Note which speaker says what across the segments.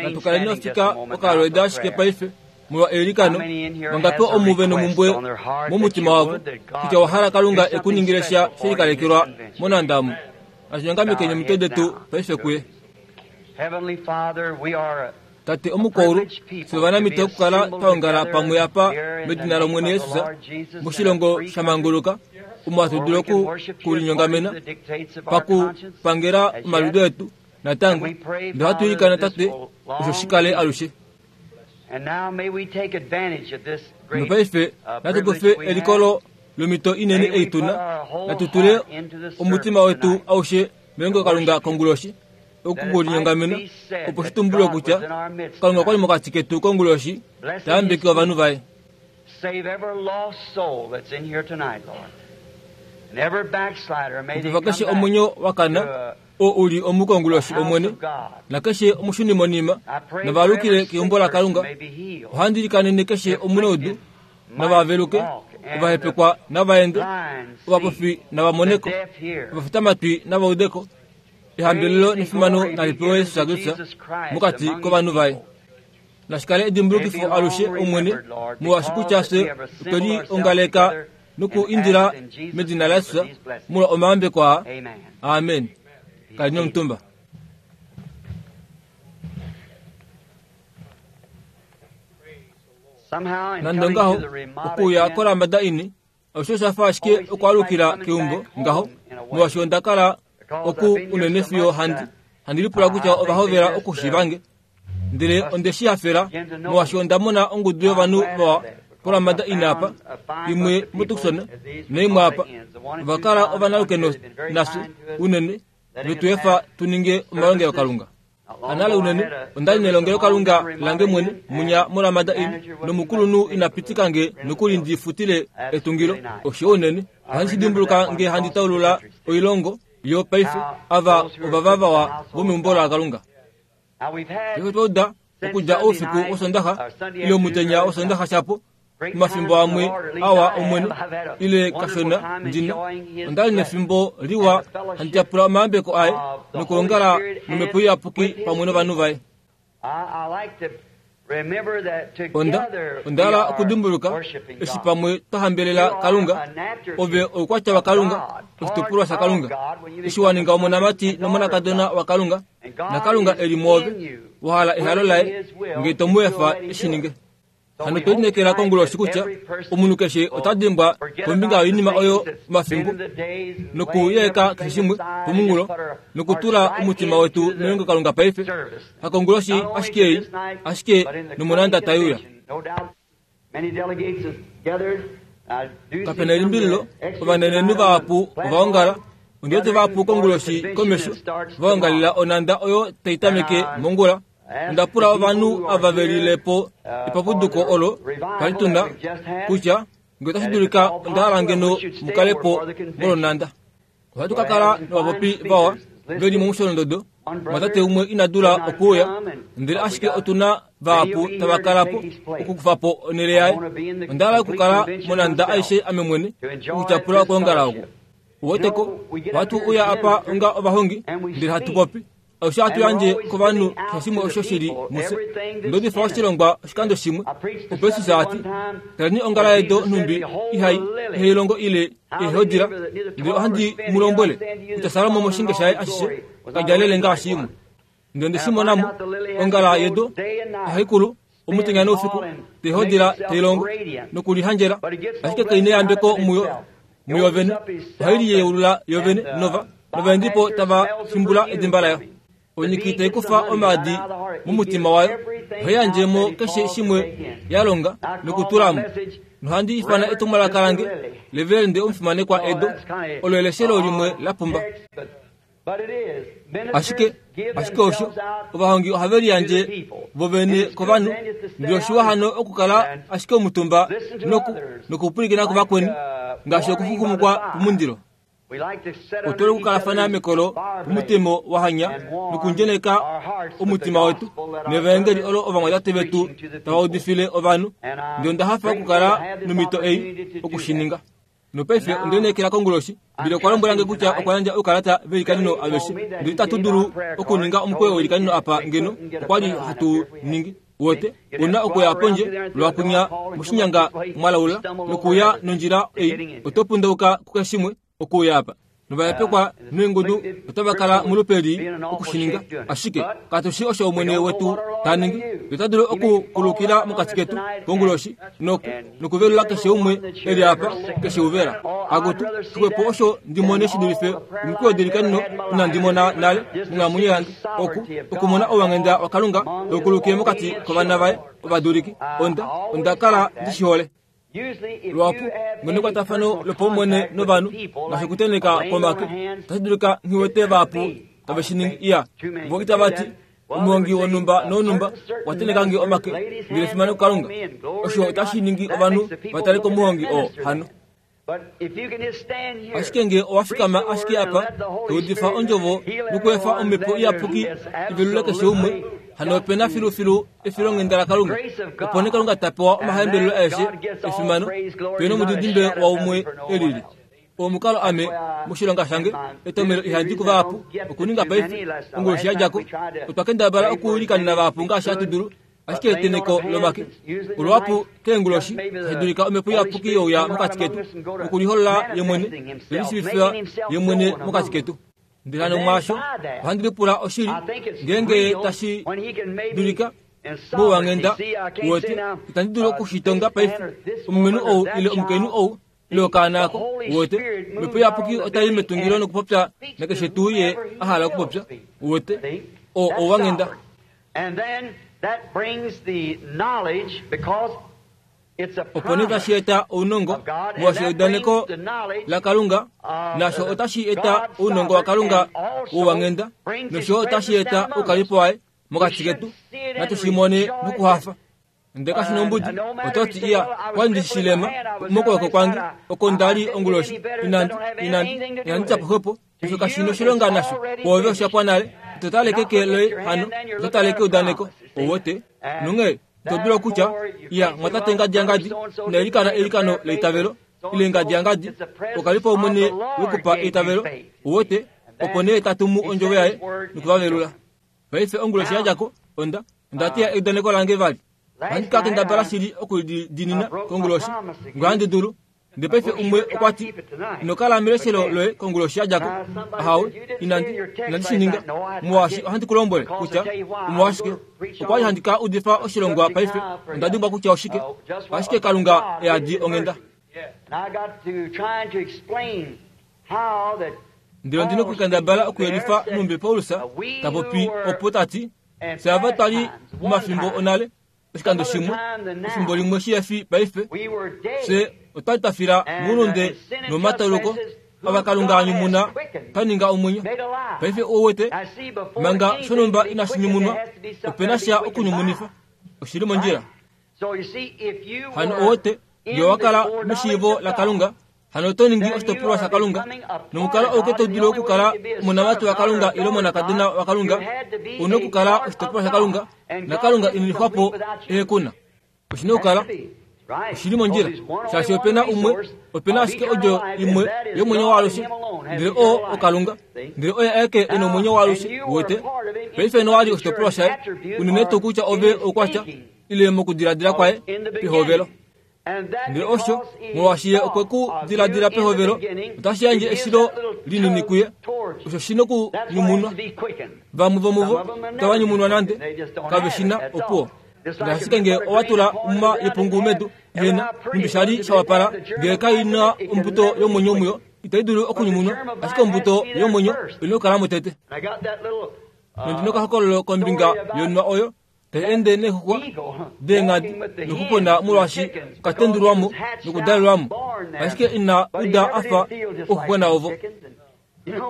Speaker 1: Natu kaleni ofika okalweda ashike paife molwa eilikano. Vangapi omuve nomumbwe momutima wavo kutya wa hala Kalunga e ku ningile sha she likalekelwa monhanda omu? Natu nyongamekeni omitwe detu paife kuye. Tate omukoulu, fye ovanamiti okukala twa ongala pamwe apa medina lOmwene Jesus moshilongo sha manguluka, omo hatu dulu oku ku linyongamena pakupangela omaliudo etu natango. Ndele ohatu ilikana, Tate, osho shi kale alushe. Nopaife natu kufe elikolo lomhito inene ei tu na, natu tule omutima wetu aushe melongelokalunga konguloshi, oku ku linyongamena, opo shi tumbulwe kutya Kalunga okwa li mokati ketu konguloshi ta yambeke ovanhu vaye. Xupifa keshe omwenyo wa kana oo u li omu konguloshi, Omwene, nakeshe omushunimonima nava alukile keumbo laKalunga. Ohandi ilikanene keshe omunaudu nava veluke, ovahepekwa nava ende, ovapofi nava mone ko, ovafitamatwi nava ude ko. Ehambelelo nefimano nali pewe Jesus Kristus mokati kovanhu vaye. Nashi kale edimbulukifo alushe, Omwene, molwaashi kutya fye otwe liongaleka noku indila medina laJesus molwa omayambeko aa. Amen. Kaleni omutumba. Nande ongaho, okuuya koRamada Inn osho osha fa ashike okwaalukila keumbo ngaho, molwaashi onda kala oku unene fiyo handi handi lipula kutya ova hovela okushiiva nge. Ndele onde shi hafela molwaashi onda mona ongudu yovanhu vawa poRamada Inn apa, imwe muTucson naimwe apa. Ova kala ovanalukeno nafye unene ve tu efa tu ninge omalongelokalunga. Anale unene, onda li nelongelokalunga lange mwene munya moRamada Inn, nomukulunhu ina pitika nge nokuli ndi futile etungilo. Oshiwa unene. Ohandi shi dimbuluka nge handi taulula oilongo yo paife. Ava ovava vawa vomeumbo laKalunga. Paife otwa uda okudja oufiku wOsondaxa ile omutenya wOsondaxa shapo, Omafimbo amwe awa Omwene, ile kashona ndi na. Onda li nefimbo liwa handi tyapula omayambeko aye nokuongala nomhepo iyapuki pamwe novanhu vaye. Onda, onda hala okudimbuluka eshi pamwe twa hambelela Kalunga. Ove oukwatya waKalunga, oshitukulwa shaKalunga. Eshi wa ninga omonamati nomonakadona waKalunga, naKalunga e li mwoove, wa hala ehalo laye, nge to mu efa e shi ninge. Hano otwe lineekela konguloshi kutya omunhu keshe ota dimbwa kombinga yoinima oyo omafimbo nokuyeeka keshe shimwe pomunghulo nokutula omutima wetu melongelokalunga paife, hakonguloshi ashike ei, ashike nomonanda tai uya. Kape na elimbililo, ovanenenhu vahapu ova ongala. Ondi wete vahapu konguloshi komesho va ongalila onanda oyo tai tameke mongula. Onda pula ovanhu ava ve lile po epapuduko olo twa li tu na, kutya nge otashi dulika onda hala ngeno mu kale po molwonhanda. Ohatu ka kala novapopi vawa ve li momusholondodo. Omumwatate umwe ina dula okuuya, ndele ashike otu na vahapu tava kala po okukufa po onhele yaye. Onda hala okukala monhanda aishe ame mwene okutyapula okwoongala oku. Uwete ko, ohatu uya apa onga ovahongi, ndele hatu popi. Osho hatu yandje kovanhu keshe shimwe osho shi li mufye. Onda udifa oshilongwa oshikando shimwe, opo Jesus a ti, Taleni ongala yedo nhumbi ihai ihai longo ile ihai ndele ohandi mu lombwele kutya Salomo moshinge shaye ashishe ka djalele ngaashi imwe. Ndele onde shi mona mo, ongala yedo ohai kulu omutenya noufiku, tai hodila, tai longo nokulihandjela, ashike kai neyambeko muyo muyo vene, ohai liyeulula yo vene nova novaendipo tava fimbula edimba layo. Onyiki tai kufa omaadi momutima wayo, ohai yandje mo keshe shimwe ya longa nokutula mo. Nohandi ifana etumwalaka lange, Reverende Omufimanekwa Edo, olo eleshelo limwe la pumba. Ashike, ashike osho, ovahongi ohave liyandje vo vene kovanhu, ndele oshiwa hano okukala ashike omutumba noku, nokupwilikina kuvakweni, ngaashi okuxuxumukwa pomundilo. Otu hole okukalafana mekolo pomutemo wa hanya nokundjeneka omutima wetu nevaengeli olo ovamwatate vetu tava udifile ovanhu. Ndele onda hafa okukala nomhito ei oku shi ninga. Nopaife onde lineekela konguloshi. Ndele okwa lombwela nge kutya okwa yandja oukalata veilikaneno aveshe. Ndele itatu dulu okuninga omukweyo weilikaneno apa ngeno okwa li hatu ningi. Wote, u na okuya pondje lwakunya moshinyanga mwalaula nokuya nondjila ei oto pundauka kukeshimwe okuuya apa. Novayapekwa noingudu otava kala molupe lii oku shi ninga. Ashike katu shii osho Omwene wetu ta ningi. Ye ota dulu okukulukila mokati ketu konguloshi noku, nokuvelula keshe umwe e li apa, keshe uvela. Akutu, xwepo osho ndi mone shi dulife omikweyo delikanino inandi mona nale monghalamwenyo yange, oku, okumona ouwanghenda waKalunga tau kulukile mokati kovana vaye ovaduliki. Onda, onda kala ndi shi hole. Luhapu, ngeno ekwatafano lopaumwene novanhu ngaashi okutenheka komake, otashi dulika nghi wete vahapu tave shi ningi. Iya, vo itava ti, Omuhongi wonhumba nowonhumba okwa tenheka nge omake, ndele efimano kuKalunga. Osho otashi ningi ovanhu va tale komuhongi oo hano. Ashike nge owa fikama ashike apa, to udifa ondjovo nokuefa Omhepo Iyapuki i velule keshe umwe, hano ope na filufilu efilonghenda laKalunga. Opo nee Kalunga ta pewa omahambelelo aeshe efimano, pe nomudidimbe waumwe e lili. Omukalo ame moshilonga shange etomelo ihandi ku vahapu okuninga paife. Onguloshi ya dja ko, otwa kendabala okuilikanena vahapu ngaashi hatu dulu, Ashike eteneko lomake oluhapu keenguloshi tashi dulika omhepo iyapuki youya mokati ketu nokuliholola ye mwene nokulishiivifa ye mwene mokati ketu. Ndele hano mwaasho ohandi lipula oshili ngeenge tashi dulika mouwanghenda uwete itandi dulu oku shi tonga paife omulumenhu ou ile omukainhu ou ile okaana ako uwete omhepo iyapuki otai metungilo nokupopya nakeshe tuu ye a hala okupopya uwete o ouwanghenda Opo nee tashi eta ounongo molwaashi eudaneko laKalunga nasho otashi eta ounongo waKalunga wouwanghenda nosho yo otashi eta oukalipo waye mokati ketu. Natu shi mone nokuhafa. Ndele kashi na ombudi, oto ti, Iya, kwa ndi shilema mokwooko kwange oko nda li onguloshi. Inandi, inandi, inandi tya po xwepo. Osho kashi noshilonga nasho. Kwoove osha pwa nale. Ito tale keke loye hano, oto tale keudaneko. Ouwete? Nonghee ito dulu okutya, Iya, mwatate ngadi yangadi, ina ilikana eilikano leitavelo, ile ngadi yangadi, okalipo Omwene wekupa eitavelo. Ouwete? Opo nee ta tumu ondjovo yaye noku va velula. Paife onguloshi ya dja ko, onda, onda teya eudaneko lange vali. Ohandi ka kendabala shili oku li diinina konguloshi, ngahandi dulu. Ndele paife umwe okwa ti, Ino kala meleshelo loye konguloshi ya dja ko. Ahawe, inandi, inandi shi ninga. Molwaashi ohandi ku lombwele kutya omolwashike. Okwa li handi ka udifa oshilongwa paife, onda dimbwa kutya oshike. Ashike Kalunga e yadi onghenda. Ndele ondi nokukendabala okuyelifa nhumbi Paulus ta popi opo ta ti, Fye ava twa li momafimbo onale, oshikando shimwe, efimbo limwe shi fi paife, fye otwa li twa fila moulunde nomomatauluko, ava Kalunga a nyumuna twa ninga omwenyo. Paife ou wete, manga shonhumba inashi nyumunwa, ope na sha okunyumunifa. Oshi li mondjila. Hano ou wete, nge owa kala meshiivo laKalunga, Hano oto ningi oshitopolwa shaKalunga, nomukalo auke to dulu okukala omonamati waKalunga ile omonakadona waKalunga, ou na okukala oshitopolwa shaKalunga, naKalunga ine lixwa po ehe ku na. Oshi na okukala oshi li mondjila, shaashi ope na umwe, ope na ashike odjo imwe yomwenyo waalushe, ndele oo oKalunga. Ndele oye aeke e na omwenyo waalushe, uwete. Paife nowa li oshitopolwa shaye, unene tuu kutya ove oukwatya, ile mokudiladila kwaye pehovelo. Ndele osho, molwaashi ye okwe ku diladila pehovelo, otashi yandje eshilo linini kuye. Osho shi nokunyumunwa. Vamwe vomuvo itava nyumunwa nande, kave shi na opuwo. Ngaashi ashike ngee owa tula omuma yepungu medu ihena, nhumbi sha li sha wapala, ngee kai na ombuto yomwenyo muyo, itai dulu okunyumunwa. Ashike ombuto yomwenyo oi na okukala mo tete. Nondi na okahokololo kombinga yonwa oyo tai ende neexuxwa deenghadi nokupona molwaashi okatendulwa mo nokudalelwa mo, ashike ina uda a fa ouxuxwena ovo.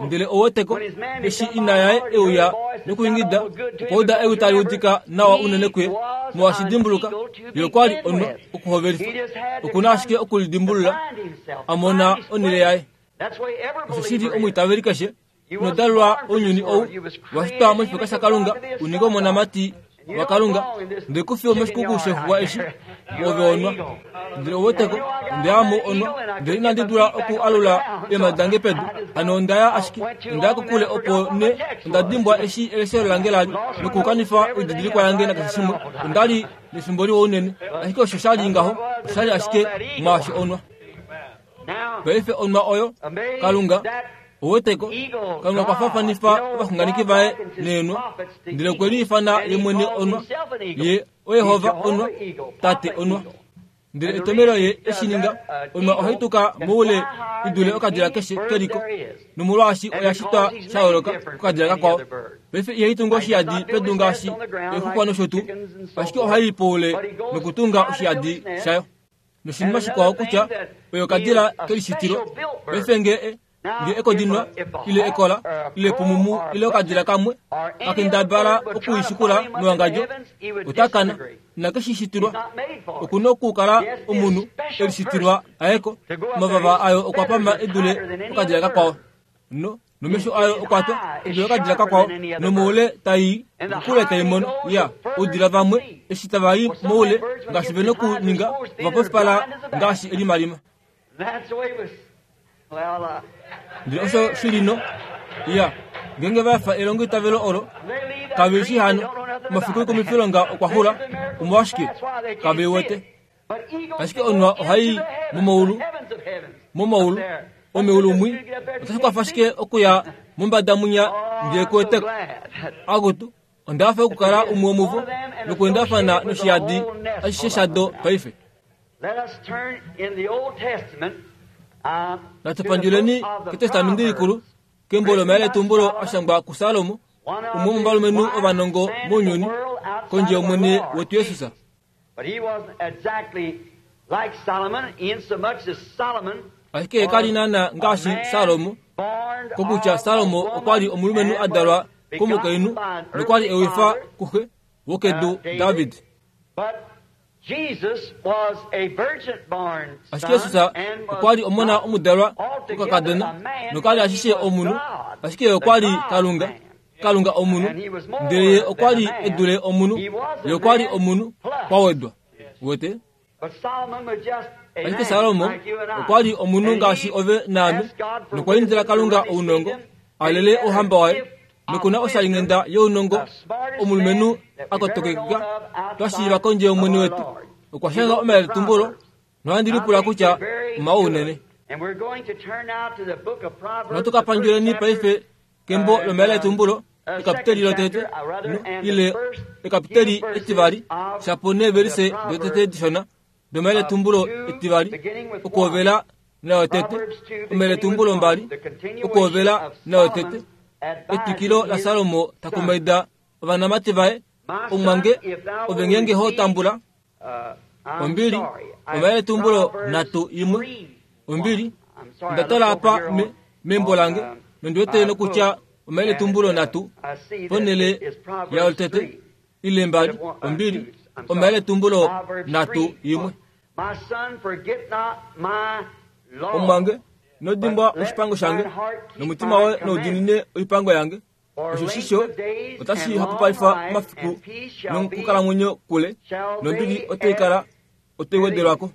Speaker 1: Ndele ou weteko, eshi ina yaye e uya nokuingida, okwa uda ewi tali udika nawa unene kuye, molwaashi dimbuluka, ye okwa li onwa okuhovelifa. Oku na ashike okulidimbulula, a mona onhele yaye. Osho shi li omwiitaveli keshe. Ino dalelwa ounyuni ou, wa shitwa moshifeka shaKalunga u ninge omonamati waKalunga, ndele ku fi womoshikuku shexuwa eshi, ove onwa. Ndele ou weteko, onda ya mo onwa, ndele inandi dula oku alula eemhadi dange pedu. Hano onda ya ashike, onda ya kokule opo nee onda dimbwa eshi eleshelo lange la li, nokukanifa oididilikwa yange nakeshe shimwe. Onda li nefimbo liwa unene, ashike osho sha li ngaho, osha li ashike mwaashi onwa. Paife onwa oyo, Kalunga, ou weteko, Kalunga okwa faafanifa ovaxunganeki vaye neenwa, ndele okwe liifana ye mwene onwa. Ye oYehova onwa, Tate onwa. Ndele etomelo ye eshi ninga, onwa ohai tuka moule i dule okadila keshe keliko, nomolwaashi oya shitwa sha yooloka kokadila kakwao. Paife ihai tungu oshiyadi pedu ngaashi eexuxwa nosho tuu, ashike ohai i poule nokutunga oshiyadi shayo. Noshinima shikwao kutya oyo okadila kelishitilo. Paife nge e, nge ekodinwa ile ekola ile epumumu ile okadila kamwe ka kendabala okuishikula mewangadjo, ota kana. Inake shi shitilwa. Oku na okukala omunhu e lishitilwa aye ko. Omavava ayo okwa pama e dule okadila kakwao. No, nomesho ayo okwa twa e dule okadila kakwao. Nomoule tai i, nokokule tai mono. Ya, oudila vamwe eshi tava i moule ngaashi ve nokuninga, ova pofipala ngaashi elimalima. Ndele osho shi li no. Ya, ngeenge va efa elongoitavelo olo, kave shii hano, omafiku oikumifilonga okwa xula, omolwashike, kave wete. Ashike onwa ohai i momaulu, momaulu, omeulu mwi, otashi kwafa shike okuya mombada mwinya ndele ku wete ko? Akutu, onda hafa okukala umwe womuvo nokweendafana noshiyadi ashishe shado paife. Natu pandjuleni kEtestamenti Likulu, kembo lOmayeletumbulo a shangwa kuSalomo, umwe womovalumenhu ovanongo mounyuni, kondje yOmwene wetu Jesus. Ashike ye ka li naanaa ngaashi Salomo, kokutya Salomo okwa li omulumenhu a dalwa komukainhu nokwa li e wifa kuxe wokedu David. Ashike Jesus okwa li omona omudalwa kokakadona noka li ashishe omunhu, ashike ye okwa li Kalunga, Kalunga omunhu, ndele ye okwa li e dule omunhu, ye okwa li omunhu kwa wedwa. Uwete? Ashike Salomo okwa li omunhu ngaashi ove naame, nokwa indila Kalunga ounongo, a lele ouhamba waye, noku na oshalinghenda younongo, omulumenhu a kotokekeka, twa shiiva kondje yOmwene wetu. Okwa shanga omayeletumbulo, nohandi lipula kutya omawa unene. Natu ka pandjuleni paife kembo lomayeletumbulo, ekapiteli lotete, no, ile ekapiteli etivali, shapo neevelise dotete dishona domayeletumbulo etivali, okuhovela nayo tete, omayeletumbulo mbali, okuhovela nayo tete, etwikilo laSalomo ta kumaida ovanamati vaye, Omumwange, ove ngeenge ho tambula ombili, omayeletumbulo nhatu imwe, ombili, onda tala apa me, membo lange, nondi wete nokutya omayeletumbulo nhatu ponhele yayo tete, ile mbali, ombili, omayeletumbulo nhatu imwe. Omumwange, ino dimbwa oshipango shange, nomutima woye nau diinine oipango yange. Osho shisho otashi hapupalifa omafiku nokukalamwenyo kule, nombili otai kala otai wedelwa ko.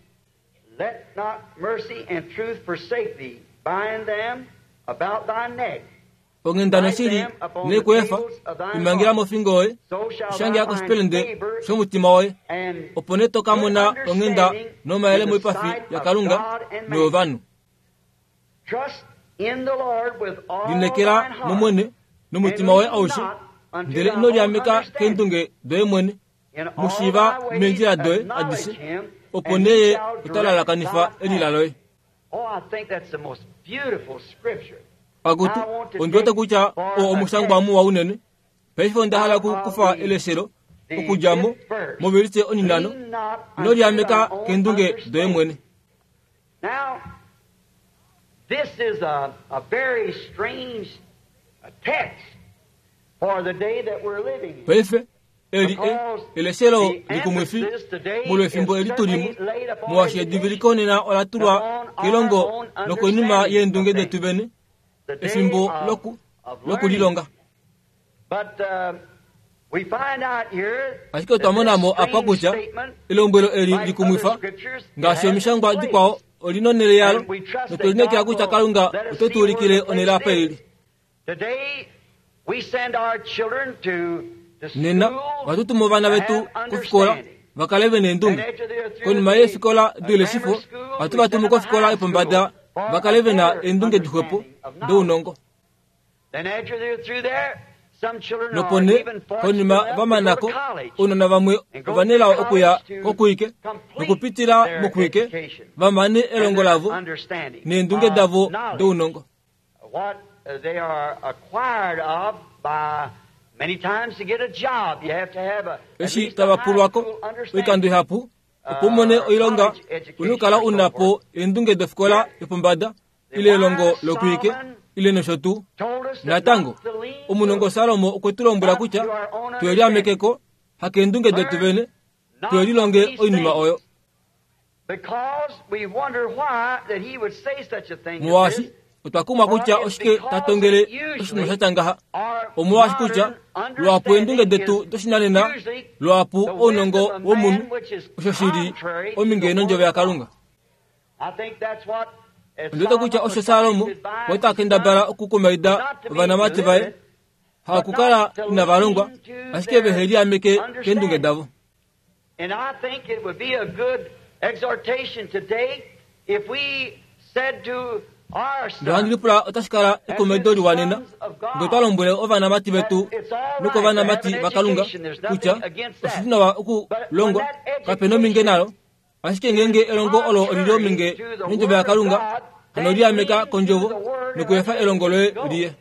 Speaker 1: Onghenda noshili ne ku efa, i mangela mofingo yoye, i shangela koshipelende shomutima woye. Opo nee to ka mona onghenda nomayele moipafi yaKalunga noyovanhu. Lineekela mOmwene nomutima woye aushe, ndele ino liameka keendunge doye mwene. Mu shiiva meendjila doye adishe, opo nee ye ota lalakanifa elila loye. Akutu, ondi wete kutya oo omushangwa muwa unene. Paife onda hala oku kufa eleshelo okudja mo movelise oninano. Ino liameka keendunge doye mwene.
Speaker 2: Now, this is a, a very strange text for the day that we're living in.
Speaker 1: Paife, eli e, eleshelo likumwifi molwefimbo eli tu li mo, molwaashi ediviliko nena ola tulwa kelongo nokoinima yeendunge detu vene,
Speaker 2: The day
Speaker 1: efimbo
Speaker 2: of,
Speaker 1: loku
Speaker 2: of
Speaker 1: lokulilonga.
Speaker 2: learning. But,
Speaker 1: Ashike otwa mona mo apa kutya elombwelo eli likumwifa, ngaashi omishangwa dikwao, oli nonhele yalo, notwe lineekela kutya Kalunga ote tu ulikile onhele apa ili. Nena ohatu tumu ovana vetu kofikola va kale ve neendunge. Konima yeefikola doileshifo, ohatu va tumu kofikola yopombada va kale ve na eendunge dixwepo dounongo. Nopo nee, konima va mana ko, ounona vamwe ova nelao okuya kokuike nokupitila mokuike va mane elongo lavo neendunge davo dounongo. Eshi tava pulwa ko oikando ihapu opo u mone oilonga, u na okukala u na po eendunge dofikola yopombada ile elongo lokuike ile nosho tuu. Natango, omunongo Salomo okwe tu lombwela kutya twe liameke ko, hakeendunge detu vene, twe lilonge oinima oyo. Molwaashi otwa kumwa kutya oshike ta tongele oshinima sha tya ngaha, omolwaashi kutya luhapu eendunge detu doshinanena, luhapu ounongo womunhu, osho shi li ominge nondjovo yaKalunga. Ondi wete kutya osho Salomo okwa ta kendabala okukumaida ovanamati vaye, hakukala inava longwa, ashike vehe liameke keendunge davo.
Speaker 2: And I think it would be a good exhortation today if we said to our
Speaker 1: Ndele ohandi
Speaker 2: sons,
Speaker 1: lipula otashi kala ekumaido liwa nena ngee otwa lombwele ovanamati vetu nokovanamati vaKalunga kutya oshi li nawa okulongwa, kape nominge nalo, ashike ngeenge elongo olo oli li ominge nondjovo yaKalunga, hano liameka kondjovo nokuefa elongo loye liye.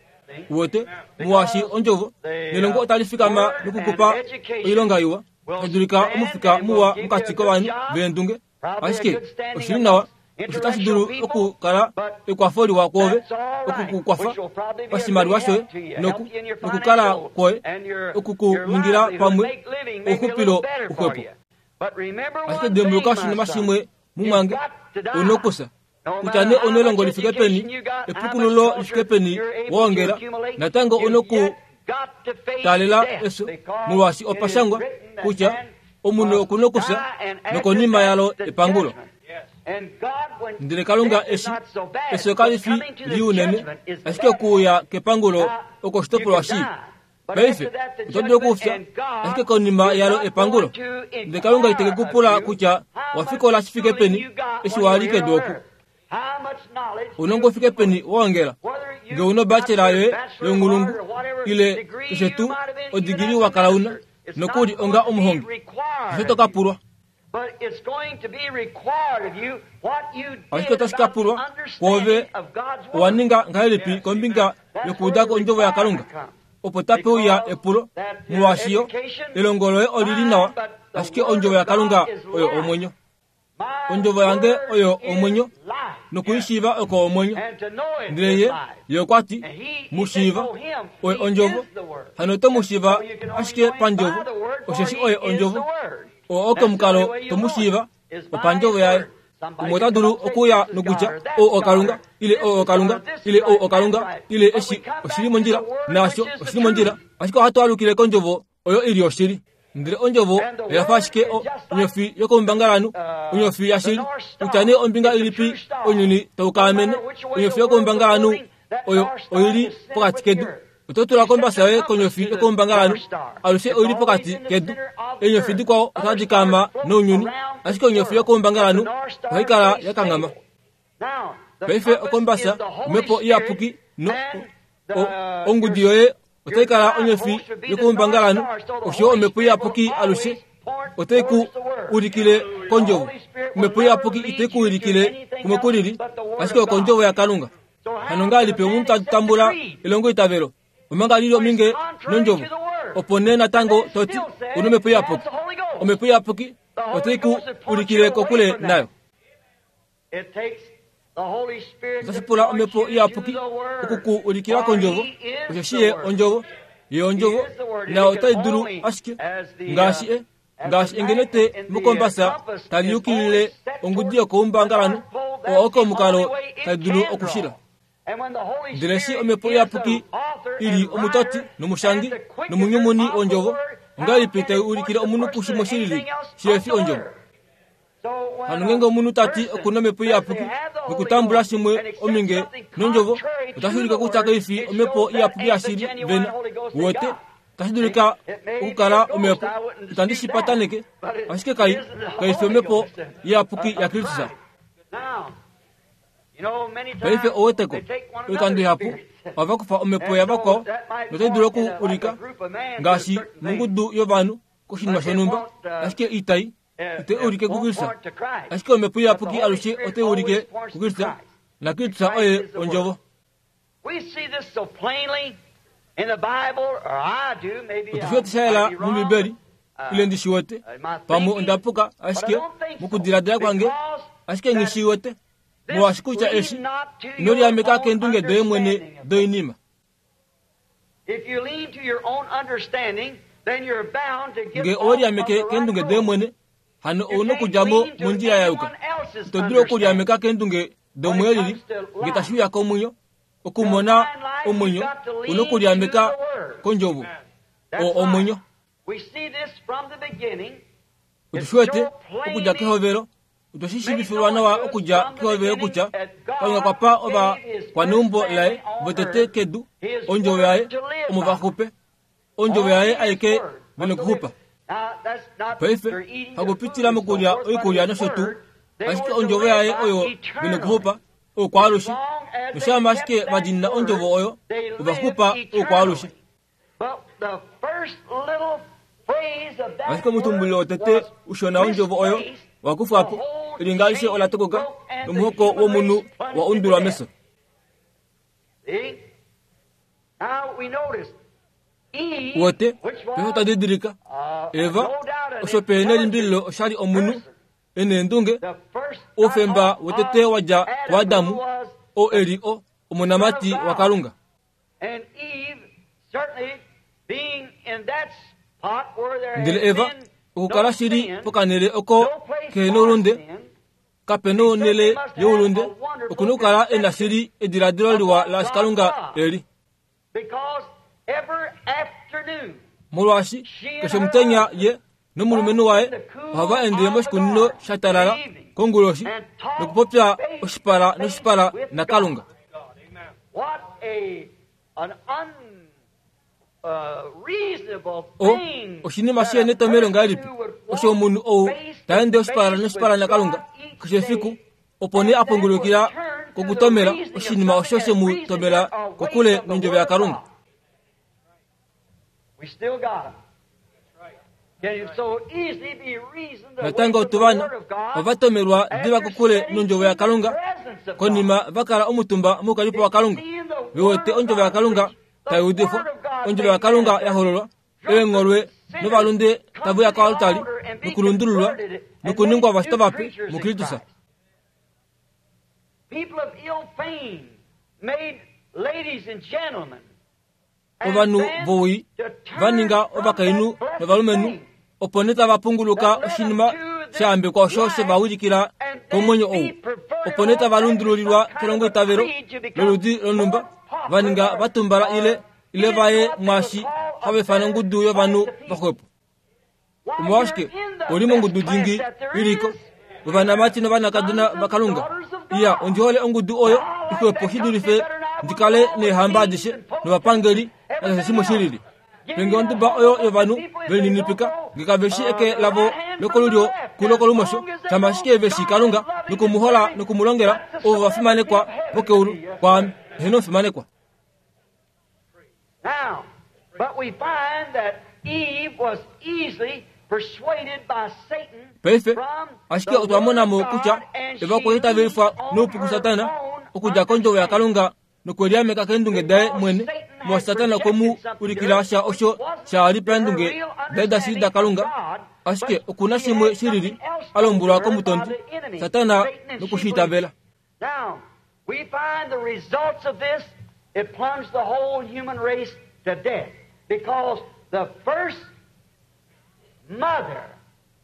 Speaker 1: Uwete, molwaashi ondjovo nelongo otali fikama nokukupa oilonga iwa, tashi dulika omufika muwa mokati kovanhu veendunge, ashike oshi li nawa osho tashi dulu okukala ekwafo liwa kwoove oku ku kwafa pashimaliwa shoye noku nokukala kwoye oku ku ningila pamwe ouxupilo uxwepo. Ashike dimbuluka oshinima shimwe mumwange, u nokusa. Kutya nee ou nelongo li fike peni, epukululo li fike peni wa ongela, natango ou nokutaalela efyo, molwaashi opa shangwa kutya omunhu oku nokufya nokonima yalo epangulo. Ndele Kalunga eshi efyo kali fi lii unene, ashike okuuya kepangulo oko oshitopolwa shii. Paife, oto dulu okufya, ashike konima yalo epangulo. Ndele Kalunga ite ke ku pula kutya wa fikola shi fike peni eshi wa li kedu oku. Ounongo u fike peni wa ongela, nge u nobachelor yoye younghulungu, ile keshe tuu odigili wa kala una, nokuli onga omuhongi. Hasho to ka pulwa. Ashike otashi ka pulwa kwoove owa ninga ngahelipi kombinga yokuuda ko ondjovo yaKalunga. Opo tape uya epulo, molwaashi yo, elongo loye oli li nawa, ashike ondjovo yaKalunga oyo omwenyo. Ondjovo yange oyo omwenyo, noku i shiiva oko omwenyo. Ndele ye, ye okwa ti, Mu shiiva, oye ondjovo. Hano oto mu shiiva ashike pandjovo, osheshi oye ondjovo. Oo oko omukalo to mu shiiva, opandjovo yaye. Umwe ota dulu okuuya nokutya, Ou oKalunga, ile ou oKalunga, ile ou oKalunga, ile eshi oshi li mondjila, naasho oshi li mondjila. Ashike ohatu alukile kOndjovo oyo i li oshili. Ndele Ondjovo oya fa ashike o, onyofi yokoumbangalanhu, onyofi yashili. Kutya nee ombinga ilipi ounyuni tau kaamene, onyofi yokoumbangalanhu oyo oi li pokati kedu. Oto tula kombasa yoye konyofi yokoumbangalanhu, alushe oi li pokati kedu. Eenyofi dikwao otadi kaama nounyuni, ashike onyofi yokoumbangalanhu ohai kala ya kanghama. Paife okombasa, Omhepo Iyapuki, no, o, ongudi yoye otai kala onyofi yokoumbangalanhu, osho Omhepo Iyapuki alushe otai ku ulikile kOndjovo. Omhepo Iyapuki itai ku ulikile kumwe kulili, ashike okOndjovo yaKalunga. Hano ngahelipi omunhu ta tambula elongoitavelo omanga li li ominge nOndjovo, opo nee natango to ti, Ou nOmhepo Iyapuki? Omhepo Iyapuki otai ku ulikile kokule nayo. Otashi pula Omhepo Iyapuki oku ku ulikila kOndjovo, osheshi Ye Ondjovo. Ye Ondjovo, nayo otai dulu ashike ngaashi e ngaashi engenete mokombasa tali yukilile ongudi yokoumbangalanhu, oo oko omukalo tali dulu okushila. Ndele eshi Omhepo Iyapuki i li Omutoti nOmushangi nOmunyumuni wOndjovo, Ongahelipi tai ulikile omunhu kushimwe shi lili shihe fi ondjovo? Hano ngeenge omunhu ta ti oku na omhepo iyapuki nokutambula shimwe ominge nondjovo, otashi ulike kutya kai fi omhepo iyapuki yashili vena. Uwete? Otashi dulika okukala omhepo, itandi shi pataneke, ashike kai, kai fi omhepo iyapuki yaKristus. Paife oweteko, oikando ihapu ohava kufa omhepo yavakwao notai dulu oku ulika ngaashi mongudu yovanhu koshinima shonhumba, ashike itai itai ulike kuKristus. Ashike omhepo iyapuki alushe otai ulike kuKristus, naKristus oye Ondjovo. Otu shi wete sha yela mOmbibeli, ile ndi shi wete. Pamwe onda puka, ashike mokudiladila kwange, ashike nghi shi wete. Molwaashi kutya eshi, ino liameka keendunge doye mwene doinima. Nge owe liameke keendunge doye mwene, hano ou nokudja mo mondjila ya yuka. Ito dulu okuliameka keendunge domweelili nge tashi uya komwenyo. Okumona omwenyo, ou nokuliameka kOndjovo, oo omwenyo. Otu shi wete okudja kehovelo Otwe shi shiivifilwa nawa okudja kehovelo kutya Kalunga okwa pa ovakwaneumbo laye votete kedu ondjovo yaye omo va xupe. Ondjovo yaye aike ve nokuxupa. Paife, hakupitila mokulya oikulya nosho tuu, ashike ondjovo yaye oyo ve nokuxupa oukwaalushe. Noshama ashike va diinina ondjovo oyo, ova xupa oukwaalushe. Ashike omutumbulilo wotete ushona wondjovo oyo wa kufwa po, elinga alishe ola tokoka, nomuhoko womunhu wa undulwa mefyo. Wote, paife otwa didilika, Eva, osho pehe nelimbililo osha li omunhu e neendunge, oufemba wotete wa dja kuAdamu, oo e li o, omonamati waKalunga. Ndele Eva okukala shili pokanhele oko kehe noulunde, kape nonhele youlunde, oku na okukala e na shili ediladilo liwa laashi Kalunga e li. Molwaashi keshe omutenya ye nomulumenhu waye ohava ende moshikunino sha talala konguloshi nokupopya oshipala noshipala naKalunga. O, oshinima shi netomhelo ngahelipi osho omunhu ou ta ende oshipala noshipala naKalunga keshe efiku, opo nee a pungulukila kokutomela oshinima osho she mu tomela kokule nondjovo yaKalunga. Natango otu vana ova tomelwa diva kokule nondjovo yaKalunga konima va kala omutumba moukalipo waKalunga, ve wete ondjovo yaKalunga tai udifwa, ondjovo yaKalunga ya hololwa, eengholwe novalunde tave uya koaltari nokulundululwa nokuningwa ovashitwa vape muKristus. Ovanhu vowii va ninga ovakainhu novalumenhu, opo nee tava punguluka oshinima sha yambekwa osho she va wilikila komwenyo ou, opo nee tava lundululilwa kelongoitavelo loludi lonhumba, va ninga va tumbala ile ile va ye mwaashi hava ifana ongudu yovanhu vaxwepo. Omolwashike u li mongudu dingi i li ko yovanamati novanakadona vaKalunga? Iya, ondi hole ongudu oyo ixwepo shi dulife ndi kale neehamba adishe novapangeli nakeshe shimwe shi lili. Penge onduba oyo yovanhu ve lininipika, nge kave shi eke lavo lokolulyo kulokolumosho, shama ashike ve shii Kalunga noku mu hola noku mu longela, ovo va fimanekwa vokeulu kwaame. Eheno omufimanekwa.
Speaker 2: Now, but we find that Eve was easily persuaded by Satan
Speaker 1: Paife,
Speaker 2: from
Speaker 1: ashike
Speaker 2: the
Speaker 1: otwa
Speaker 2: word
Speaker 1: mona
Speaker 2: of
Speaker 1: mo
Speaker 2: God,
Speaker 1: kutya
Speaker 2: and
Speaker 1: Eva
Speaker 2: she
Speaker 1: okwa itavelifwa
Speaker 2: leaned on
Speaker 1: noupu
Speaker 2: her
Speaker 1: kuSatana
Speaker 2: own
Speaker 1: okudja kondjovo
Speaker 2: understanding.
Speaker 1: yaKalunga nokweliameka keendunge daye
Speaker 2: Because
Speaker 1: mwene,
Speaker 2: Satan had
Speaker 1: molwaashi Satana okwe mu
Speaker 2: projected something to
Speaker 1: ulikila
Speaker 2: her
Speaker 1: sha
Speaker 2: which
Speaker 1: osho
Speaker 2: wasn't
Speaker 1: sha li
Speaker 2: her
Speaker 1: paendunge
Speaker 2: real
Speaker 1: daye dashili
Speaker 2: understanding of
Speaker 1: daKalunga,
Speaker 2: God,
Speaker 1: ashike
Speaker 2: but
Speaker 1: oku na
Speaker 2: she
Speaker 1: shimwe
Speaker 2: had
Speaker 1: shi lili
Speaker 2: something else
Speaker 1: a
Speaker 2: told
Speaker 1: lombwelwa
Speaker 2: her by
Speaker 1: komutondi,
Speaker 2: the enemy,
Speaker 1: Satana
Speaker 2: Satan, and
Speaker 1: noku
Speaker 2: she
Speaker 1: shi
Speaker 2: believed.
Speaker 1: itavela.
Speaker 2: Now, we find the results of this, it plunged the whole human race to death. Because the first mother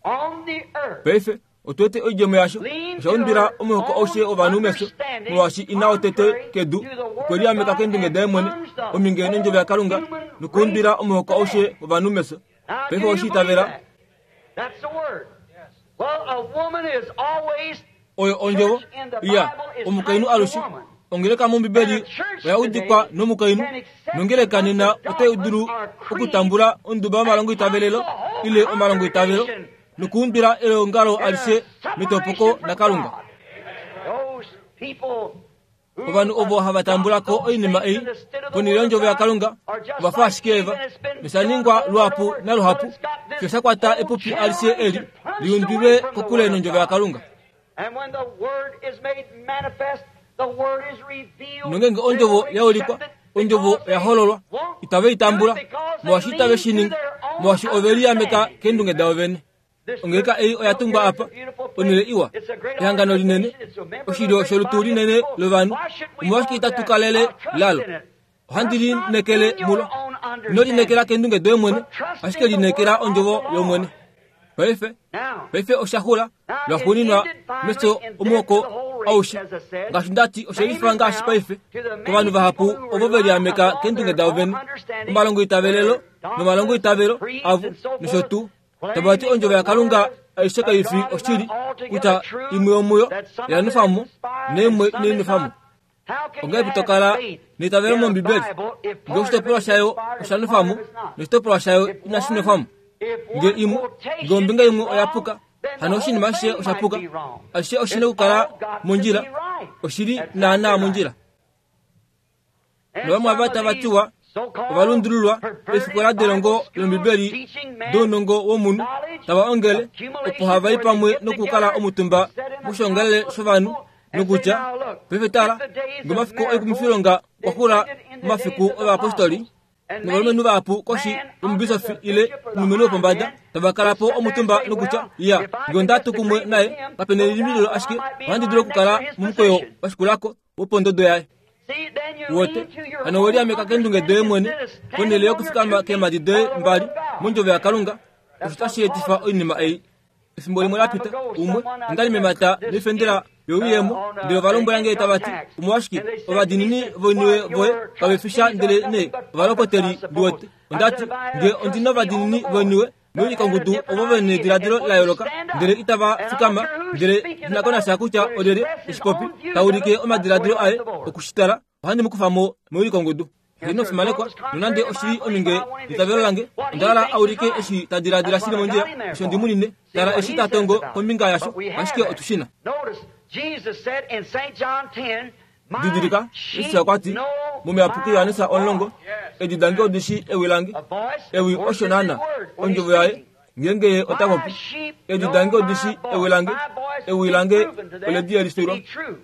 Speaker 2: on the earth
Speaker 1: Paife otu wete oidjemo yasho
Speaker 2: leaned
Speaker 1: osha
Speaker 2: to
Speaker 1: undwila
Speaker 2: her
Speaker 1: omuhoko
Speaker 2: own
Speaker 1: aushe wovanhu mefyo
Speaker 2: understanding,
Speaker 1: molwaashi ina wotete
Speaker 2: contrary
Speaker 1: kedu
Speaker 2: to the
Speaker 1: okwe
Speaker 2: Word of
Speaker 1: liameka
Speaker 2: God,
Speaker 1: keendunge
Speaker 2: and
Speaker 1: daye mwene
Speaker 2: plunged the
Speaker 1: ominge nondjovo
Speaker 2: whole
Speaker 1: yaKalunga
Speaker 2: human
Speaker 1: nokuundwila
Speaker 2: race
Speaker 1: omuhoko
Speaker 2: to
Speaker 1: aushe
Speaker 2: death.
Speaker 1: wovanhu mefyo. Paife owe shi itavela? Oyo ondjovo iya omukainhu alushe. Ongeleka mOmbibeli oya udikwa nomukainhu, nongeleka nena otai dulu okutambula onduba yomalongoitavelelo ile omalongoitavelo nokuundula eongalo alishe metopoko naKalunga. Ovanhu ovo hava tambula ko oinima ei ponhele yondjovo yaKalunga ova fa ashike eva, nosha ningwa luhapu naluhapu fiyo sha kwata epupi alishe eli liundulwe kokule nondjovo yaKalunga. Nongeenge ondjovo ya ulikwa, ondjovo oya hololwa, itave i tambula, molwaashi itave shi ningi, molwaashi ove liameka keendunge davo vene. Ongeleka ei oya tungwa apa, onhele iwa, ehangano linene, oshilyo sholutu linene lovanhu. Omolwashike itatu kalele lalo? Ohandi lineekele mulo. Ino lineekela keendunge doye mwene, ashike lineekela ondjovo yOmwene. Paife, paife osha xula lwaxuuninwa mefyo omuhoko aushe. Ngaashi nda ti, oshe lifa ngaashi paife kovanhu vahapu ovo ve liameka keendunge davo vene, omalongoitavelelo nomalongoitavelo avo nosho tuu. Tava ti ondjovo yaKalunga aishe kai fi oshili, kutya imwe yomuyo oya nwefa mo naimwe inai nwefa mo. Ongahelipi to kala neitavelo mOmbibeli ngee oshitopolwa shayo osha nwefa mo noshitopolwa shayo inashi nwefa mo? Ngee imwe, ngee ombinga imwe oya puka, hano oshinima ashishe osha puka. Ashishe oshi na okukala mondjila, oshi li naanaa mondjila. Novamwe ava tava tiwa ova lundululwa eefikola delongo lOmbibeli dounongo womunhu, tava ongele opo hava i pamwe nokukala omutumba moshiongalele shovanhu nokutya, Paife tala, ngomafiku oikumifilonga okwa xula momafiku ovayapostoli, novalumenhu vahapu koshi yomubisofi ile omulumenhu wopombada tava kala po omutumba nokutya, Ya, nge onda tu kumwe naye, kape nelimbililo ashike ohandi dulu okukala momukweyo wa shikula ko wopondodo yaye. Wote, hano we liameka keendunge doye mwene ponhele yokufikama keemhadi doye mbali mondjovo yaKalunga, osho tashi etifa oinima ei. Efimbo limwe la pita, umwe, onda li memata noifendela youyemo, ndele ova lombwela nge tava ti, Omolwashike, ovadiinini voiniwe voye kave fi sha ndele nee ovalopoteli, ndi wete. Onda ti, Nge ondi novadiinini voiniwe, Noyi kongudu ovo ve nediladilo la yooloka, ndele itava fikama, ndele nghi ko nasha kutya olyelye eshi popi, ta ulike omadiladilo aye oku shi tala, ohandi mu kufa mo moyi kongudu. Heeno, fimanekwa, nonande oshi li ominge yeitavelo lange, onda hala a ulike eshi ta diladila shi li mondjila, osho ndi mu nine. Tala eshi ta tongo kombinga yasho, ashike otu shi na. Didilika, Jesus okwa ti, Momuyapuki Johannes 10, Edi dange odi shii ewi lange. Ewi osho naana, ondjovo yaye, ngeenge ye ota popi. Edi dange odi shii ewi lange. Ewi lange ole di yelifilwa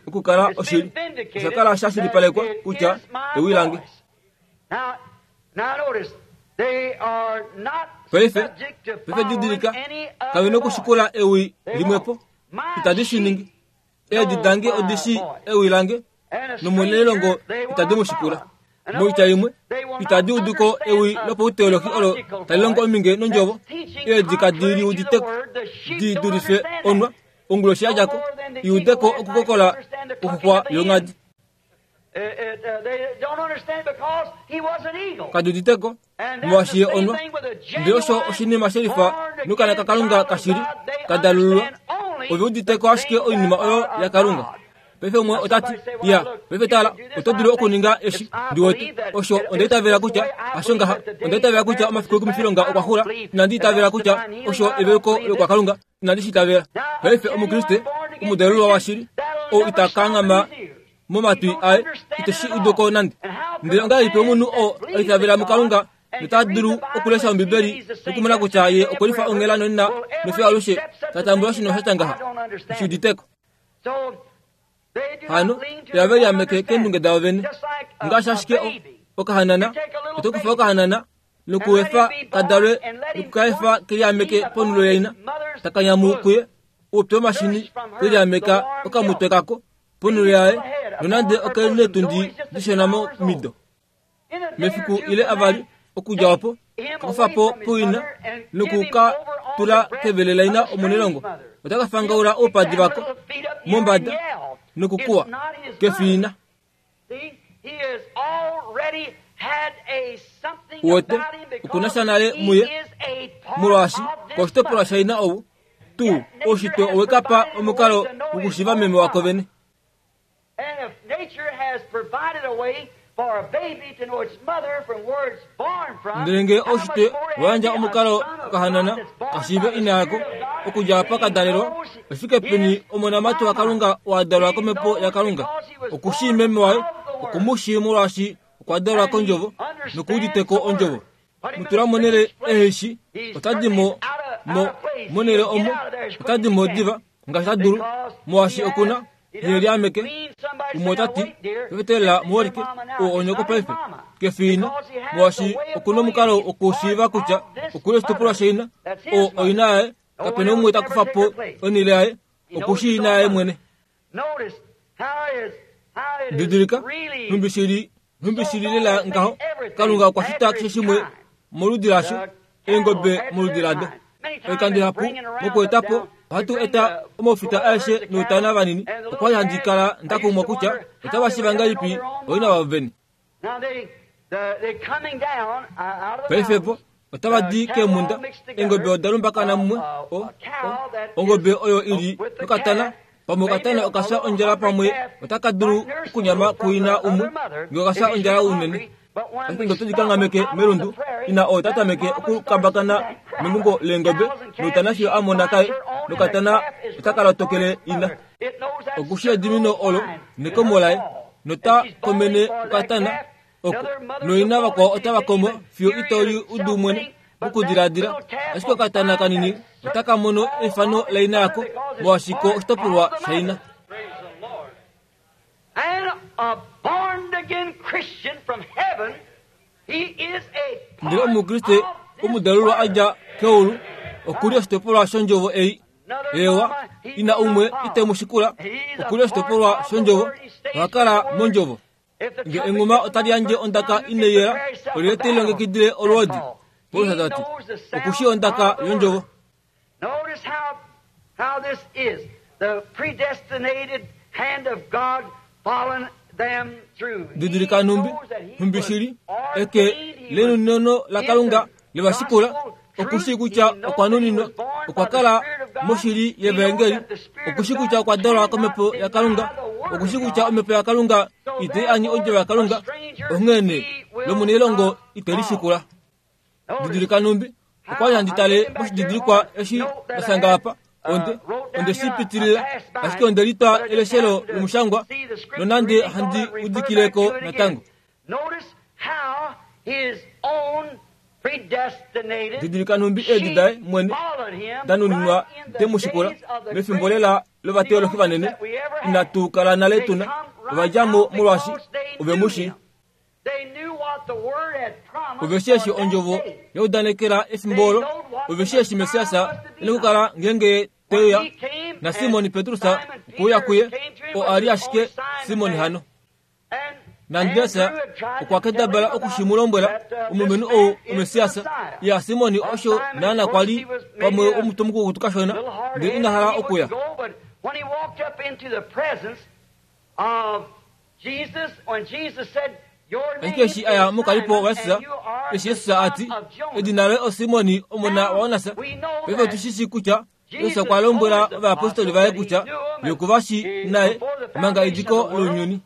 Speaker 1: okukala oshili. Osha kala sha shilipalekwa kutya ewi lange. Paife, paife didilika, kave nokushikula ewi limwepo. Itadi shi ningi. Eedi dange odi shii ewi lange, nomunelongo itadi mu shikula. Moitya imwe, itadi udu ko ewi lopauteolohi olo tali longo ominge nondjovo. Eedi kadi li udite ko, di dulife onwa, onguloshi ya dja ko, i ude ko okukokola kwoxuxwa yonghadi. Kadi udite ko, molwaashi ye onwa. Ndele osho oshinima shelifa nokana kaKalunga kashili ka dalululwa. Ove udite ko ashike oinima oyo yaKalunga. Paife umwe ota ti, Ya, paife tala, oto dulu okuninga eshi. Ndi wete osho onda itavela kutya hasho ngaha. Onda itavela kutya omafiku oikumifilonga okwa xula. Inandi itavela kutya osho eveluko lokwaKalunga. Inandi shi itavela. Paife Omukriste omudalululwa washili ou ita kanghama momatwi aye ite shi udu ko nande. Ndele ongahelipi omunhu oo a itavela muKalunga nota dulu okulesha Ombibeli nokumona kutya ye okwe lifa onghela nonena nofiyo alushe ta tambula oshinima sha tya ngaha? Shi udite ko. Hano ihave liameke keendunge davo vene. Ngaashi ashike okahanana, oto kufa okahanana nokuefa ka dalwe nokukaefa ke liameke ponhulo yaina, taka nyamu kuye oupyu womashini ke liameka okamutwe kako ponhulo yaye, nonande oke neetundi dishona momido. Mefiku ile avali okudja opo, ka kufa po puina noku ka tula kevele laina omunelongo. Ota ka fangaula oupadi vako mombada nokukuwa kefiina. Uwete, okuna sha nale muye, molwaashi koshitopolwa shaina ou tuu oushitwe owe ka pa omukalo wokushiva meme wako vene. Ndele ngee oushitwe owa yandja omukalo kokahanana ka shiive ina yako okudja apa ka dalelwa, oshifike peni omonamati waKalunga wa dalwa kOmhepo yaKalunga? Oku shii meme waye, oku mu shii molwaashi okwa dalwa kOndjovo noku udite ko Ondjovo. Mu tula monhele ehe shi, ota di mo, mo, monhele omo, ota di mo diva ngaashi ta dulu, molwaashi oku na, he liameke. Umwe ota ti, Pefetelela muholike, oo onyoko paife. Ke fi ina, molwaashi oku na omukalo wokushiiva kutya oku li oshitukulwa shaina, oo oina yaye, kape na umwe ta kufa po onhele yaye, oku shii ina yaye mwene. Didilika, nhumbi shi li, nhumbi shi li lela ngaho, Kalunga okwa shita keshe shimwe moludi lasho, eengobe moludi lado. Oikando ihapu, mokueta po, ohatu eta omaufita aeshe noutana vanini. Okwa li handi kala nda kumwa kutya otava shiva ngahelipi oina vavo vene. Paife vo otava di keemhunda, eengobe oda lumbakana mumwe, o, o, ongobe oyo i li nokatana, pamwe okatana oka fya ondjala pamwe otaka dulu okunyama kuina umwe nge oka fya ondjala unene. Ashike nge otodi kanghameke melundu, ina oo ta tameke okukambakana mengungo leengobe noutana fiyo a mona kaye, nokatana otaka lotokele ina. Okushi edimino olo nekomo laye, nota komene okatana oko, noina vakwao otava komo fiyo ito li udu mwene mokudiladila. Ashike okatana kanini otaka mono efano laina yako, molwaashi ko oshitopolwa shaina. Ndele Omukriste omudalulwa a dja keulu oku li oshitopolwa shondjovo ei. Eewa, ina umwe ite mu shikula, oku li oshitopolwa shondjovo, oha kala mondjovo. Nge enghuma otali yandje ondaka inai yela, olyelye te lilongekidile olwoodi? Paulus ta ti, Oku shii ondaka yondjovo. Didilika nhumbi, nhumbi shili, eke lenunono laKalunga le va shikula, oku shii kutya okwa nuninwa, okwa kala moshili yevaengeli, oku shii kutya okwa dalwa kOmhepo yaKalunga, oku shii kutya Omhepo yaKalunga itai anye Ondjovo yaKalunga, onghee nee lomunailongo ite li shikula. Didilika nhumbi okwa li handi tale moshididilikwa eshi nda shanga apa, onde, onde shi pitilila, ashike onde litwa eleshelo lomushangwa, nonande handi udikile ko natango. Didilika nhumbi eedi daye mwene da nuninwa de mu shikula mefimbo lela lovateolohi vanene inatu kala nale tuna. Ova dja mo molwaashi ove mu shii. Ove shii eshi ondjovo ya udanekela efimbo olo. Ove shii eshi Messias e na okukala ngeenge ye te uya. NaSimon Petrus okwe uya kuye, oo a li ashike Simon hano. NaAndreas okwa kendabala oku shi mu lombwela, omulumenhu ou oMessias. Ya, Simon osho naana kwa li pamwe omutwe mukukutu kashona, ndele ina hala okuya. Ashike eshi a ya mokalipo waJesus, eshi Jesus a ti, Edina loye oSimon, omona waJonas, paife otu shi shii kutya Jesus okwa lombwela ovayapostoli vaye kutya ye oku va shii naye manga ediko lounyuni.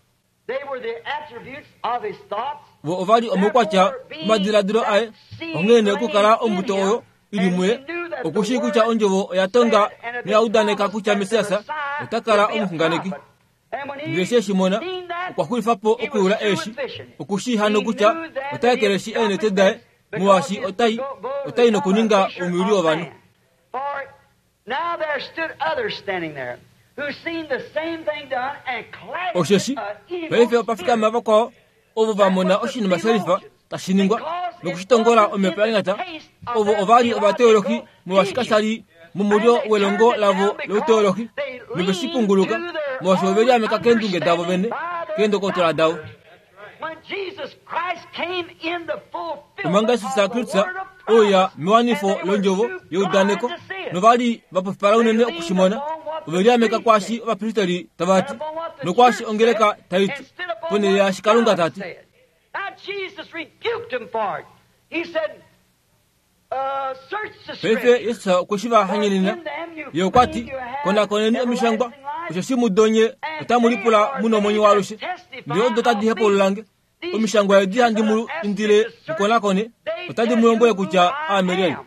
Speaker 1: Vo ova li omaukwatya omadiladilo aye, onghee nee okukala ombuto oyo i li muye, oku shii kutya ondjovo oya tonga noya udaneka kutya Messias ota kala omuxunganeki. Ndele eshi e shi mona, okwa xulifa po okuyula eeshi. Oku shii hano kutya ota ekeleshi eenete daye, molwaashi otai, otai nokuninga omuyuli wovanhu. Osheshi paife opa fikama vakwao ovo va mona oshinima sha lifa tashi ningwa noku shi tongola omhepo ya nyata. Ovo ova li ovateolohi molwaashi kasha li momulyo welongo lavo louteolohi, nove shi punguluka molwaashi ove liameka keendunge davo vene, keendokotola davo. Omanga Jesus Kristus ouya mewanifo londjovo yeudaneko, nova li va pofipala unene oku shi mona, ove liameka kwaashi ovapristeri tava ti, nokwaashi ongeleka tai ti, ponhele yaashi Kalunga ta ti. Paife Jesus okwe shi va hanyenena. Ye okwa ti, Konakoneni omishangwa, osheshi mudo nye otamu lipula mu nomwenyo waalushe. Ndele odo tadi hepaulula nge. Omishangwa edi handi mu indile mu konakone, otadi mu lombwele kutya aame lyelye.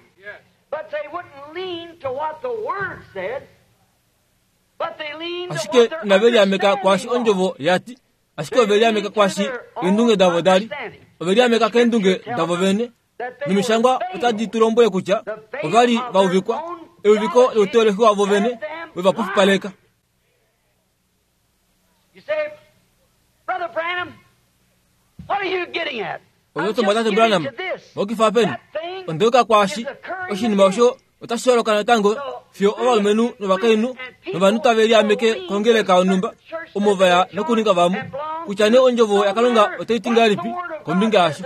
Speaker 1: Ashike inave liameka kwaashi ondjovo ya ti, ashike ove liameka kwaashi eendunge davo da li. Ove liameka keendunge davo vene. Nomishangwa otadi tu lombwele kutya ova li va uvikwa, euviko louteolohi wavo vene we va pofipaleka. Oto Tate Branham, mokifa peni? Ondeuka kwaashi oshinima osho otashi holoka natango fiyo ovalumenhu novakainhu novanhu tave liameke kongeleka yonhumba omo va ya nokuninga vamwe kutya nee ondjovo yakalunga otai ti ngahelipi kombinga yasho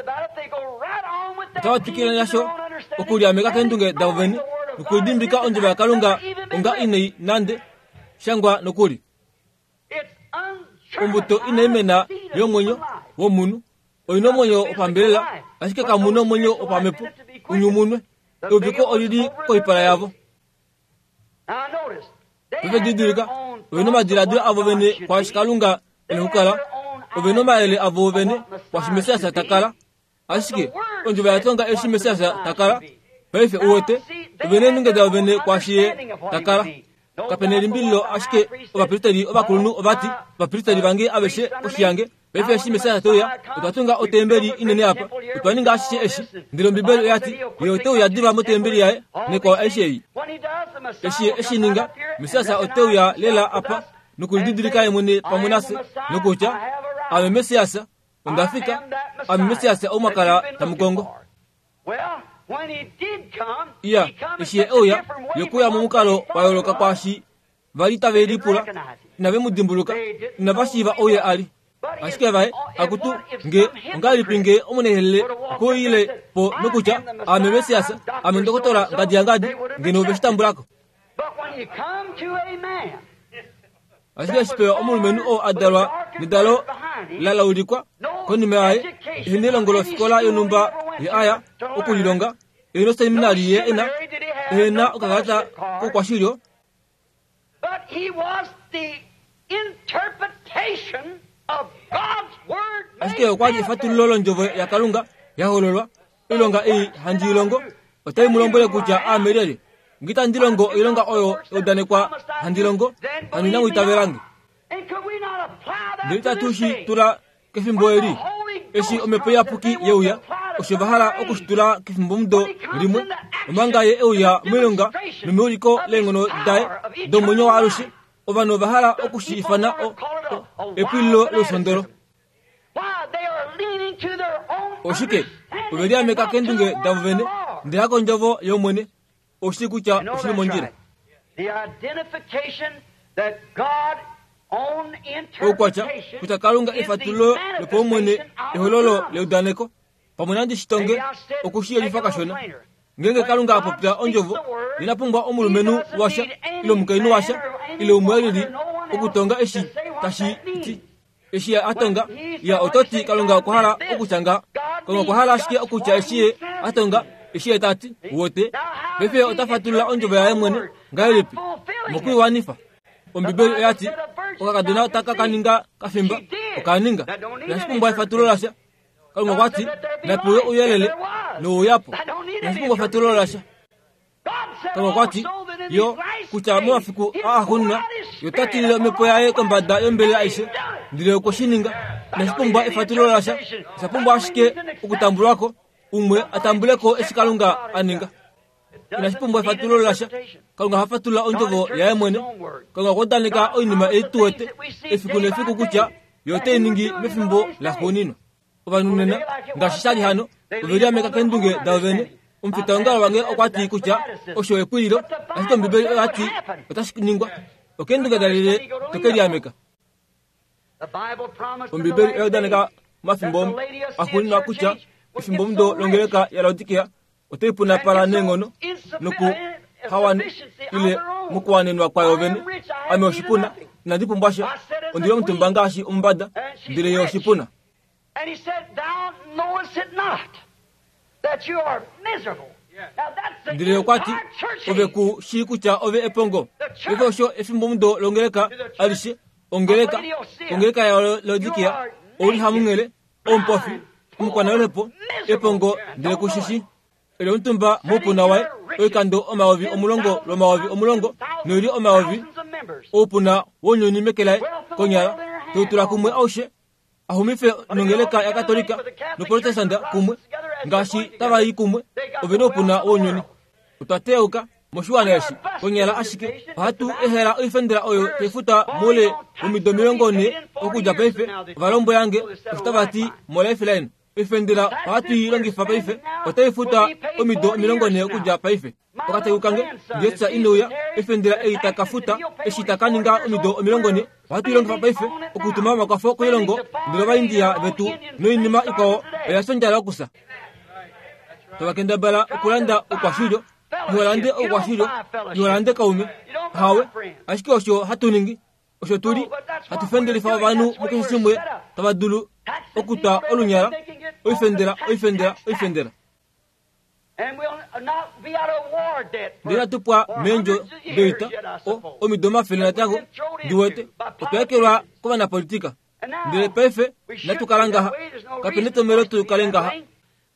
Speaker 1: otava twikile nasho okuliameka keendunge davo vene nokulidimbika ondjovo yakalunga onga inai nande shangwa nokuli Ombuto inai mena yomwenyo womunhu oi na omwenyo wopambelela, ashike kamu na omwenyo wopamhepo u nyumunwe. Euviko oli li koipala yavo. Ove didilika, ove na omadiladilo avo vene kwaashi Kalunga e na okukala, ove na omayele avo vene kwaashi Messias ta kala. Ashike ondjovo ya tonga eshi Messias ta kala. Paife u wete, ove na eendunge davo vene kwaashi Ye ta kala. Kape na elimbililo ashike ovapristeri ovakulunhu ova ti, Ovapristeri vange aveshe koshi yange. Paife eshi Messias te uya, otwa tunga otembeli inene apa. Otwa ninga ashishe eshi. Ndele Ombibeli oya ti, Ye ote uya diva motembeli yaye nekwao aishe ei. Eshi Ye e shi ninga, Messias ote uya lela apa nokulididilika Ye mwene pamwe nafye, nokutya, Aame Messias. Onda fika, ame Messias ou mwa kala tamu kongo. Iya, eshi ye e uya, ye okwe uya momukalo wa yooloka kwaashi va li tave lipula. Inave mu dimbuluka, inava shiiva ou ye a li. Ashike vaye, akutu, nge, ongahelipi nge omunehelele okwe uyile po nokutya, Aame Messias, ame ndokotola ngadi yangadi, ngeno ove shi tambula ko. Ashike eshi pewa omulumenhu oo a dalwa nedalo la laulikwa konima yaye, ehe nelongo lofikola yonhumba ye a ya okulilonga, ehe noseminari ye e na, ehe na okakalata koukwashilyo, Ashike okwa li efatululo londjovo yaKalunga ya hololwa. Oilonga ei handi i longo otai mu lombwele kutya aame lyelye. Nge itandi longo oilonga oyo ya udanekwa handi longo, hano inamu itavela nge. Ndele itatu shi tula kefimbo eli, eshi Omhepo Iyapuki ye uya, osho va hala oku shi tula kefimbomudo limwe, omanga Ye e uya moilonga nomeuliko leenghono daye domwenyo waalushe, ovanhu ova hala oku shi ifana o, o, epwililo lousondolo. Oshike? Ove liameka keendunge davo vene, ndele hakondjovo yOmwene. Oshili kutya oshi li mondjila. Oukwatya kutya Kalunga efatululo lopaumwene ehololo leudaneko. Pamwe nandi shi tonge oku shi yelifa kashona. Ngeenge Kalunga a popya ondjovo, ina pumbwa omulumenhu washa ile omukainhu washa ile umwe e lili okutonga eshi tashi ti. Eshi ye a tonga, ya oto ti Kalunga okwa hala okutya ngaha. Kalunga okwa hala ashike okutya eshi ye a tonga, eshi ye ta ti, Wote. Paife ota fatulula ondjovo yaye mwene. Ngahelipi? Mokuiwanifa. Ombibeli oya ti, Okakadona otaka ka ninga kafimba. Oka ninga. Inashi pumbwa efatululo lasha. Kalunga okwa ti, Nape uye ouyelele, nouya po. Inashi pumbwa efatululo lasha. Kalunga okwa ti yo kutya momafiku aaxuuninwa ye ota tilile omhepo yaye kombada yombelela aishe, ndele okwe shi ninga. Inashi pumbwa efatululo lasha, osha pumbwa ashike okutambulwa ko, umwe a tambule ko eshi Kalunga a ninga. Inashi pumbwa efatululo lasha. Kalunga oha fatulula ondjovo yaye mwene. Kalunga okwa udaneka oinima ei tu wete efiku nefiku kutya ye ote i ningi mefimbo laxuuninwa. Ovanhu nena, ngaashi sha li hano, ove liameka keendunge davo vene. Omufitaongalo wange okwa ti kutya osho ekwililo, ashike Ombibeli oya ti otashi ningwa. Okeendunge dalyelye to ke liameka? Ombibeli oya udaneka omafimbo axuuninwa kutya efimbomudo longeleka yaLaodikea otai punapala neenghono noku hawane ile mokuwanenwa kwayo vene. Ame oshipuna, inandi pumbwa sha, ondi li omutumba ngaashi omumbada, ndele ye oshipuna. Ndele okwa ti, Ove ku shii kutya ove epongo. Paife osho efimbomudo longeleka alishe, ongeleka, ongeleka yaLaodikia, ou li hamunghele, omupofi, omukwanaluhepo, epongo, ndele ku shi shii. Eli omutumba moupuna waye oikando 10,000 lwomayovi omulongo noili omayovi oupuna wounyuni meke laye konyala teu tula kumwe aushe a xumife nongeleka yaKatolika noProtestanta kumwe ngaashi tava i kumwe ove noupuna wounyuni. Otwa teyauka moshiwana eshi konyala ashike ohatu ehela oifendela oyo tai futwa moule womido 40 okudja paife, ova lombwela nge osho tava ti moLifeline. Oifendela ohatu i longifa paife otai futwa omido 40 okudja paife. Okateku kange Jesus ine uya, oifendela ei ta ka futa eshi ta ka ninga omido 40 ohatu i longifa paife okutuma omakwafo koilongo ndele Ovaindia vetu noinima ikwao oya fya ondjala yokusa. Tava kendabala okulanda oukwashilyo, iho lande oukwashilyo, iho lande kaume. Hawe, ashike osho hatu ningi. Osho tu li hatu fendelifa ovanhu mukeshe shimwe tava dulu okutwa olunyala, oifendela, oifendela, oifendela. Ndele inatu pwa meendjo doita o, omido omafele natango, ndi wete, otwa ekelwa kovanapolitika. Ndele paife inatu kala ngaha. Kape netomhelo tu kale ngaha.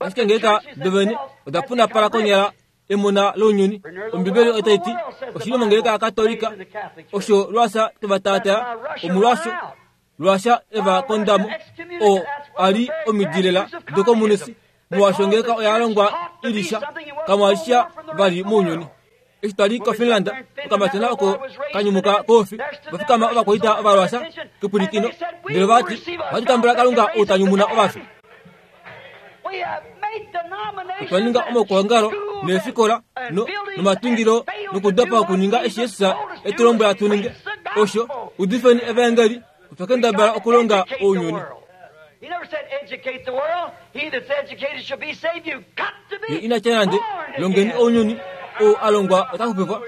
Speaker 1: Ashike ngeeka dovene oda punapala konyala emona lounyuni, Ombibeli otai ti, Oshili mongeleka yaKatolika osho lwasa teva taataa, omolwaasho lwasha eva konda mo, oo a li omidi lela dokomunisi, molwaashi ongeleka oya longwa i li sha, kamwa li sha vali mounyuni. Eshi twa li koFinland, okamatyona oko ka nyumuka koufi, ova fikama ovakwaita Ovarussia kepwilikino, ndele ova ti, Ohatu tambula Kalunga ou ta nyumuna ovafi. Otwa ninga omaukwaongalo neefikola no, nomatungilo nokudopa okuninga eshi Jesus e tu lombwela tu ninge. Osho, udifeni evaengeli, otwa kendabala okulonga ounyuni. Ye ina tya nande, Longeni ounyuni, ou a longwa ota xupifwa.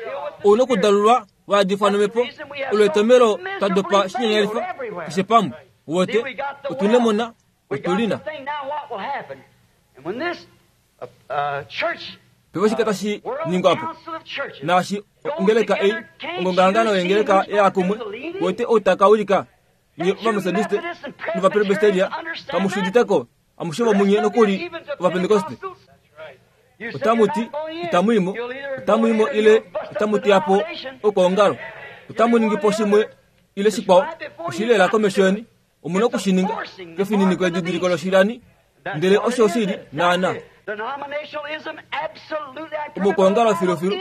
Speaker 1: Ou nokudalulwa wa yadifwa nomhepo, olo etomhelo twa dopa shinyanyalifa keshe pamwe. Uwete, otu nemona, otu li na. Paife oshike tashi ningwa po? Naashi ongeleka ei, ongongahangano yengeleka ya kumwe, uwete ou ta ka wilika? Nye Ovametodiste nOvapresbiteria kamu shi udite ko, amushe vomunye nokuli Ovapentekoste. Otamu ti, Itamu i mo, otamu i mo ile otamu teya po okwoongalo. Otamu ningi po shimwe ile shikwao, oshi li lela komesho yeni. Omu na oku shi ninga kefininiko edidiliko loshilani, ndele osho shi li naanaa. Omokwoongalo filufilu,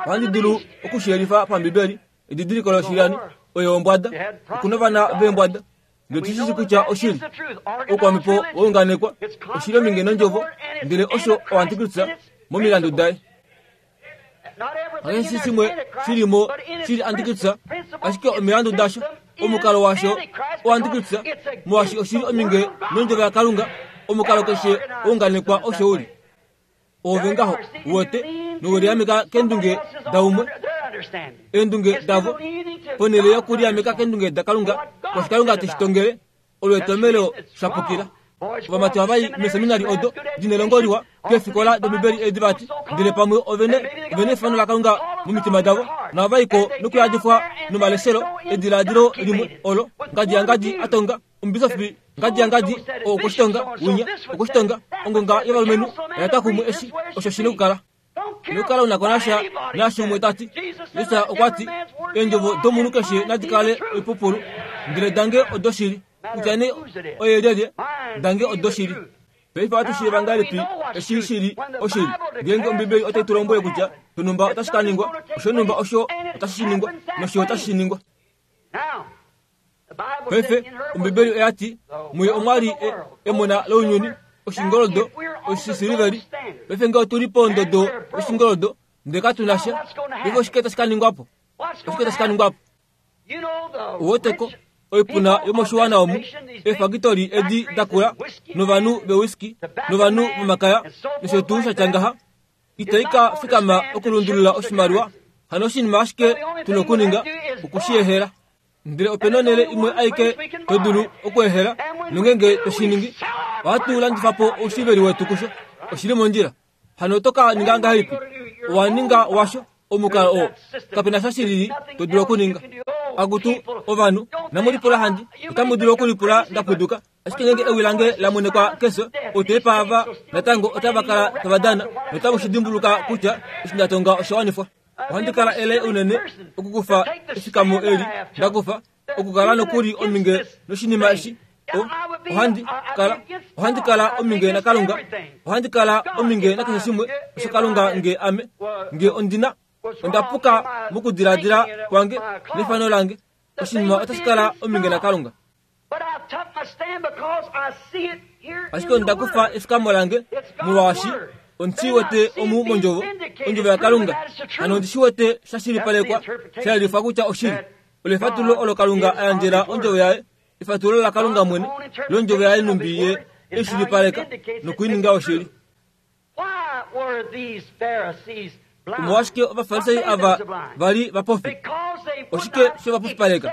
Speaker 1: ohandi dulu oku shi yelifa paMbibeli. Edidiliko loshilani oyo ombwada. Oku na ovana veembwada. Ndele otu shi shii kutya oshili. Oukwamhepo wa unganekwa, oshili ominge nondjovo, ndele osho oantikristus momilandu daye. Hakeshe shimwe shi li mo shi li antikristus, ashike omilandu dasho, omukalo washo oantikristus, molwaashi oshi li ominge nondjovo yaKalunga, omukalo keshe wa unganekwa osho u li. Oove ngaho, uwete, nowe liameka keendunge daumwe, eendunge davo, ponhele yokuliameka keendunge daKalunga, kwashi Kalunga te shi tongele, olo etomhelo sha pukila. Ovamati ohava i meeseminari odo di nelongo liwa, keefikola dOmbibeli edi vati, ndele pamwe ove ne, ove nefano laKalunga momitima davo, nohava i ko nokuyadifwa nomaleshelo ediladilo limwe olo ngadi yangadi a tonga, Omubisofi ngadi yangadi okwe shi tonga, winya okwe shi tonga, ongonga yovalumenhu oya twa kumwe eshi osho shi nokukala. Ino kala u na ko nasha naashi umwe ta ti. Jesus okwa ti, Eendjovo domunhu keshe nadi kale oipupulu, ndele dange odoshili. Kutya nee oye lyelye, dange odoshili. Paife ohatu shiiva ngahelipi eshi shi li oshili? Ngeenge Ombibeli otai tu lombwele kutya shonhumba otashi ka ningwa, oshonhumba osho otashi shi ningwa, nosho otashi shi ningwa. Paife, Ombibeli oya ti, Muye omwa li e, emona lounyuni, oshingoldo, oshisiliveli. Paife nge otu li pondodo yoshingoldo, ndele katu na sha, paife oshike tashi ka ningwa po? Oshike tashi ka ningwa po? Uweteko, oipuna yomoshiwana omu, eefakitoli edi da kula, novanhu vewiski, novanhu vomakaya, nosho tuu sha tya ngaha, Itai ka fikama okulundulula oshimaliwa, hano oshinima ashike tu na okuninga oku shi ehela. Ndele ope na onhele imwe aike to dulu okuehela, nongeenge to shi ningi, Ohatu landifa po oushiveli wetu kusho. Oshi li mondjila. Hano oto ka ninga ngahelipi? Owa ninga washo omukalo oo. Kape na sha shilili to dulu okuninga. Akutu, ovanhu, inamu lipula handi. Otamu dulu okulipula nda pwiduka. Ashike ngeenge ewi lange la mwenekwa kefyo, outepa ava natango otava kala tava dana, notamu shi dimbuluka kutya eshi nda tonga osha wanifwa. Ohandi kala ele unene okukufa efikamo eli nda kufa, okukala nokuli ominge noshinima eshi. O, ohandi kala, ohandi kala ominge naKalunga. Ohandi kala ominge nakeshe shimwe osho Kalunga nge ame, nge ondi na, onda puka mokudiladila kwange nefano lange. Oshinima otashi kala ominge naKalunga. Ashike onda kufa efikamo lange molwaashi ondi wete omu mondjovo, ondjovo yaKalunga. Hano ondi shi wete sha shilipalekwa, sha yelifwa kutya oshili. Olo efatululo olo Kalunga a yandjela ondjovo yaye, efatululo laKalunga mwene londjovo yaye nhumbi ye e shilipaleka noku i ninga oshili. Omolwashike Ovafarisai ava va li vapofi? Oshike she va pofipaleka?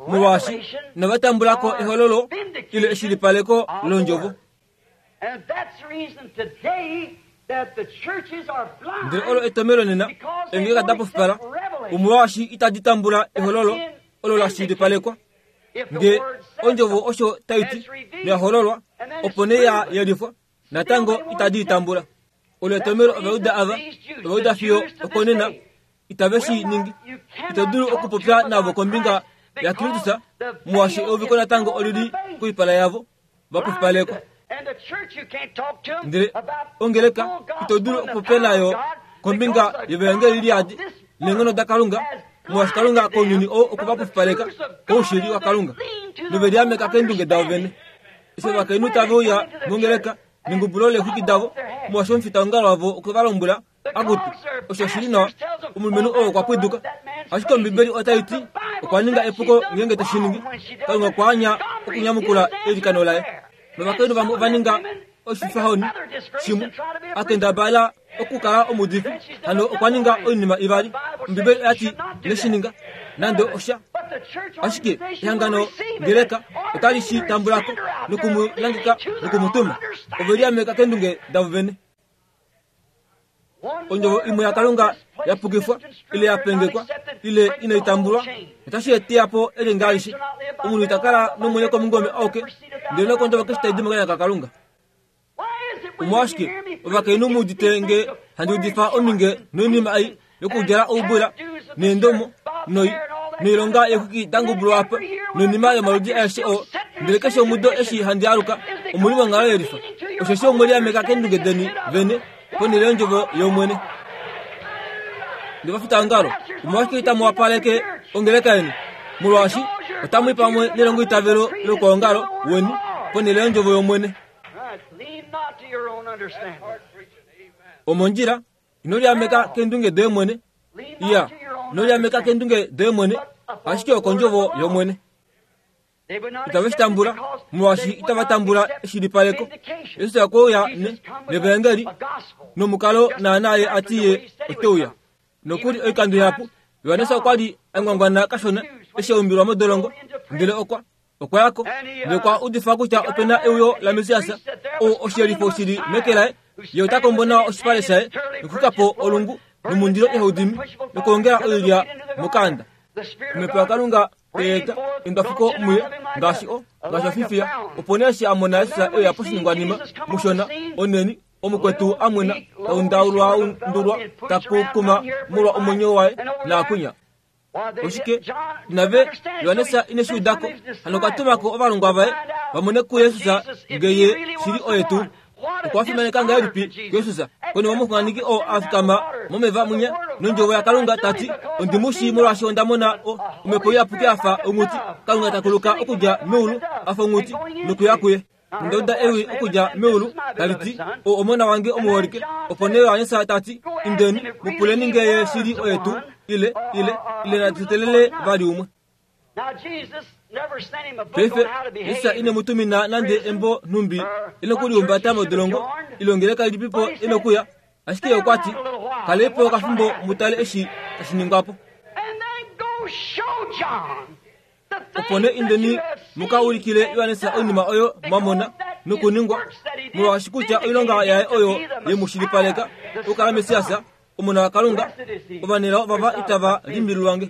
Speaker 1: Molwaashi inava tambula ko ehololo ile eshilipaleko londjovo. Ndele olo etomhelo nena eengeleka da pofipala, omolwaashi itadi tambula ehololo olo la shilipalekwa. Nge ondjovo osho tai ti, noya hololwa, opo nee ya yelifwa, natango itadi i tambula. Olo etomhelo Ovajuda ava, Ovajuda fiyo okonena, itave shi ningi. Ito dulu okupopya navo kombinga yaKristus, molwaashi euviko natango oli li koipala yavo, va pupalekwa. Ndele ongeleka ito dulu okupopya nayo kombinga yevaengeli liyadi neenghono daKalunga, molwaashi Kalunga kounyuni ou okwe va pupaleka koushili waKalunga, nove liameka keendunge davo vene. Eshi ovakainhu tave uya mongeleka nengubulo leexwiki davo, molwaashi omufitaongalo wavo okwe va lombwela Akutu, osho oshi li nawa. Omulumenhu oo okwa pwiduka. Ashike Ombibeli otai ti okwa ninga epuko ngeenge te shi ningi. Kalunga okwa anya okunyamukula eilikano laye. Novakainhu vamwe ova ninga oshifahoni shimwe, a kendabala okukala omuudifi, hano okwa ninga oinima ivali. Ombibeli oya ti ine shi ninga nande osha. Ashike ehangano ngeleka otali shi tambula ko noku mu nangeka noku mu tuma. Ove liameka keendunge davo vene. Ondjovo imwe yaKalunga ya pukifwa ile ya pengekwa ile inai tambulwa otashi eteya po elenga alishe. Omunhu ita kala nomwenyo komungome auke, ndele nokondjovo keshe tai di mokanya kaKalunga. Omolwashike ovakainhu mu udite nge handi udifa ominge noinima ei yokudjala oubula neendomo noi noilonga yeexwiki da ngubulwa apa noinima yomaludi aeshe oo ndele keshe omudo eshi handi aluka omu li monghalo yelifa osheshi omwe liameka keendunge deni vene ponhele yondjovo yOmwene. Ndovafitaongalo, omolwashike itamu wapaleke ongeleka yeni? Molwaashi otamu i pamwe nelongoitavelo loukwaongalo weni ponhele yondjovo yOmwene. Omondjila Ino liameka keendunge doye mwene. Iya, ino liameka keendunge doye mwene, ashike okondjovo yOmwene. Itave shi tambula, molwaashi itava tambula eshilipaleko. Jesus okwe uya ne, nevaengeli, nomukalo naanaa ye a ti ye ote uya. Nokuli oikando ihapu, Johannes okwa li a ngwangwana kashona eshi a umbilwa modolongo, ndele okwa Okwa ya ko nokwa udifa kutya ope na euyo laMessias, oo oshiyelifo shi li meke laye. Ye ota kombo nawa oshipale shaye nokuxwika po olungu nomundilo ihau dimi nokwoongela oilya mokaanda. Omhepo yaKalunga oya eta endwafuko muye ngaashi o ngaashi ofifiya. Opo nee eshi a mona Jesus e uya poshiningwanima mushona, oneni, omukwetu a mwena, ta undaulwaundulwa, ta kukuma molwa omwenyo waye naakunya. Oshike inave Johannes ine shi uda ko? Hano okwa tuma ko ovalongwa vaye va mone kuJesus nge ye shili oye tuu. Okwa fimaneka ngahelipi Jesus konima omuxunganeki oo a fikama momeva mwinya nondjovo yaKalunga ta ti, Ondi mu shii molwaashi onda mona o, omhepo iyapuki a fa onghuti, Kalunga ta kuluka okudja meulu a fa onghuti nokuya kuye. Onda uda ewi okudja meulu tali ti, Ou omona wange omuholike. Opo nee Johannes ta ti, Indeni, mu puleni nge ye shili oye tuu, ile, ile, ile natu teelele vali umwe. Paife, Jesus ine mu tumina nande embo nhumbi e nokulihumbata modolongo, ile ongeleka ilipipo e nokuya, ashike ye okwa ti, Kalei po okafimbo mu tale eshi tashi ningwa po. Opo nee indeni mu ka ulikile Johannes oinima oyo mwa mona, Nokuningwa, molwaashi kutya oilonga yaye oyo ye mu shilipaleka okukala Messias, Omona waKalunga, ovanelao vava itava limbililwa nge.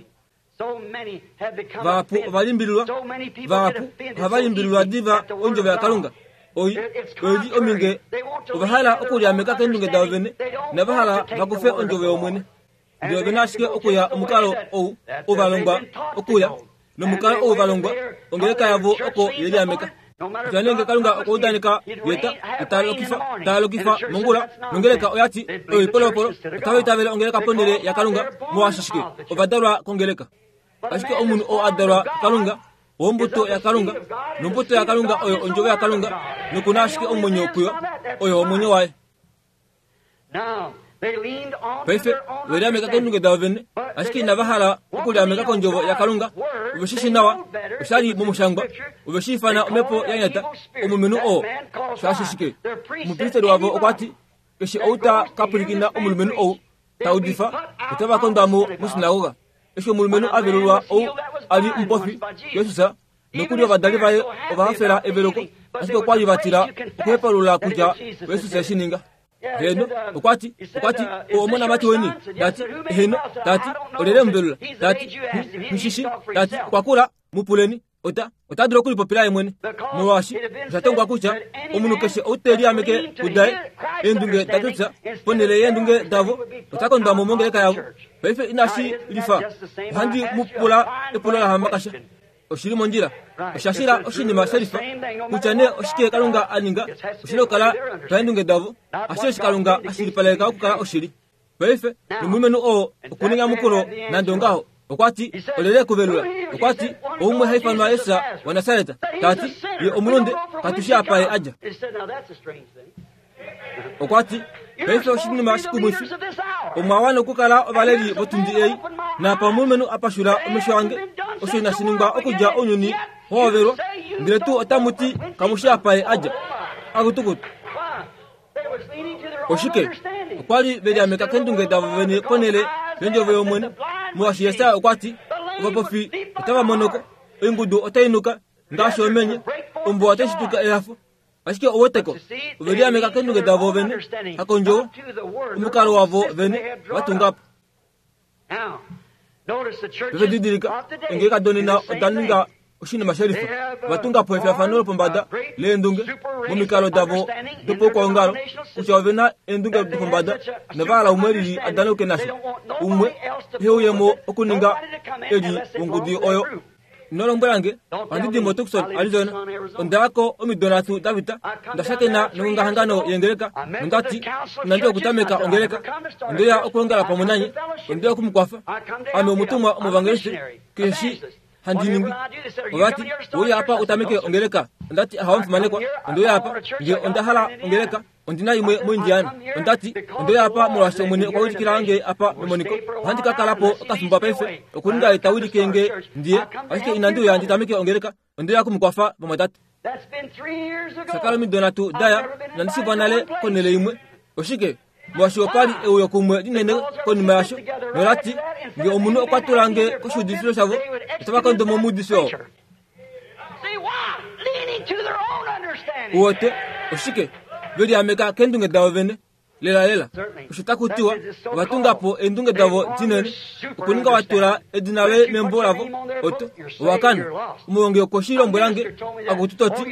Speaker 1: Vahapu ova limbililwa, vahapu ohava limbililwa diva ondjovo yaKalunga. Oi, oi li ominge, ova hala okuliameka keendunge davo vene, inava hala va kufe ondjovo yOmwene. Ndele ove na ashike okuya omukalo ou ou va longwa okuya, nomukalo ou va longwa, ongeleka yavo oko ye liameka. Kutya nee nge Kalunga okwa udaneka ye ta, ta lokifa, ta lokifa mongula, nongeleka oya ti, Oyo oipolopolo, otava itavele ongeleka ponhele yaKalunga, molwaashi shike? Ova dalwa kongeleka. Ashike omunhu oo a dalwa kuKalunga, owombuto yaKalunga, nombuto yaKalunga oyo ondjovo yaKalunga, noku na ashike omwenyo kuyo, oyo omwenyo waye. Paife ove liameka keendunge davo vene, ashike inava hala okuliameka kondjovo yaKalunga. Ove shi shii nawa, osha li momushangwa. Ove shi ifana omhepo ya nyata, omulumenhu oo. Shaashi shike? Omupristeri wavo okwa ti, Keshe ou ta ka pwilikina omulumenhu ou ta udifa, otava kondwa mo moshinagoga. Eshi omulumenhu a velulwa ou a li omupofi, Jesus, Nokuli ovadali vaye ova hafela eveleko, ashike okwa li va tila okuhepalula kutya Jesus e shi ninga. Heeno, okwa ti, okwa ti, o omonamati weni? Ta ti, heeno. Ta ti, olyelye muvelula? Ta ti, nghi shi Ta ti, okwa kula, mu puleni. Ota, ota dulu okulipopila ye mwene. Molwaashi osha tongwa kutya omunhu keshe ou te liameke kudaye eendunge daKristus ponhele yeendunge davo, ota kondwa mo mongeleka yavo. Paife inashi lifa. Ohandi mu pula epulo lahamakasha. Oshi li mondjila. Osha shila oshinima shelifa kutya nee oshike Kalunga a ninga, oshi na okukala paendunge davo, ashike eshi Kalunga a shilipaleka okukala oshili. Paife, nomulumenhu oo okuninga nande ongaho, okwa ti, Olyelye ku velula? Okwa ti, Oumwe ha ifanwa Jesus waNasaret. Ta ti, Ye omulunde, katu shii apa ye a dja. Okwa ti, Paife oshinima shikumwifi, omwa wana okukala ovaleli votundi ei, naapa omulumenhu a pashula omesho ange, osho inashi ningwa okudja ounyuni wa hovelwa, ndele tuu otamu ti kamu shi apa ye a dja. Akutukutu. Oshike? Okwa li ve liameka keendunge davo vene ponhele yondjovo yOmwene, molwaashi Jesaja okwa ti, Ovapofi otava monoko, oingudu otai nuka ngaashi omenye, ombuwa otai shituka ehafo. Ashike ouweteko, ove liameka keendunge davo vene, hakondjovo, omukalo wavo vene va tunga po. Ove didilika, eengeleka donena oda ninga oshinima shelifa. Ova tunga po efiyafano lopombada leendunge momikalo davo dopaukwaongalo, kutya ove na eendunge dopombada nova hala umwe lili a danauke nasho, umwe ehe uye mo okuninga eli wongudu oyo. Ino lombwela nge, ohandi di moTucson, Arizona. Onda ya ko omido nhatu da pita, nda shakena nongongahangano yengeleka, nonda ti, Inandi okutameka ongeleka. Onde ya okuongala pamwe nanye. Onde ya oku mu kwafa. Ame omutumwa omuvangeliste, keshe shi handi ningi. Ova ti, Ouya apa u tameke ongeleka. Onda ti, Ahawe omufimanekwa, onde uya apa, nge onda hala ongeleka. Ondi na imwe moIndiana. Onda ti, Onde uya apa molwaashi Omwene okwa wilikila nge apa memoniko. Ohandi ka kala po okafimbo paife, okuninga Ye ta wilike nge ndi ye. Ashike inandi uya ndi tameke ongeleka. Onde uya oku mu kwafa, vamwatate. Sha kala omido nhatu da ya, inandi shivwa nale konhele imwe. Oshike? Molwaashi opa li euyo kumwe linene konima yasho, nola ti, Nge omunhu okwa tula nge koshiudifilo shavo, otava kondo mo omuudifi oo. Uwete, oshike? Ve liameka keendunge davo vene. Lelalela, osho taku tiwa, ova tunga po eendunge davo dinene, okuninga wa tula edina loye membo lavo, oto, owa kana. Omuhongi okwe shi lombwela nge, akutu to ti,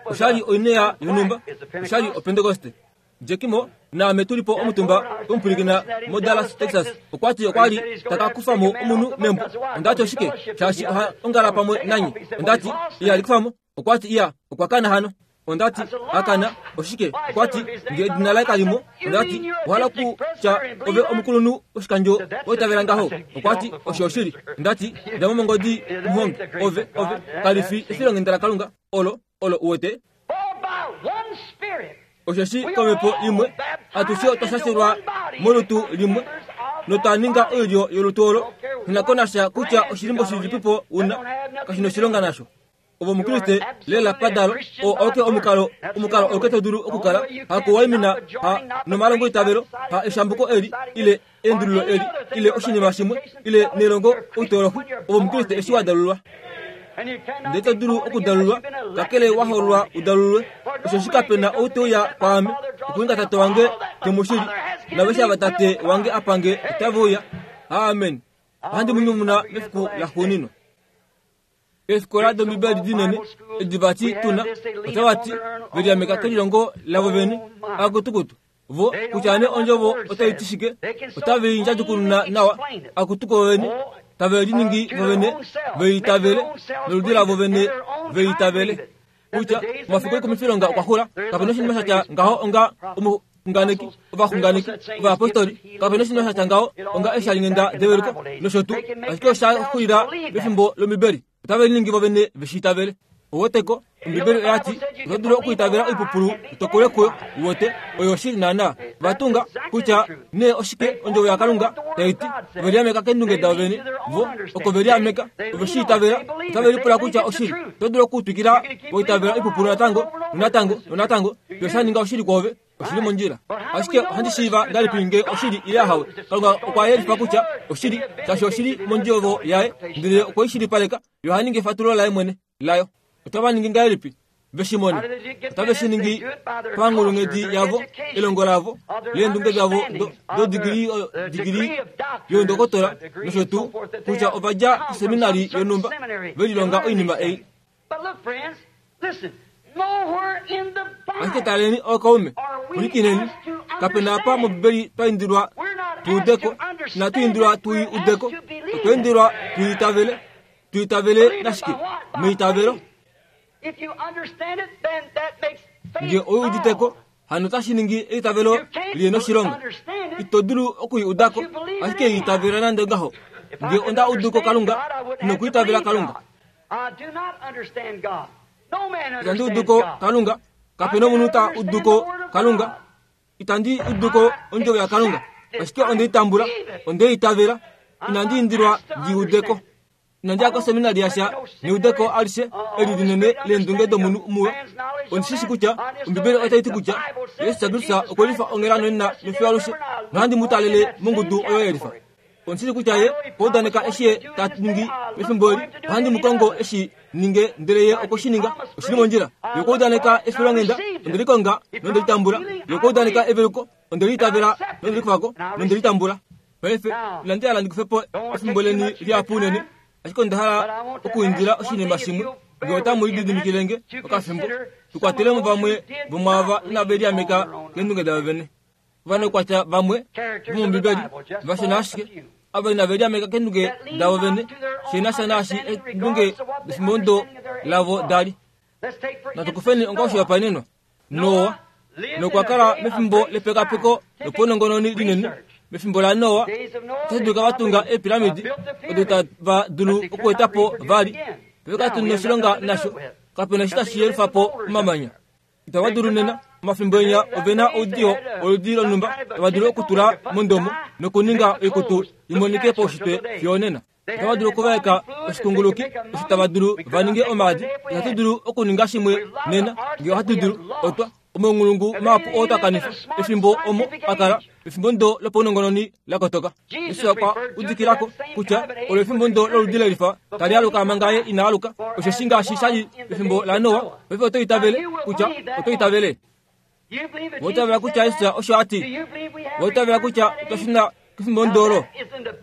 Speaker 1: osha li oinea yonhumba, osha li Opentekoste. Jekimo naame tu li po omutumba womupwilikina moDallas, Texas, okwa ti okwa li ta ka kufa mo omunhu membo. Onda ti oshike? Shaashi oha ongala pamwe nanye. Onda ti, Iya, li kufa mo. Okwa ti, Iya, okwa kana hano. Onda ti, A kana, oshike? Okwa ti, Nge edina laye kali mo. Onda ti, Owa hala okutya ove omukulunhu woshikandjo wa itavela ngaho? Okwa ti, Osho oshili. Onda ti, Dja mo mongodi, muhongi. Ove, ove, kali fi efilonghenda laKalunga, olo, olo, uwete. Osheshi komhepo imwe atushe otwa shashelwa molutu limwe notwa ninga oilyo yolutu olo. Shina ko nasha kutya oshilimbo shilipipo una, kashi noshilonga nasho. Ove Omukriste lela padalo, oo auke omukalo, omukalo auke to dulu okukala, hakuwaimina ha nomalongo itavelo, ha eshambuko eli, ile eendululo eli, ile oshinima shimwe, ile nelongo outolohi. Ove Omukriste eshi wa dalulwa. Ndele ito dulu okudalulwa kakele wa hoololwa u dalulwe. Osheshi kape na ou te uya kwaame okuninga Tate wange te mu shili, naaveshe ava Tate wange a pa nge otave uya. Amen. Ohandi mu nyumuna mefiku laxuuninwa. Eefikola dOmbibeli dinene edi vati tu na, otava ti ve liameka kelilongo lavo vene, akutukutu. Vo, kutya nee ondjovo otai ti shike, otave i ndjadjukununa nawa, akutu ko vene, tave liningi vo vene ve itavele, noludi lavo vene ve itavele. Kutya, omafiku oikumifilonga okwa xula, kape na oshinima sha tya ngaho onga omuxunganeki, ovaxunganeki, ovayapostoli, kape na oshinima sha tya ngaho onga eeshalinghenda develuko, nosho tuu, ashike osha xulila pefimbo lOmbibeli. Otave liningi vo vene ve shi itavele. Uweteko, Ombibeli oya ti, Oto dulu okuitavela oipupulu u tokolwe kuyo. Uwete, oyo oshili naanaa. Va tunga, kutya nee oshike Ondjovo yaKalunga tai ti. Ove liameka keendunge davo vene. Vo, oko ve liameka. Ove shi itavela. Otave lipula kutya oshili. Oto dulu okutwikila wa itavela oipupulu natango, nonatango, nonatango, fiyo sha ninga oshili kwoove. Oshili mondjila. Ashike ohandi shiiva ngahelipi nge oshili ile ahawe? Kalunga okwa yelifa kutya oshili, shaashi oshili mondjovo yaye, ndele okwe i shilipaleka. Ye oha ningi efatululo laye mwene layo. Otava ningi ngahelipi ve shi mone? Otave shi ningi panghulunghedi yavo, elongo lavo, leendunge davo dodigili digili youndokotola nosho tuu, kutya ova dja koseminari yonhumba, ve lilonga oinima ei. Ashike taleni ookaume, pwilikineni, kape na apa mOmbibeli twa indilwa tu ude ko, inatu indilwa tu i ude ko, otwa indilwa tu i itavele. Tu itavele nashike? Meitavelo. Nge ou udite ko, hano otashi ningi eitavelo li noshilonga. Ito dulu oku i uda ko, ashike i itavela nande ongaho. Nge onda udu ko Kalunga, nokuitavela Kalunga. Itandi udu ko Kalunga. Kape nomunhu ta udu ko Kalunga. Itandi udu ko ondjovo yaKalunga. Ashike onde i tambula, onde i itavela. Inandi indilwa ndi ude ko. Inandi ya koseminari yasha neudeko alishe eli linene leendunge domunhu muwe. Ondi shi shi kutya Ombibeli otai ti kutya Jesus Kristus okwe lifa onghela nonena nofiyo alushe, nohandi mu talele mongudu oyo ye lifa. Ondi shi kutya ye okwa udaneka eshi ye ta ningi pefimbo eli. Ohandi mu kongo eshi ninge, ndele ye okwe shi ninga. Oshi li mondjila. Ye okwa udaneka efilonghenda, onde li konga nonde li tambula. Ye okwa udaneka eveluko, onde li itavela nonde li kufa ko nonde li tambula. Paife, inandi hala ndi kufe po efimbo leni lihapu unene, ashike onda hala okuindila oshinima shimwe, nge otamu lididimikile nge okafimbo, tu kwatele mo vamwe vomwaava inave liameka keendunge davo vene. Ovanaukwatya vamwe vomOmbibeli, vashona ashike, ava inave liameka keendunge davo vene shi na sha naashi eendunge defimbo lavo da li. Natu kufeni onga oshihopaenenwa Noa, nokwa kala mefimbo lepekapeko lopaunongononi linene. Mefimbo laNoa, otashi dulika va tunga eepiramidi odo tava dulu okueta po vali. Paife katu noshilonga nasho. Kape na eshi tashi yelufa po omamanya. Itava dulu nena. Omafimbo enya ove na oudiyo woludi lonhumba tava dulu okutula mondomo nokuninga oikutu i monike paushitwe fiyo onena. Otava dulu okuvaeka oshikunguluki osho tava dulu va ninge omaadi. Ihatu dulu okuninga shimwe nena nge ohatu dulu. Otwa omaunghulungu mahapu oo twa kanifa efimbo omo a kala pefimbo ndo lopaunongononi la kotoka. Jesus okwa udikila ko kutya olo efimbo ndo loludi lelifa tali aluka manga ye ina aluka, osheshi ngaashi sha li pefimbo laNoa, paife oto itavele kutya oto itavele. Owa itavela kutya Jesus osho a ti? Owa itavela kutya otwa shuna kefimbo ndolo?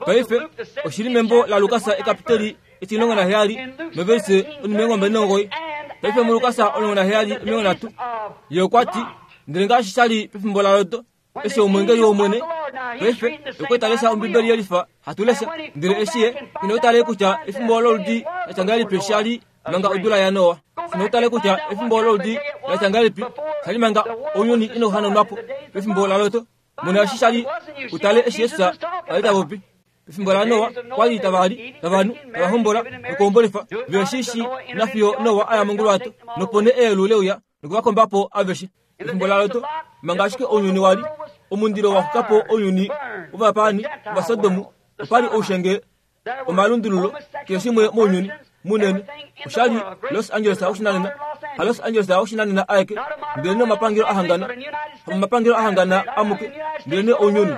Speaker 1: Paife oshi li membo laLukas ekapiteli etimulongo naheyali novelise onimilongo mbali nomugoyi. Paife muLukas 17 30 ye okwa ti, Ndele ngaashi sha li pefimbo laLot, eshi omweengeli wOmwene paife okwe ta lesha Ombibeli yelifa hatu lesha, ndele eshi ye ino tale kutya efimbo loludi la tya ngahelipi sha li manga odula yaNoa, ino tale kutya efimbo loludi la tya ngahelipi sha li manga ounyuni inau hanaunwa po pefimbo laLot, mona eshi sha li u tale eshi Jesus a li ta popi. Pefimbo laNoa, kwa li tava li, tava nu, tava hombola nokuhombolifa, ve shi shi nafiyo Noa a ya monguluwato, nopo nee eyelu le uya noku va komba po aveshe. Pefimbo laLot, manga ashike ounyuni wa li omundilo wa xuka po ounyuni wovapaani Ovasodomu, opa li oushenge, omalundululo, keshe shimwe mounyuni munene. Osha li Los Angeles woshinanena, haLos Angeles woshinanena aeke, ndelenee omapangelo a hangana, hamomapangelo a hangana amuke, ndelenee ounyuni.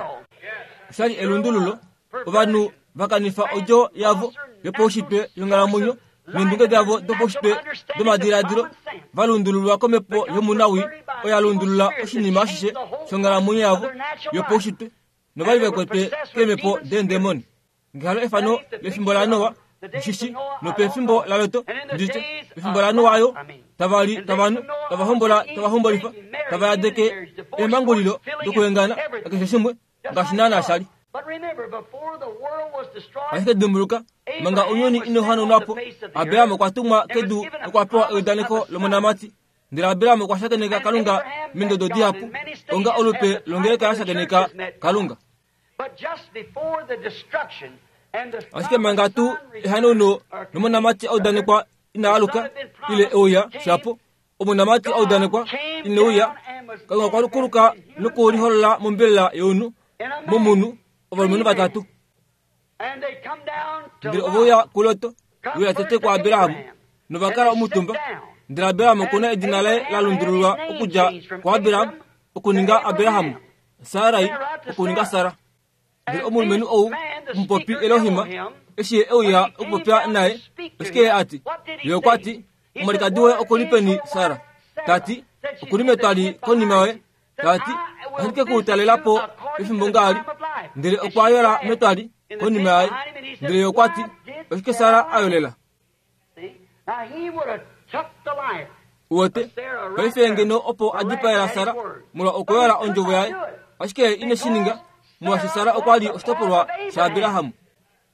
Speaker 1: Osha li elundululo, ovanhu va kanifa odjo yavo yopaushitwe yonghalamwenyo. Neendunge davo dopaushitwe domadiladilo va lundululwa komhepo yomunawii oyo ya lundulula oshinima ashishe shonghalamwenyo yavo yopaushitwe novali ve kwetwe keemhepo deendemoni. Ngehalo efano lefimbo laNoa, mushishi, nopefimbo laLot, nditye, pefimbo laNoa yo, tava li, tava nu, tava hombola, tava hombolifa, tava yadeke eemhangulilo dokuhengana, nakeshe shimwe, ngaashi naanaa sha li. Ashike dimbuluka, manga ounyuni ino hanaunwa po, Abraham okwa tumwa kedu nokwa pewa eudaneko lomonamati. Ndele Abraham okwa shakeneka Kalunga meendodo dihapu, onga olupe longeleka ya shakeneka Kalunga. Ashike manga tuu ehanauno lomonamati a udanekwa ina aluka, ile e uya shapo, omonamati a udanekwa ine uya, Kalunga okwa kuluka nokuliholola mombelela yomunhu, momunhu, ovalumenhu vatatu. Ndele ove uya kuLot, uya tete kuAbraham, nova kala omutumba. Ndele Abraham oku na edina laye la lundululwa okudja kuAbraham okuninga Abraham, Sarai okuninga Sara. Ndele omulumenhu ou, omupopi Elohim, eshi ye e uya okupopya naye, oshike ye a ti? Ye okwa ti, Omwalikadi woye oku li peni, Sara? Ta ti, Oku li metwali konima yoye. Ta ti, Ohandi ke ku talela po pefimbo ngaali. Ndele okwa yola metwali konima yaye. Ndele ye okwa ti, Oshike Sara a yolela? Uwete, paife ngeno opo a dipaela Sara molwa okuyola ondjovo yaye, ashike ye ine shi ninga, molwaashi Sara okwa li oshitopolwa shaAbraham.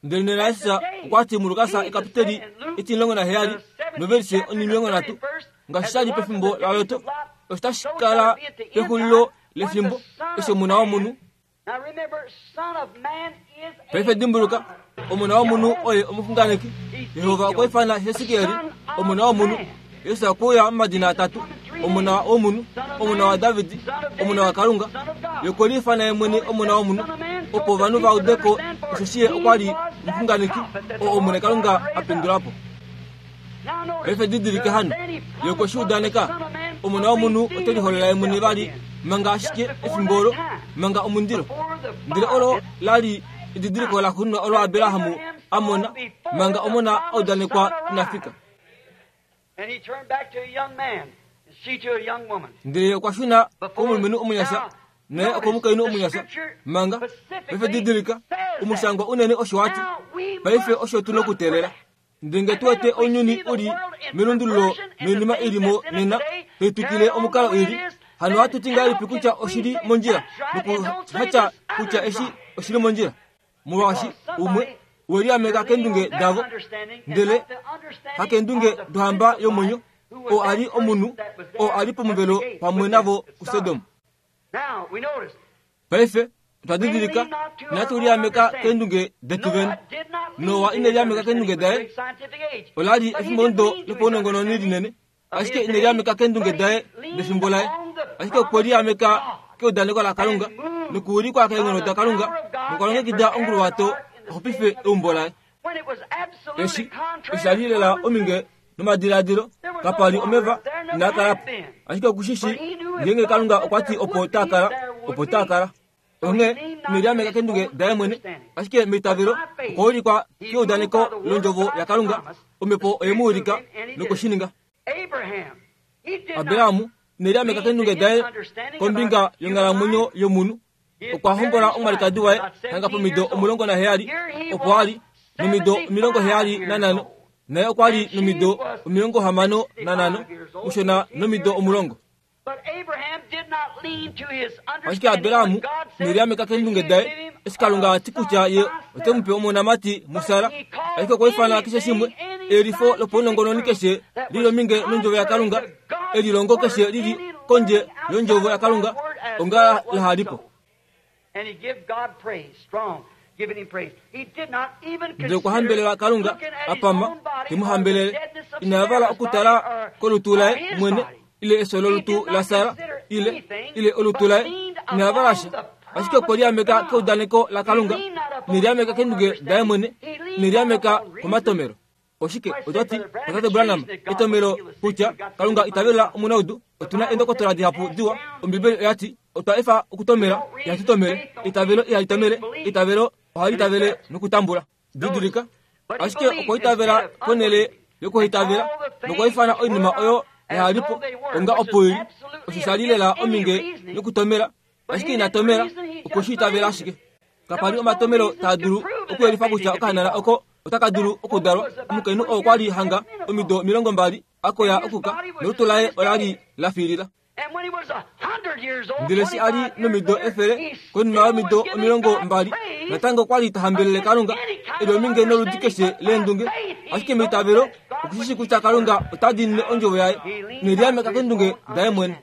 Speaker 1: Ndele nena Jesus okwa ti muLukas ekapiteli 17 novelise 30, ngaashi sha li pefimbo laLot, osho tashi kala pexulilo lefimbo eshi Omona womunhu Paife dimbuluka, Omona womunhu oye omuxunganeki. Jehova okwa ifana Hesekiel Omona womunhu. Jesus okwe uya momadina atatu, Omona womunhu, Omona waDavid, Omona waKalunga. Ye okwe liifana ye mwene Omona womunhu, opo ovanhu va ude ko osheshi ye okwa li omuxunganeki oo Omwene Kalunga a pendula po. Paife didilike hano, Ye okwe shi udaneka, Omona womunhu ote liholola ye mwene vali manga ashike efimbo olo, manga omundilo. Ndele olo la li edidiliko laxuuninwa olo Abraham a mona manga omona a udanekwa ina fika. Ndele ye okwa shuna komulumenhu omunyasha naye okomukainhu omunyasha manga. Paife didilika, omushangwa unene osho wa ti. Paife osho tu nokuteelela. Ndele nge tu wete ounyuni u li melundululo noinima i li mo nena tai twikile omukalo i li, hano ohatu ti ngahelipi kutya oshi li mondjila nokuhatya kutya eshi oshi li mondjila? Molwaashi umwe we liameka keendunge davo, ndele hakeendunge dohamba yomwenyo, oo a li omunhu oo a li pomuvelo pamwe navo kuSodom. Paife otwa didilika, inatu liameka keendunge detu vene. Noa ine liameka keendunge daye. Ola li efimbomudo lopaunongononi linene, ashike ine liameka keendunge daye defimbo laye. Ashike okwe liameka keudaneko laKalunga nokuulikwa keenghono daKalunga nokwa longekida onguluwato a xupife eumbo laye. Eshi osha li lela ominge nomadiladilo, kapa li omeva inaa kala po. Ashike oku shi shii ngeenge Kalunga okwa ti opo taa kala, opo taa kala. Onghee ine liameka keendunge daye mwene, ashike meitavelo okwa ulikwa keudaneko londjovo yaKalunga, Omhepo oye mu ulika nokwe shi ninga. Abraham ine liameka keendunge daye kombinga yonghalamwenyo yomunhu. Okwa hombola omwalikadi waye hanga pomido 17, opo a li nomido 75, naye okwa li nomido 65, mushona nomido 10. Ashike Abraham ine liameka keendunge daye, eshi Kalunga a ti kutya ye ote mu pe omonamati muSara. Ashike okwa ifana keshe shimwe, eyelifo lopaunongononi keshe li li ominge nondjovo yaKalunga, elilongo keshe li li kondje yondjovo yaKalunga onga laha li po. Ndele okwa hambelela Kalunga a pama, te mu hambelele. Ina yavala okutala kolutu laye mwene ile efyo lolutu laSara ile ile olutu laye. Ina yavala sha, ashike okwe liameka keudaneko laKalunga, ine liameka keendunge daye mwene, ine liameka komatomelo. Oshike otwa ti, Tate Branham, etomelo kutya Kalunga ita velula omunaudu? Otu na eendokotola dihapu diwa. Ombibeli oya ti, Otwa efa okutomela, ihatu tomele. Eitavelo ihali tomele, eitavelo ohali tavele nokutambula. Didilika, ashike okwa itavela ponhele. yokuhitavela nokwaifana oinima oyo yaha li po onga opo ili, osho sha li lela ominge nokutomela, ashike ina tomela, okwe shi itavela ashike. Kapa li omatomelo taa dulu okuyelifa kutya okahanana oko otaka dulu okudalwa. Omukainhu oo okwa li hanga omido 20 a koya okuka, nolutu laye ola li la fiilila. Ndele eshi a li nomido 100, konima yomido 20, natango okwa li ta hambelele Kalunga, e li ominge noludi keshe leendunge. Ashike meitavelo oku shi shii kutya Kalunga ota diinine ondjovo yaye, ine liameka keendunge daye mwene.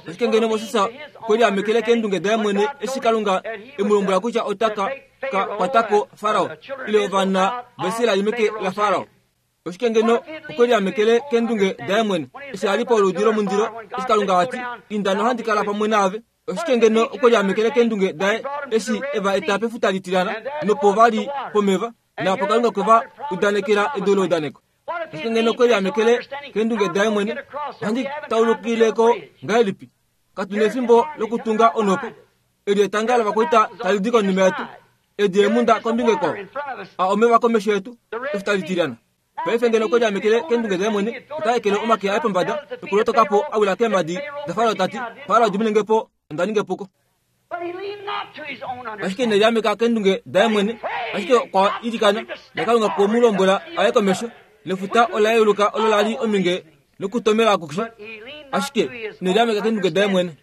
Speaker 1: Ashike ngeno Moses okwe liamekele keendunge daye mwene eshi Kalunga e mu lombwela kutya ota ka ka kwata ko Farao ile ovana vaIsrael meke laFarao. Oshike ngeno okwe liamekele keendunge daye mwene eshi a li poludi lomundilo eshi Kalunga a ti, Inda nohandi kala pamwe naave? Oshike ngeno okwe liamekele keendunge daye eshi e va eta pefuta litilyana nopo va li pomeva, naapo Kalunga okwe va udanekela edu leudaneko? Ashike ngeno okwe liamekele keendunge daye mwene, ohandi taulukile ko ngahelipi? Katu nefimbo lokutunga onhopo. Eli etanga lovakwaita tali di konima yetu, edi eemhunda kombinga ikwao, a omeva komesho yetu, efuta litilyana. Paife ngeno okwe liamekele keendunge daye mwene, ota ekele omake aye pombada nokulotoka po a wila keemhadi daFarao ta ti, Farao diminenge po, onda ninga epuko. Ashike ine liameka keendunge daye mwene, ashike okwa ilikana, naKalunga okwe mu lombwela a ye komesho, nefuta ola yeuluka olo la li ominge nokutomela akushe. Ashike ine liameka keendunge daye mwene.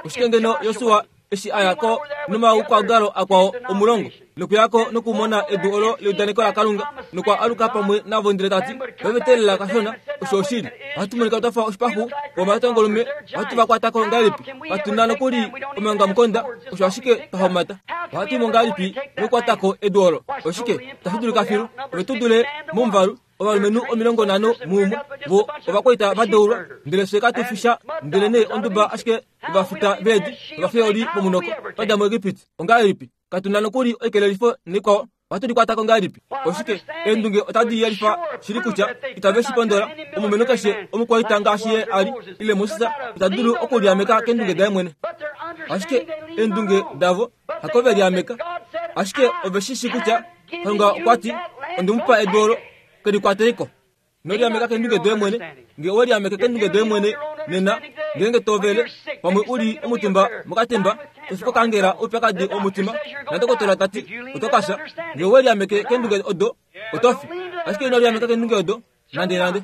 Speaker 1: Oshike ngeno Josua eshi a ya ko nomaukwaongalo akwao omulongo nokuya ko nokumona edu olo leudaneko laKalunga nokwa aluka pamwe navo ndele ta ti, Vave teelela kashona, osho oshili. Ohatu monika twa fa oshipaxu vomatongolume, ohatu va kwata ko ngahelipi? Katu na nokuli omaongamukonda, osho ashike twa homata. Ohatu i mo ngahelipi nokukwata ko edu olo? Oshike, itashi dulika filu. Ove tu dule momuvalu, ovalumenhu 50 muumwe, vo ovakwaita va deulwa, ndele fye katu fi sha, ndelenee onduba ashike yovafita veedi novafeoli vomunoko twa dja muEgipiti. Ongahelipi katu na nokuli oikelelifo naikwao? Ohatu likwata ko ngahelipi? Oshike, eendunge otadi yelifa shili kutya itave shi pondola. Omulumenhu keshe omukwaita ngaashi ye a li, ile Moses, ita dulu okuliameka keendunge daye mwene. Ashike eendunge davo hako ve liameka, ashike ove shi shii kutya Kalunga okwa ti, Onde mu pa edu olo, ke li kwatei ko. Ino liameka keendunge doye mwene. Nge owe liameke keendunge doye mwene nena, ngeenge to vele, pamwe u li omutumba mokatemba, to fi kokangela oupyakadi womutima, nadokotola ta ti, oto ka fya. Nge owe liameke keendunge odo, oto fi. Ashike ino liameka keendunge odo, nandenande.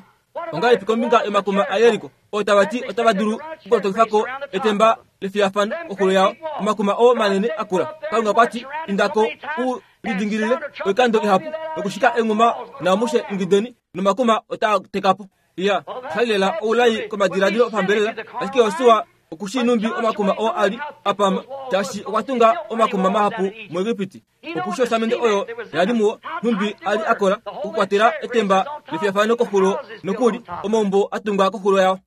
Speaker 1: Ongahelipi kombinga yomakuma aJeriko, oo tava ti otava dulu okulotokifa ko etemba lefiyafano koxulo yao, omakuma oo manene a kula? Kalunga okwa ti, Inda ko u lidingilile oikando ihapu nokushika enghuma naamushe ingideni, nomakuma otaa teka po. Iya, osha li lela oulai komadiladilo opambelela, ashike Josua oku shii nhumbi omakuma oo a li a pama, shaashi okwa tunga omakuma mahapu muEgipiti. Oku osamende oyo ya li muwo, nhumbi a li a kola okukwatela etemba lefiyafano koxulo nokuli omaumbo a tungwa koxulo yao.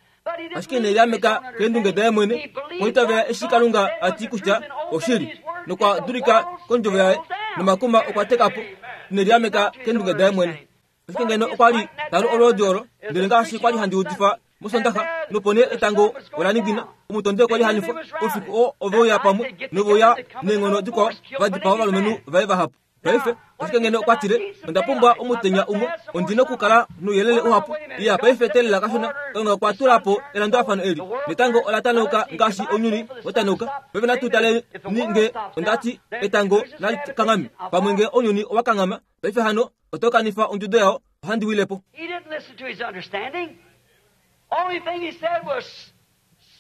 Speaker 1: Ashike ne liameka keendunge daye mwene, okwa itavela eshi Kalunga a ti kutya oshili, nokwa dulika kondjovo yaye, nomakuma okwa teka po. Ine liameka keendunge daye mwene. Ashike ngeno okwa li ta lu olwoodi olo, ndele ngaashi kwa li handi udifa mOsondaxa, nopo nee etango ola ningina, omutondi okwa li hanifwa. Oufiku oo ove uya pamwe nove uya neenghono dikwao va dipaa ovalumenhu vaye vahapu. Paife, ashike ngeno okwa tile, Onda pumbwa omutenya umwe, ondi nokukala nouyelele uhapu. Iya, paife teelela kashona, Kalunga okwa tula po elandulafano eli. Netango ola tanauka ngaashi ounyuni wa tanauka. Paife natu taleni nge onda ti etango nali kanghame. Pamwe nge ounyuni owa kanghama, paife hano Oto kanifa ondjudo yao, ohandi wile po.
Speaker 2: He didn't listen to his understanding. Only thing he said was,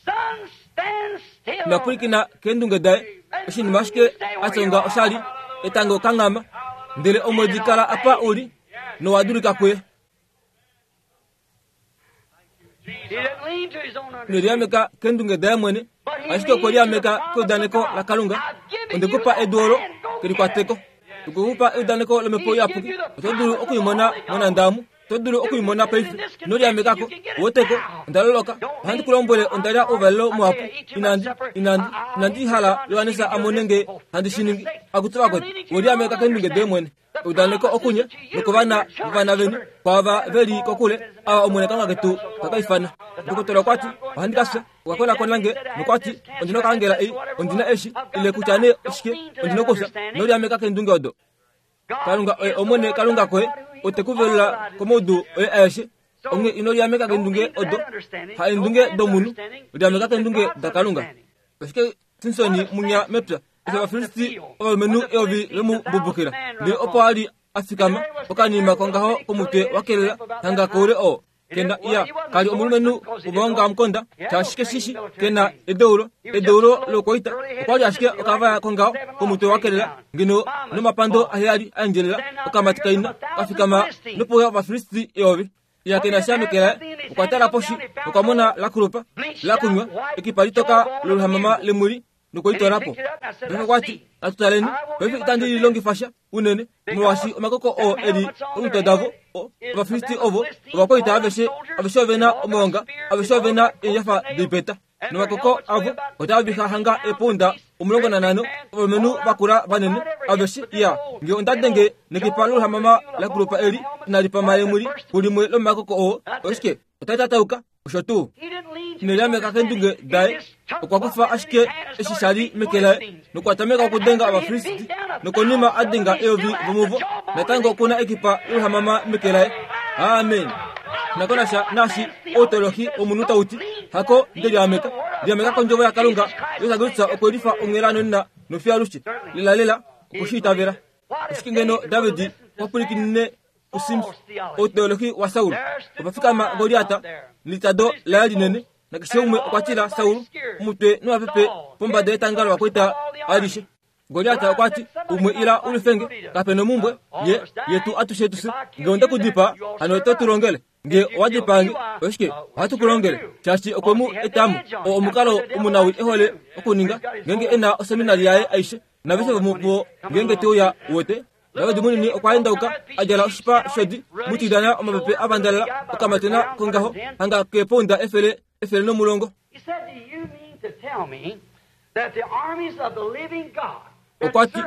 Speaker 2: Sun, stand still.
Speaker 1: Ina pwilikina keendunge daye. Oshinima ashike a tyonga osha li, Etango kanghama, ndele omwedi kala apa u li, nowa dulika kuye.
Speaker 2: He didn't lean to his own
Speaker 1: Ine
Speaker 2: understanding.
Speaker 1: liameka keendunge daye mwene, ashike okwe liameka keudaneko laKalunga. Onde ku pa edu olo, ke likwate ko. Okwe ku pa eudaneko lOmhepo Iyapuki. Oto dulu oku i mona monhanda omu. Oto dulu oku i mona paife. Ino liameka ko. Uwete ko? Onda loloka. Ohandi ku lombwele onda lya ouvalelo muhapu. Inandi, inandi, inandi hala Johannes a mone nge handi shi ningi. Akutu vakwetu, owe liameka keendunge doye mwene. Eudaneko okunye nokovana vovana veni, kwaava ve li kokule, ava Omwene Kalunga ketu ta ka ifana. Ndokotola okwa ti, Ohandi ka fya. Okwa konakona nge nokwa ti, Ondi na okaangela ei, ondi na eshi, ile kutya nee oshike, ondi na okufya. Ino liameka keendunge odo. Kalunga oye Omwene Kalunga koye. Ote ku velula komaudu oye aeshe. Onghee ino liameka keendunge odo, haendunge domunhu, liameka keendunge daKalunga. Ashike Simsoni munya mepya, eshi Ovafilisti ovalumenhu eyovi ve mu mbubukila, ndele opo a li a fikama okanima kongaho komutwe wa kelela hanga koule oo kena iya kali omulumenhu wovaonga mukonda shaashi keshishi kena edeulo edeulo lokwaita okwa li ashike okavaya kongaho komutwe wa kelela ngeno nomapando aheyali a endjelela okamati kaina ka fikama nopuya Ovafilisti eyovi Iya kena sha meke laye, okwa tala poshi okwa mona la kulupa, la kunywa, ekipa litoka loluhamama lemwili nokwe li twala po. Paife okwa ti, Natu taleni, paife itandi li longifa sha unene, molwaashi omakoko oo e li omitwe davo, Ovafilisti ovo, ovakwaita aveshe, aveshe ove na omaonga, aveshe ove na eendjafa doipeta. Nomakoko avo otaa viha hanga eepounda 15, ovalumenhu vakula vanene aveshe. Iya, nge onda denge nekipa loluhamama la kulupa eli inali pama lemwili kulimwe lomomakoko oo, oshike, otai tatauka, osho tuu. Ine liameka keendunge daye, okwa kufa ashike eshi sha li meke laye nokwa tameka okudenga Ovafilisti, nokonima a denga eyovi vomuvo, natango oku na ekipa loluhamama meke laye. Amen. Nakonasha naashi outolohi womunhu tau ti, Hako nde liameka, liameka kondjovo yaKalunga. Jesus Kristus okwe lifa onghela nonena nofiyo alushe. Lelalela, okwe shi itavela. Oshike ngeno David okwa pwilikinine kuSims, outolohi waSaul? Opa fikama Goliat nelitado laye linene, nakeshe umwe okwa tila Saul omutwe nomapepe pombada yetanga lovakwaita alishe. Goliat okwa ti, Umwe ila u lwifenge, kape nomumbwe, ye, yetu atushe tu fye. Nge onde ku dipaa, hano oto tu longele. Nge owa dipaa nge, oshike, ohatu ku longele. Shaashi okwe mu eta mo. Oo omukalo omunawi e hole okuninga, ngeenge e na oseminari yaye aishe, naveshe vomuvo ngeenge te uya, uwete. David munini okwa endauka, a djala oshipa shodi, mutilyana omapepe a vandalala, okamatena kongaho, hanga keepounda efele, 110. Okwa ti,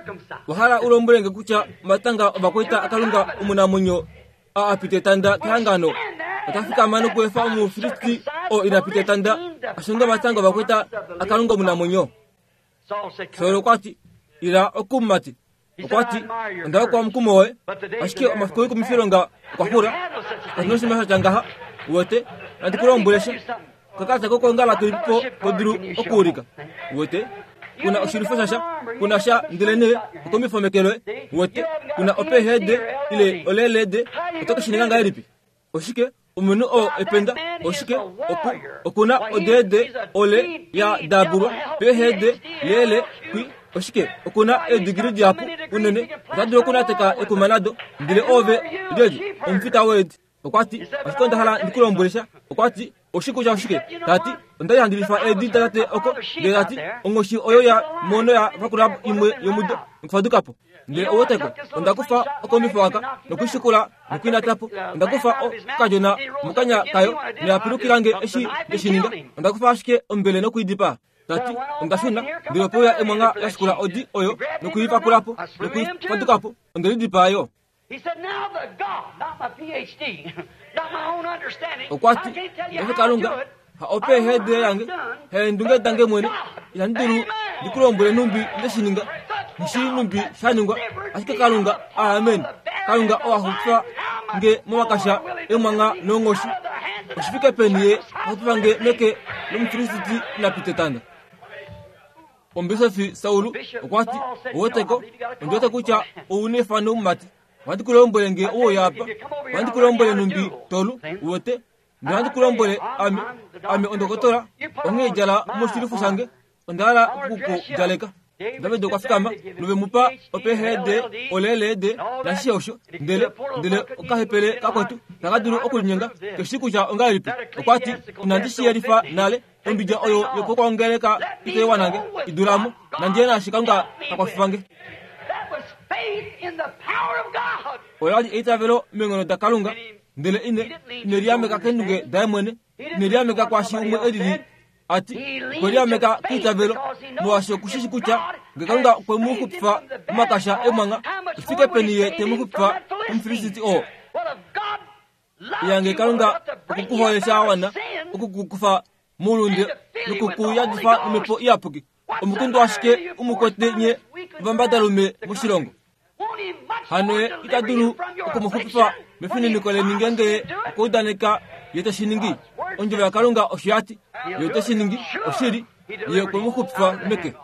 Speaker 1: Wa hala u lombwele nge kutya omatanga ovakwaita aKalunga omunamwenyo a a pita etanda kehangano ota fikama nokuefa Omufilisti oo ina pita etanda a shonge omatanga ovakwaita aKalunga omunamwenyo? Saul okwa ti, Ila oku mumati. Okwa ti, Onda hokwa omukumo woye, ashike omafiku oikumifilonga okwa xula. Katu na oshinima sha tya ngaha. Uwete, nandi ku lombwele sha. Okakalata kokwoongala kelipipo to dulu okuulika? Uwete, ku na oshilwifo shasha, ku na sha ndelenee okombifa meke loye. Uwete, ku na oPhD ile oLLD, oto ke shi ninga ngahelipi? Oshike? Omunhu oo ependa, oshike? Oku, oku na oDD, ole, ya dabulwa, PhD, lele, kwi, oshike? Oku na eedigili dihapu unene, ota dulu okunateka ekuma nado. Ndele oove lyelye? Omufita weedi. Okwa ti, Ashike onda hala ndi ku lombwele sha. Okwa ti, Oshi kutya oshike? Ta ti, Onda li handi lifa eedi datate oko. Ndele ta ti, Onghoshi oyo ya mono ya vakula imwe yomudo nokufaduka po. Ndele ou weteko, onda kufa okombifa aka nokuishikula nokuinata po. Onda kufa okadjona mokanya kayo noya pilukila nge eshi nde shi ninga. Onda kufa ashike ombele nokuidipaa. Ta ti, Onda shuna, ndele ope uya emwangha la shikula odi oyo nokuipakula po nokuifaduka po. Onde lidipaa yo. Okwa ti, Paife Kalunga, ha opeehede yange, heendunge dange mwene, ihandi dulu ndi ku lombwele nhumbi nde shi ninga, nghi shii nhumbi sha ningwa, ashike Kalunga, amen, Kalunga oo a xupifa nge momakasha emwangha noonghoshi, oshi fike peni Ye a xupifa nge meke lOmufilisiti ina pita etanda. Omubisofi Saul okwa ti, Oweteko, ondi wete kutya ou na efano mumati. Ohandi ku lombwele nge ou oye apa. Ohandi ku lombwele nhumbi tolu, uwete. Ndele ohandi ku lombwele, ame, ame ondokotola, onghee djala moshilufo shange. Onda hala oku ku djaleka. David okwa fikama, nove mu pa oPhD, oLLD, nashishe osho. Ndele, ndele okahepele kakwetu taka dulu okulinyenga, ke shii kutya ongahelipi. Okwa ti, Inandi shi yelifa nale. Ombidja oyo yopokwoongeleka itai wana nge, i dula mo. Nandi ye naashi Kalunga ta kwafifa nge. Ola li eitavelo meenghono daKalunga, ndele ine, ine liameka keendunge daye mwene, ine liameka kwaashi umwe e lili a ti. Okwe liameka keitavelo, molwaashi oku shi shi kutya nge Kalunga okwe mu xupifa momakasha emwangha, oshi fike peni Ye te mu xupifa kOmufilisti oo. Iyange Kalunga oku ku hole sha wana oku ku kufa moulunde noku ku yadifa nomhepo iyapuki. Omukundu ashike u mu kwete nye ovambadalume moshilongo. Hano ye ita dulu oku mu xupifa Mefininiko leni ngeenge Ye okwa udaneka Ye te shi ningi. Ondjovo yaKalunga osho ya ti, Ye ote shi ningi. Oshili, Ye okwe mu xupifa meke.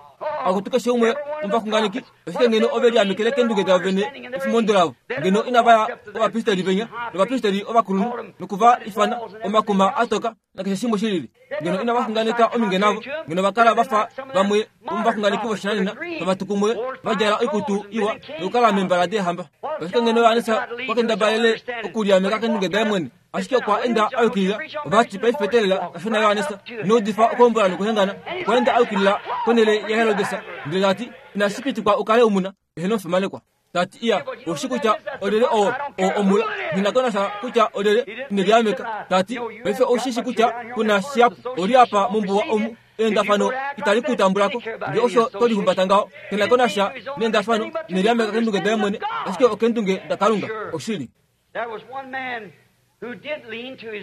Speaker 1: Akutu keshe umwe womovaxunganeki, ashike ngeno ove liamekele keendunge davo vene efimondo lavo, ngeno inava ya kovapristeli venya novapristeli ovakulunhu noku va ifana omakuma a toka nakeshe shimwe shi lili. Ngeno inava xunganeka ominge navo, ngeno va kala va fa vamwe vomovaxunganeki voshinanena tava tu kumwe va djala oikutu iwa nokukala meembala deehamba. Ashike ngeno Johannes okwa kendabalele okuliameka keendunge daye mwene, ashike okwa enda a yukilila. Ova ti, Paife teelela, kashona Johannes ino udifa okuhombola nokuhengana. Okwa enda a yukilila konhele yaHerodes ndele ta ti, Inashi pitikwa u kale u mu na, eheno omufimanekwa. Ta ti, Iya, ou shii kutya olyelye oo, oo omula. Nghi na ko nasha kutya olyelye, ine liameka. Ta ti, Paife ou shi shi kutya ku na shihapu. Oli apa mombuwa omu. Eendafano itali ku tambula ko. Nge osho to lihumbata ngaho, ke na ko nasha neendafano, ine liameka keendunge daye mwene, ashike okeendunge daKalunga. Oshili.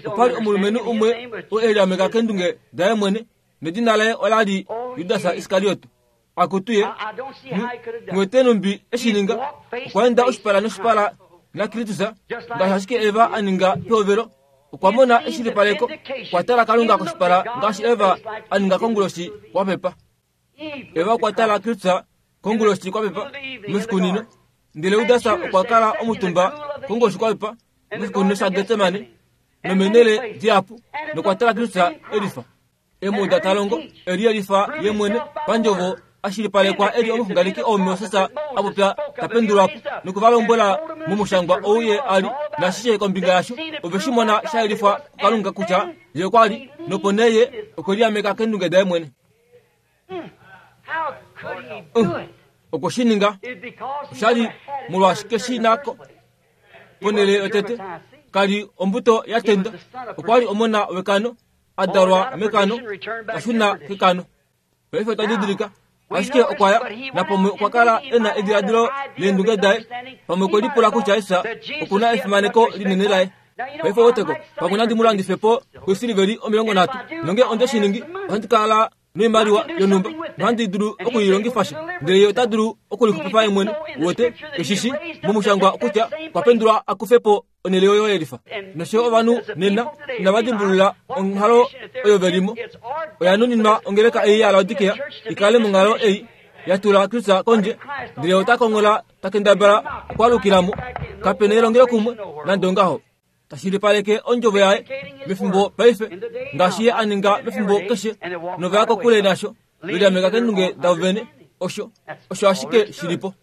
Speaker 1: Opa li omulumenhu umwe oo e liameka keendunge daye mwene, nedina laye ola li Judas Iskariot. Akutu ye, nghi numbi e shi ninga, okwa enda oshipala noshipala naKristus, ngaashi ashike Eva a ninga pehovelo. Okwa mona eshilipaleko, okwa tala Kalunga koshipala ngaashi Eva a ninga konguloshi kwa pepa. Eva okwa tala Kristus konguloshi kwa pepa moshikunino, ndele Judas okwa kala omutumba konguloshi kwa pepa moshikunino shaGetsemane nomenele dihapu nokwa tala Kristus e lifa. Emuda ta longo e liyelifa ye mwene pandjovo a shilipalekwa e li omuxunganeki oo Moses a popya ta pendulwa po noku va lombwela momushangwa ou ye a li nashishe kombinga yasho. Ove shi mona sha yelifwa kuKalunga kutya ye okwa li, nopo nee ye okwe liameka keendunge daye mwene. Okwe shi ninga. Osha li molwaashi ke shi na ko ponhele yotete. Ka li ombuto ya tenda. Okwa li omona wekano. a dalwa mekano ta shuna kekano. Paife otwa didilika, ashike okwa ya, napamwe okwa kala e na ediladilo leendunge daye, pamwe okwe lipula kutya Jesus oku na efimaneko linene laye. Paife weteko, pamwe nandi mu landife po koisiliveli 30, nonge onde shi ningi, ohandi kala noimaliwa yonhumba nohandi dulu oku i longifa sha. Ndele ye ota dulu okulixupifa ye mwene, uwete, eshi shi momushangwa kutya okwa pendulwa a kufe po onhele oyo yelifa. Nosho yo ovanhu nena inava dimbulula onghalo oyo ve li mo. Oya nuninwa ongeleka ei yaLaodikea i kale monghalo ei ya tula Kristus kondje, ndele ota konghola ta kendabala okwaalukila mo. Kape na elongelokumwe nande ongaho. Ta shilipaleke ondjovo yaye mefimbo paife, ngaashi ye a ninga mefimbo keshe, nova ya kokule nasho, ve liameka keendunge davo vene. Osho, osho ashike shi li po.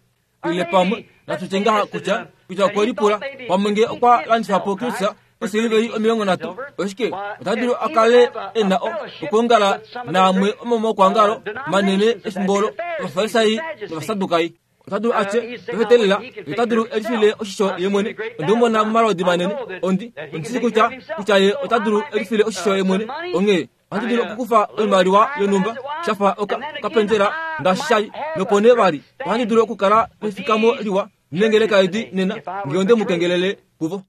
Speaker 1: Ile pamwe natu tye ngaha kutya kutya okwe lipula pamwe nge okwa landifa po Kristus osiliveli 30, oshike ota dulu a kale e na okwoongala naamwe omomaukwangalo manene efimbo olo, Ovafarisai nOvasadukai. Ota dulu a tye, Pefetelela, ye ota dulu e lifile oshisho ye mwene. Onde mu mona momalwoodi manene. Ondi, ondi shii kutya, kutya ye ota dulu e lifile oshisho ye mwene. Onghee ohandi dulu okukufa oimaliwa yonhumba, sha fa oka, okapenzela, ngaashi sha li. Nopo nee vali, ohandi dulu okukala nefikamo liwa nengeleka edi nena, nge onde mu kengelele kuvo.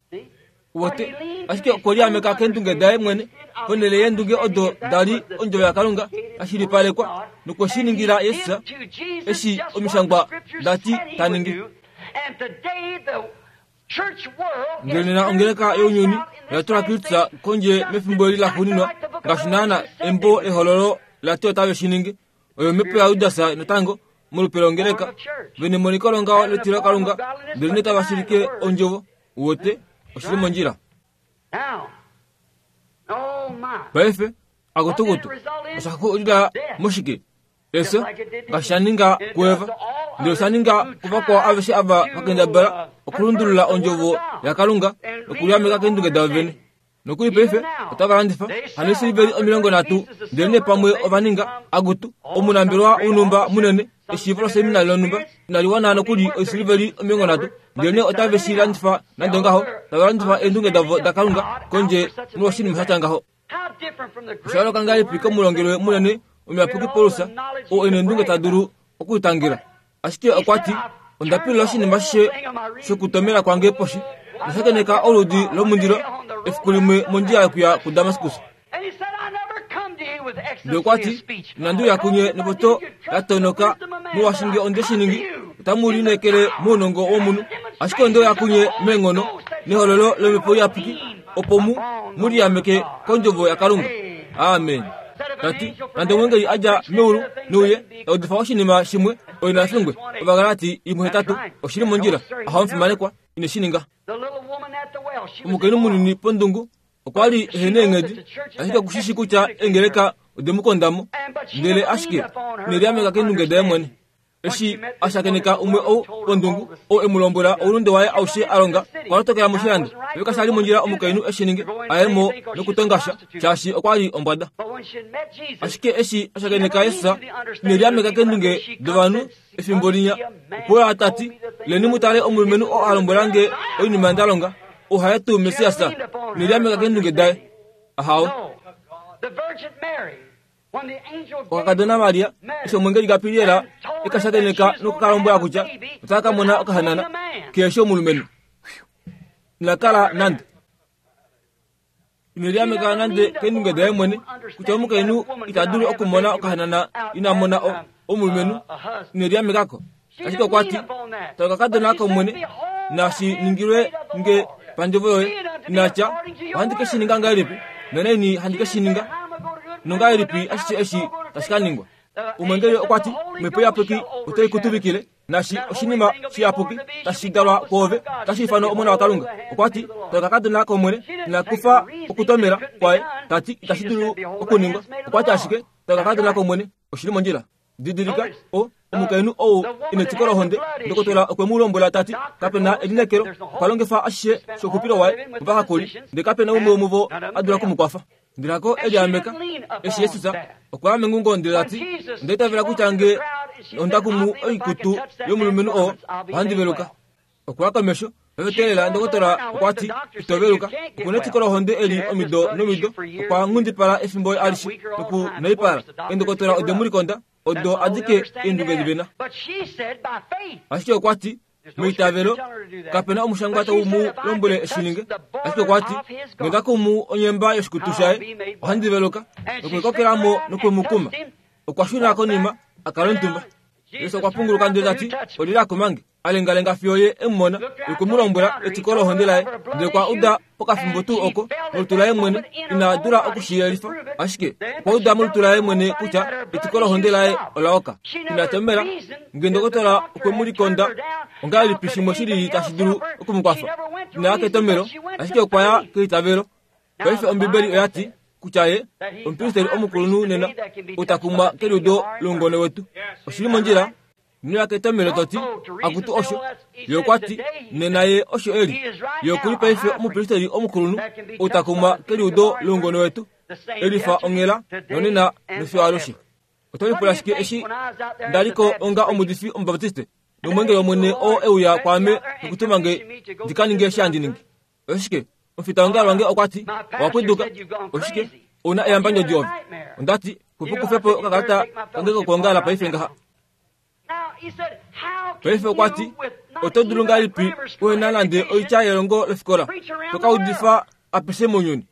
Speaker 1: Uwete? Ashike okwe liameka keendunge daye mwene, ponhele yeendunge odo da li ondjovo yaKalunga ya shilipalekwa, nokwe shi ningila Jesus eshi Omishangwa da ti ta ningi. Ndele nena ongeleka younyuni oya tula Kristus kondje mefimbo eli laxuuninwa, ngaashi naana embo lEhololo la ti otave shi ningi. Oyo omhepo yaJudas natango, molupe longeleka, ve nemoniko longaho letilokalunga, ndelenee tava shilike ondjovo. Uwete, oshi li mondjila. Paife, akutukutu, osha xulila moshike? Efyo, ngaashi sha ninga kuEva, ndele osha ninga kuvakwao aveshe ava va kendabala okulundulula ondjovo yaKalunga nokuliameka keendunge davo vene. Nokuli paife otava landifa hano eesiliveli 30, ndelenee pamwe ova ninga akutu omunambelewa wonhumba munene eshiivo loseminari lonhumba inali wana nokuli oisiliveli 30, ndelenee otave shi landifa nande ongaho, tava landifa eendunge davo daKalunga kondje molwoshinima sha tya ngaho. Osha yooloka ngahelipi komulongelwe munene omuyapuki Paulus, oo e neendunge ta dulu okulitangela? Ashike okwa ti, Onda pilula oshinima ashishe shokutomela kwange poshi, noshakeneka oludi lomundilo efiku limwe mondjila yokuya kuDamaskus. Ndele okwa ti, Inandi uya kunye nopoto ya tonoka, molwaashi nge onde shi ningi, otamu lineekele mounongo womunhu, ashike onde uya kunye meenghono. Nehololo lOmhepo Iyapuki, opo mu mu liameke kOndjovo yaKalunga. Amen. Ta ti, Nande omweengeli a dja meulu neuye ta udifa oshinima shimwe, oye na fingwe. Ovagalati 1:8 Oshi li mondjila. Aha omufimanekwa, ine shi ninga. Omukainhu munini pondungu okwa li ehe neenghedi, ashike oku shi shii kutya eengeleka ode mu konda mo, ndele ashike ine liameka keendunge daye mwene. Eshi a shakeneka umwe ou pondungu, ou e mu lombwela oulunde waye aushe a longa, okwa lotokela moshilando. Paife kasha li mondjila omukainhu e shi ninge, a ye mo nokutonga sha, shaashi okwa li ombwada. Ashike eshi a shakeneka Jesus, ine liameka keendunge dovanhu efimbo linya, opo a ta ti, Leni mu tale omulumenhu oo a lombwela nge oinima nda longa, ou haye tuu Messias? Ine liameka keendunge daye. Ahawe. Okakadona Maria eshi omwengeli Gabriel e ka shakeneka noku ka lombwela kutya otaka ka mona okahanana kehe omulumenhu. Ina kala nande. Ine liameka nande keendunge daye mwene kutya omukainhu ita dulu okumona okahanana ina mona omulumenhu. Ine liamekako. Ashike okwa ti, Tala okakadona kOmwene, nashi ningilwe nge pandjovo yoye. Ina tya, Ohandi ke shi ninga ngahelipi, nonaini handi ke shi ninga, nongahelipi ashishe eshi tashi ka ningwa. Omweengeli okwa ti, Omhepo Iyapuki otai ku tuvikile, naashi oshinima shiyapuki tashi dalwa kwoove otashi ifanwa Omona waKalunga. Okwa ti, Tala okakadona kOmwene, ina kufa okutomela kwaye, ta ti itashi dulu okuningwa. Okwa ti ashike, Tala okakadona kOmwene, oshi li mondjila. Didilika, o, omukainhu ou ina etiko lohonde, ndokotola okwe mu lombwela ta ti, Kape na elineekelo, okwa longifa ashishe shouxupilo waye movahakuli, ndele kape na umwe womuvo a dula oku mu kwafa. Ndele hako e liameka. Eshi Jesus okwa ya mengungo ndele ta ti, Onda itavela kutya nge onda kumu oikutu yomulumenhu oo, ohandi veluka. Okwa ya komesho, Ovetelela ndokotola okwa ti, Ito veluka. Oku na etiko lohonde eli omido nomido. Okwa nghundipala efimbo alishe noku naipala. Eendokotola ode mu likonda, odo adike eendunge di ve na. Ashike okwa ti, Meitavelo, kape na omushangwa tau mu lombwele e shi ninge. Ashike okwa ti, Nge nda kumu onyemba yoshikutu shaye, ohandi veluka. Nokwe kokela mo nokwe mu kuma. Okwa shuna konima, a kala omutumba. Jesus okwa punguluka ndele ta ti, Olyelye a kuma nge? A lengalenga fiyo ye e mu mona, nokwe mu lombwela etiko lohonde laye. Ndele okwa uda pokafimbo tuu oko molutu laye mwene, ina dula oku shi yelifa, ashike okwa uda molutu laye mwene kutya etiko lohonde laye ola oka. Ina tomela nge ndokotola okwe mu likonda, ongahelipi shimwe shilili tashi dulu oku mu kwafa? Ina ya ketomelo, ashike okwa ya keitavelo. Paife Ombibeli oya ti kutya ye omupristeri omukulunhu nena, ou ta kumwa keliudo loungone wetu. Oshi li mondjila? Ino ya ketomelo to ti, Akutu osho. Ye okwa ti, Nena ye osho e li. Ye oku li paife omupristeri omukulunhu, ou ta kumwa keliudo loungone wetu, e lifa onghela nonena nofiyo alushe. Oto lipula shike eshi nda li ko onga omuudifi Omubaptiste, nomweengeli wOmwene oo e uya kwaame nokutuma nge ndi ka ninge eshi handi ningi? Oshike? Omufitaongalo wange okwa ti, Owa pwiduka. Oshike? Ou na eyambandjodi ove. Onda ti, Kupu kufe po okakalata kange kokwoongala paife ngaha. Paife okwa ti, Oto dulu ngahelipi uhe na nande oitya yelongo lofikola, to ka udifa apeshe mounyuni?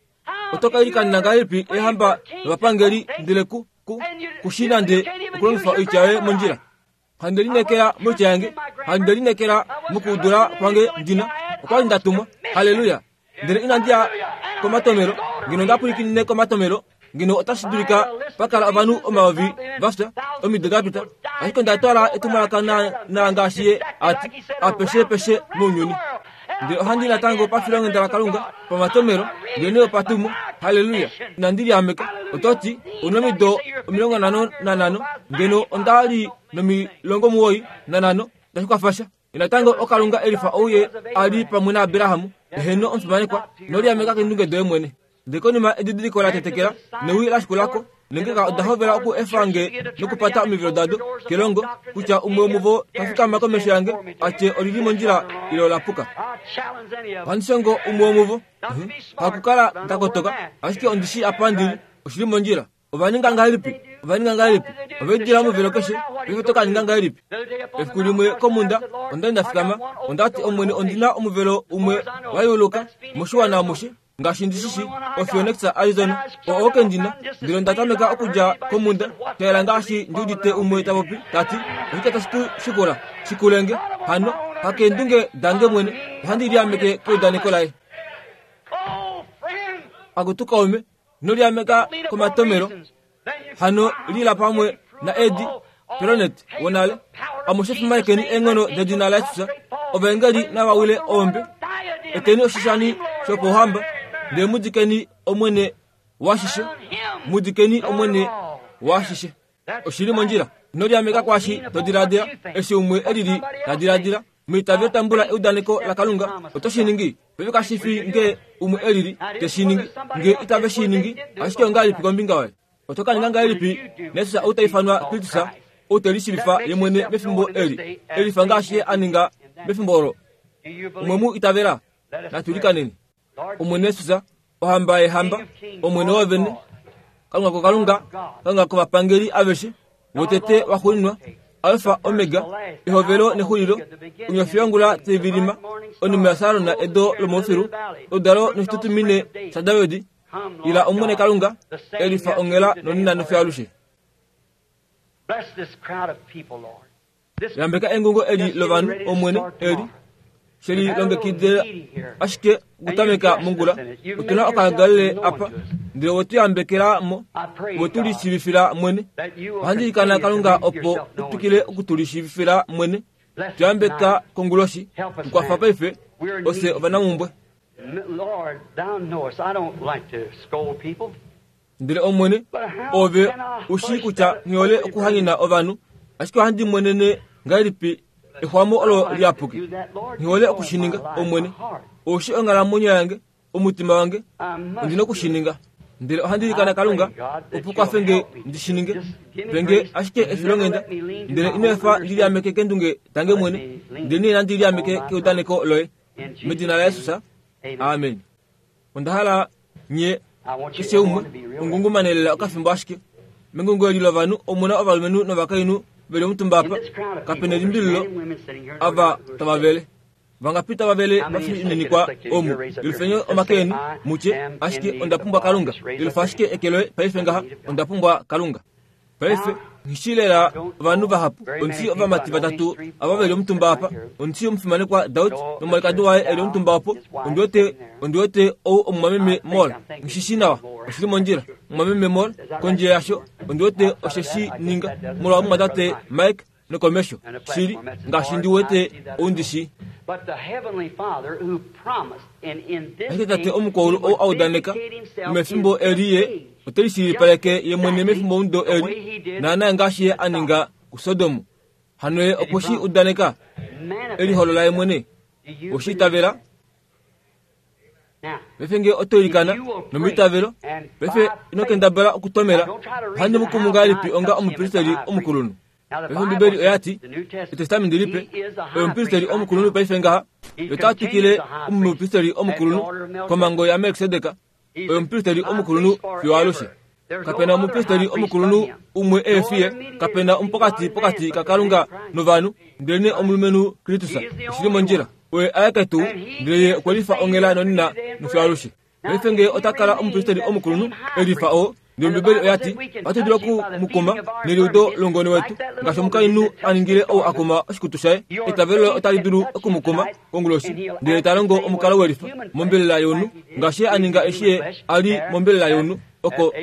Speaker 1: Oto ka ilikanena ngahelipi eehamba novapangeli ndele ku, ku, ku shii nande okulongifa oitya yoye mondjila? Handi lineekela moitya yange, handi lineekela mokudula kwange ndina. Okwa li nda tumwa. Halleluya! Ndele inandi ya komatomelo. Ngeno nda pwilikinine komatomelo, ngeno otashi dulika pa kala ovanhu omayovi va fya omido da pita. Ashike onda twala etumwalaka naanaa ngaashi ye a ti, apeshepeshe mounyuni. Ndele ohandi i natango pafilonghenda laKalunga, pamatomelo, ndelenee opatumo. Halleluya! Inandi liameka. Oto ti, Ou nomido 55, ngeno onda li no95, itashi kwafa sha. Natango oKalunga e lifa ou ye a li pamwe naAbraham, eheno omufimanekwa, ino liameka keendunge doye mwene. Ndele konima edidiliko la tetekela newi la shikula ko, neengeleka oda hovela oku efa nge nokupata omivelo dado kelongo, kutya umwe womuvo ta fikama komesho yange a tye oli li mondjila ile ola puka. Ohandi shongo umwe womuvo. Hakukala nda kotoka, ashike ondi shii apa ndi li, oshi li mondjila. Ova ninga ngahelipi? Ova ninga ngahelipi? Ove lidila omuvelo keshe, paife oto ka ninga ngahelipi? Efiku limwe komhunda, onda li nda fikama, onda ti, Omwene, ondi na omuvelo umwe wa yeuluka moshiwana amushe, ngaashi ndi shi shii, oPhoenix, Arizona, oo oke ndi na. Ndele onda tameka okudja komhunda, sha yela ngaashi ndi udite umwe ta popi, ta ti, Oshike tashi ku shikula? Shikule nge. Hano, Hakeendunge dange mwene, ohandi liameke keudaneko laye. Akutu kaume, ino liameka komatomelo. Hano lila pamwe naEddie Perronet wonale. Amushe fimanekeni eenghono dedina laJesus. Ovaengeli nava wile oombe. Eteni oshishani shopouhamba, ndele mu dikeni Omwene washishe. Mu dikeni Omwene washishe. Oshi li mondjila. Ino liameka kwaashi to diladila, eshi umwe e lili ta diladila. Meitavelo tambula eudaneko laKalunga. Oto shi ningi? Paife kashi fi nge umwe e lili te shi ningi, nge itave shi ningi, ashike ongahelipi kombinga yoye? Oto ka ninga ngahelipi naJesus ou ta ifanwa Kristus, ou te lishiivifa ye mwene mefimbo eli, e lifa ngaashi ye a ninga mefimbo olo? Omwe mu itavela? Natu ilikaneni. Omwene Jesus, Ohamba yeehamba, Omwene woovene, Kalunga kokalunga, Kalunga kovapangeli aveshe, wotete waxuuninwa, Alfa Omega, ehovelo nexulilo, onyofi yongula tai vilima, onume yaSaron edo lomoufilu, oludalo noshitutumine shaDavid, ila Omwene Kalunga, e lifa onghela nonena nofiyo alushe. Yambeka engungo eli lovanhu, Omwene, eli she lilongekidila ashike okutameka mongula. Otu na okagalele apa, ndele we tu yambekela mo, we tu lishiivifila mwene. Ohandi ilikana Kalunga opo u twikile oku tu lishiivifila mwene. Tu yambeka konguloshi. Tu kwafa paife, ofye ovanamumbwe. Ndele Omwene, Ove u shii kutya nghi hole okuhanyena ovanhu, ashike ohandi monene ngahelipi exwamo olo liyapuki. Nghi hole oku shi ninga, Omwene. Ou shii onghalamwenyo yange, omutima wange, ondi noku shi ninga. Ndele ohandi ilikana Kalunga, opo kwafe nge ndi shi ninge. Pe nge ashike efilonghenda, ndele ino efa ndi liameke keendunge dange mwene, ndelenee nandi liameke keudaneko Loye. Medina laJesus. Amen. Onda hala nye keshe umwe mungungumane lela okafimbo ashike. Mengungo eli lovanhu omu na ovalumenhu novakainhu ve li omutumba apa, kape nelimbililo ava tava vele. Vangapi tava vele va fininikwa omu? Yelufeni omake eni, mu tye, Ashike onda pumbwa Kalunga. Yelufa ashike eke loye paife ngaha, Onda pumbwa Kalunga. Paife, nghi shii lela ovanhu vahapu. Ondi shii ovamati vatatu ava ve li omutumba apa. Ondi shii omufimanekwa Daud nomwalikadi waye e li omutumba opo. Ondi wete, ondi wete ou omumwameme Moore. Nghi shi shii nawa. Oshi li mondjila, mumwameme Moore. Kondje yasho, ondi wete oshe shi ninga molwa omumwatate Mike nokomesho. Shili, ngaashi ndi wete ou ndi shii. Ashike Tate omukwaulu ou a udaneka, nomefimbo eli Ye ote lishilipaleke Ye mwene mefimbomudo eli, naanaa ngaashi Ye a ninga kuSodom. Hano Ye okwe shi udaneka, e liholola Ye mwene. Owe shi itavela? Paife nge oto ilikana nomeitavelo, paife ino kendabala okutomela, ohandi mu kumu ngahelipi onga omupristeli omukulunhu? Paife Ombibeli oya ti, Etestamenti Lipe, oye omupristeli omukulunhu paife ngaha, ye ota twikile omupristeli omukulunhu komhango yaMelkisedek, oye omupristeli omukulunhu fiyo alushe. Kape na omupristeli omukulunhu umwe e fi ye, kape na omupokati pokati kaKalunga novanhu, ndelenee omulumenhu Kristus. Oshi li mondjila. Oye aeke tuu, ndele ye okwe lifa onghela nonena nofiyo alushe. Paife nge ota kala omupristeli omukulunhu e lifa oo, ndele Ombibeli oya ti, Ohatu dulu oku mu kuma neliudo longone wetu, ngaashi omukainhu a ningile ou a kuma oshikutu shaye. Eitavelo loye otali dulu oku mu kuma konguloshi, ndele ta longo omukalo welifa mombelela yomunhu, ngaashi ye a ninga eshi ye a li mombelela yomunhu oko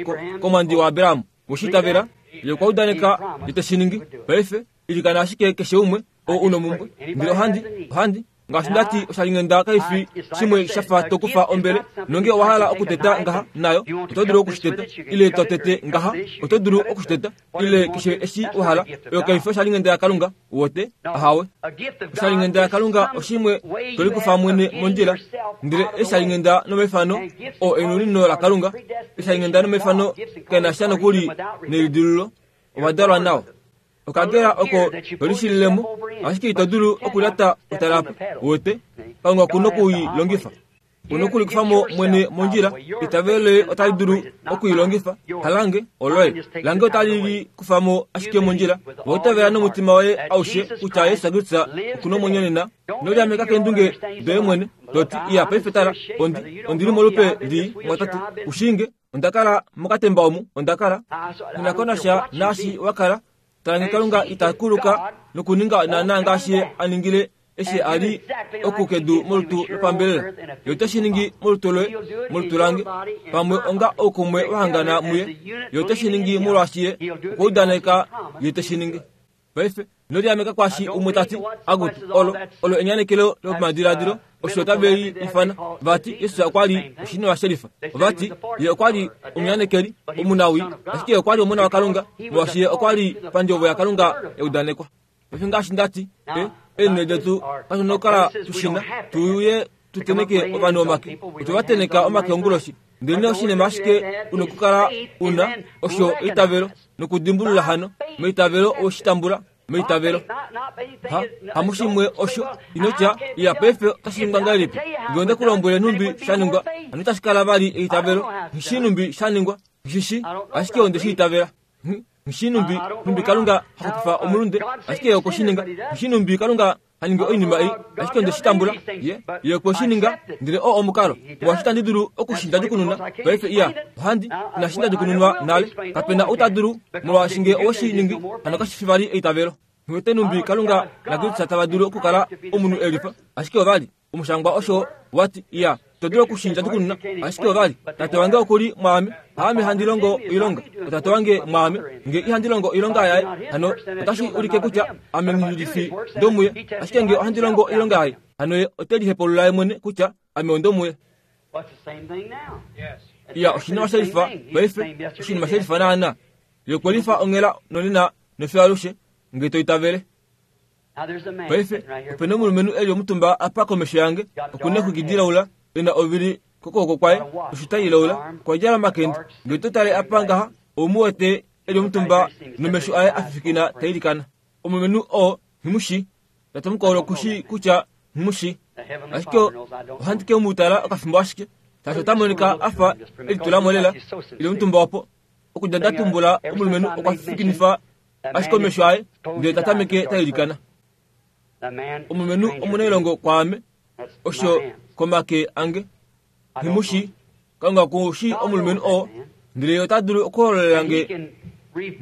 Speaker 1: komwandi waAbraham. We shi itavela? Ye okwa udaneka ye te shi ningi. Paife, ilikana ashike keshe umwe ou u nomumbwe. Ndele ohandi, ohandi, ngaashi nda ti, oshalinghenda kai fi shimwe sha fa to kufa ombele, nonge owa hala okuteta ngaha nayo, oto dulu oku shi teta, ile to tete ngaha, oto dulu oku shi teta, ile keshe eshi wa hala. Oyo kai fi oshalinghenda yaKalunga, wote. Ahawe. Oshalinghenda yaKalunga oshimwe to likufa mwene mondjila, ndele eshalinghenda nomaifano oo enunino laKalunga, eshalinghenda nomaifano kae na sha nokuli nelidilululo, ova dalwa nao. Okagela oko to lishilile mo, ashike ito dulu okulyata otalapa. Uwete? Kalunga oku noku i longifa. U nokulikufa mo mwene mondjila. Eitavelo loye otali dulu oku i longifa. Halange, oloye. Lange otali li kufa mo ashike mondjila. Ove itavela nomutima woye aushe kutya Jesus Kristus oku nomwenyo nena. Ino liameka keendunge doye mwene, to ti, Iya, paife tala, ondi, ondi li molupe lii, mwatate. U shii nge. Onda kala mokatemba omu, onda kala. Nghi na ko nasha naashi wa kala. Tala nge Kalunga ita kuluka nokuninga naanaa ngaashi Ye a ningile Eshi a li oku kedu molutu lopambelela, Ye ote shi ningi molutu loye, molutu lange, pamwe onga oukumwe wa hangana muye. Ye ote shi ningi molwaashi Ye okwa udaneka Ye te shi ningi. Paife, ino liameka kwaashi umwe ta ti, Akutu, olo, olo enyanekelo lopamadiladilo, osho tave li ifana. Vati, Jesus okwa li oshinima shelifa. Ova ti, Ye okwa li omunyanekeli, omunawii, ashike Ye okwa li Omona waKalunga, molwaashi Ye okwa li pandjovo yaKalunga ya udanekwa. Paife ngaashi nda ti, e, eenhele detu katu na okukala tu shi na, tu uye tu teneke ovanhu omake. Otwe va teneka omake onguloshi. Ndelenee oshinima ashike u nokukala u na, osho eitavelo, nokudimbulula hano. Meitavelo owe shi tambula, meitavelo. Ha, hamushimwe osho, ino tya, Iya, paife otashi ningwa ngahelipi? Nge onde ku lombwele nhumbi sha ningwa, hano itashi kala vali eitavelo. Nghi shii nhumbi sha ningwa, nghi shi shii, ashike onde shi itavela. Nghi numbi numbi Kalunga ha xupifa omulunde, ashike ye okwe shi ninga. Nghi numbi Kalunga ha ningi oinima ei, ashike onde shi tambula. Ye, ye okwe shi ninga, ndele oo omukalo molwaashi itandi dulu oku shi ndadjukununa paife. Iya, ohandi, inashi ndadjukununwa nale. Kape na ou ta dulu, molwaashi nge owe shi ningi, hano kashi fi vali eitavelo. Nghi wete numbi Kalunga naKristus tava dulu okukala omunhu e lifa, ashike ova li. Omushangwa osho wa ti, Iya, to dulu okushinja tukununa, ashike ovali, Tate wange oku li mwaame, haame handi longo oilonga, oTate wange mwaame. Nge ihandi longo oilonga yaye, hano otashi ulike kutya ame nghi fi ndomuye. Ashike nge ohandi longo oilonga yaye, hano ye ote lihepulula ye mwene kutya ame ondomuye. Iya, oshinima she lifa paife, oshinima she lifa naana. Ye okwe lifa onghela nonena nofiyo alushe, nge to itavele. Paife, ope na omulumenhu e li omutumba apa komesho yange, oku na exwiki dilaula, e na ovili kokwooko kwaye, oshita ilaula, okwa djala omakende. Nge to tale apa ngaha, ou mu wete e li omutumba nomesho aye a fifikina ta ilikana. Omulumenhu oo nghi mu shii. Tate mukwao oku shii kutya nghi mu shii. Ashike ohandi ke mu tala okafimbo ashike, shaashi ota monika a fa e litula mo lela, e li omutumba opo. Okudja nda tumbula omulumenhu okwa fifikinifa ashike omesho aye ndele ta tameke ta ilikana. Omulumenhu omunailongo kwaame, osho komake ange. Nghi mu shii. Kalunga ku shii omulumenhu oo, ndele ye ota dulu okuhololela nge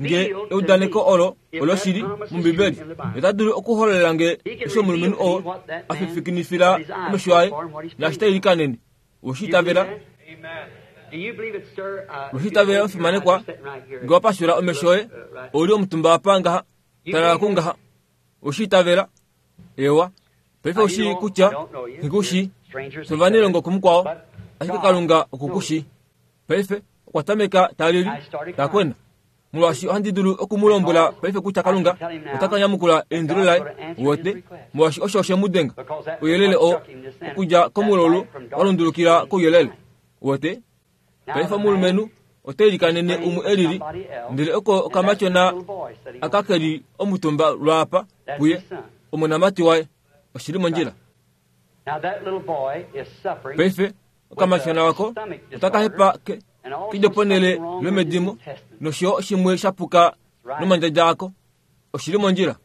Speaker 1: nge eudaneko olo oloshili mOmbibeli. Ye ota dulu okuhololela nge eshi omulumenhu oo a fifikinifila omesho aye naashi ta ilikanene. Owe shi itavela? Owe shi itavela, omufimanekwa? Nge wa pashula omesho oye, ou li omutumba apa ngaha, tala kungaha. Owe shi itavela? Ewa. Paife ou shii kutya nghi ku shii. Fye ovanailongo kumukwao, ashike Kalunga oku ku shii. Paife, okwa tameka ta lili, ta kwena. Molwaashi ohandi dulu oku mu lombwela paife kutya Kalunga ota ka nyamukula eindilo laye, wote, molwaashi osho oshe mu denga. Ouyelele oo, okudja komulaulu wa lundulukila kouyelele. Wote? Paife omulumenhu ote ilikanene umwe e lili, ndele oko okamatyona aka ke li omutumba lwaapa puye, omonamati waye. Oshi li mondjila. Paife, Okamatyona wako otaka hepa ke kedjo ponhele lomedimo nosho yo shimwe sha puka nomandjadja ako. Oshi li mondjila.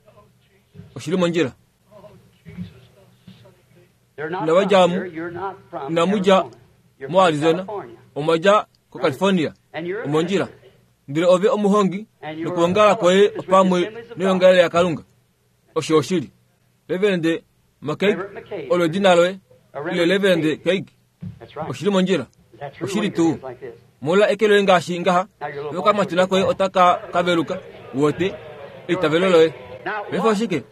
Speaker 1: Oshi li mondjila. Inava dja mu, inamu dja moArizona, omwa dja koCalifornia. Omondjila. Ndele ove omuhongi nokuongala kwoye opamwe noyongalele yaKalunga. Osho oshili. Reverend McKeig, olo edina loye, ile Reverend Keig? Oshili mondjila. Oshili tuu. Mola eke loye ngaashi ngaha, nokamatuna koye otaka ka veluka. Wote, eitavelo loye. Paife oshike?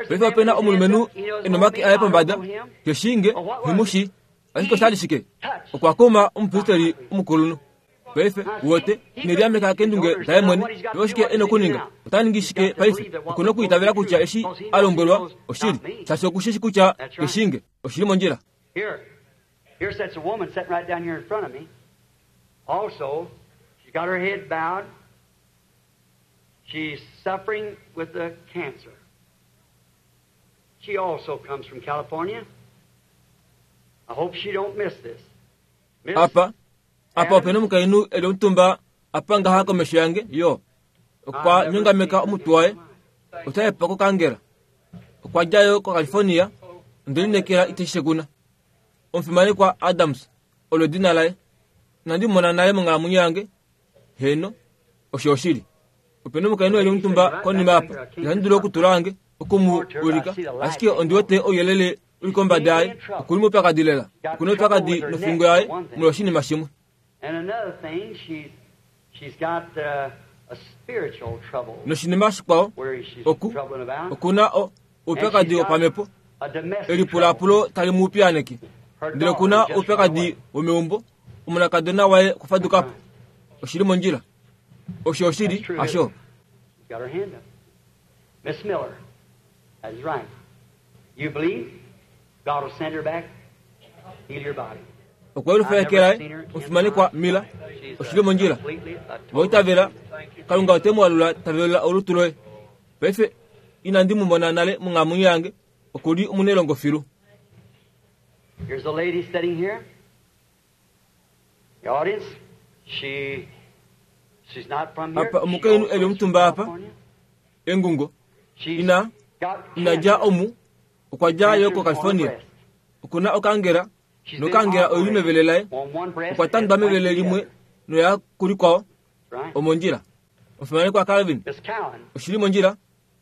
Speaker 1: Paife ope na omulumenhu e nomake aye pombada, ke shii nge, nghi mu shii. Ashike osha li shike? Okwa kuma omupristeli omukulunhu. Paife, uwete, ine liameka keendunge daye mwene. Paife oshike e nokuninga? Ota ningi shike paife? Oku nokuitavela kutya eshi a lombwelwa oshili, shaashi oku shi shi kutya ke shii nge. Oshi li mondjila.
Speaker 2: Here, here sits a woman sitting right down here in front of me. Also, she's got her head bowed. She's suffering with the cancer. She also comes from California. I hope she don't miss this. Miss
Speaker 1: Apa, apa ope na omukainhu e li omutumba apa ngaha komesho yange, yo. Okwa nyongameka omutwe waye. Ota hepa kokangela. Okwa dja yo koCalifornia. Onde lineekela ite shi shekuna. Omufimanekwa Adams, olo edina laye. Inandi mu mona nale monghalamwenyo yange. Heeno, osho oshili. Ope na omukainhu e li omutumba konima apa. Ihandi dulu okutula wange. oku mu ulika, ashike ondi wete ouyelele u li kombada yaye. Oku li moupyakadi lela. Oku na oupyakadi nofingo yaye molwoshinima shimwe. Noshinima shikwao, oku, oku na o, oupyakadi wopamhepo, elipulaapulo tali mu piyaaneke. Ndele oku na oupyakadi womeumbo, omonakadona waye okwa faduka po. Oshi li mondjila. Osho oshili, hasho?
Speaker 2: Miss Miller, that is right. You believe God will send her back, heal your body.
Speaker 1: Okwa yelufa eke laye, omufimanekwa Miller, oshi li mondjila. Wa itavela, Kalunga ote mu alula ta velula olutu loye. Paife, inandi mu mona nale monghalamwenyo yange, oku li omunailongo filu.
Speaker 2: Here's a lady sitting here. The audience, she, she's not from here.
Speaker 1: Apa omukainhu e li omutumba apa, engungo, ina, ina dja omu, okwa dja yo koCalifornia. Oku na okangela, nokangela oi li mevele laye. Okwa tandwa mevele limwe noya kulikwao, omondjila. Omufimanekwa Calvin, oshi li mondjila?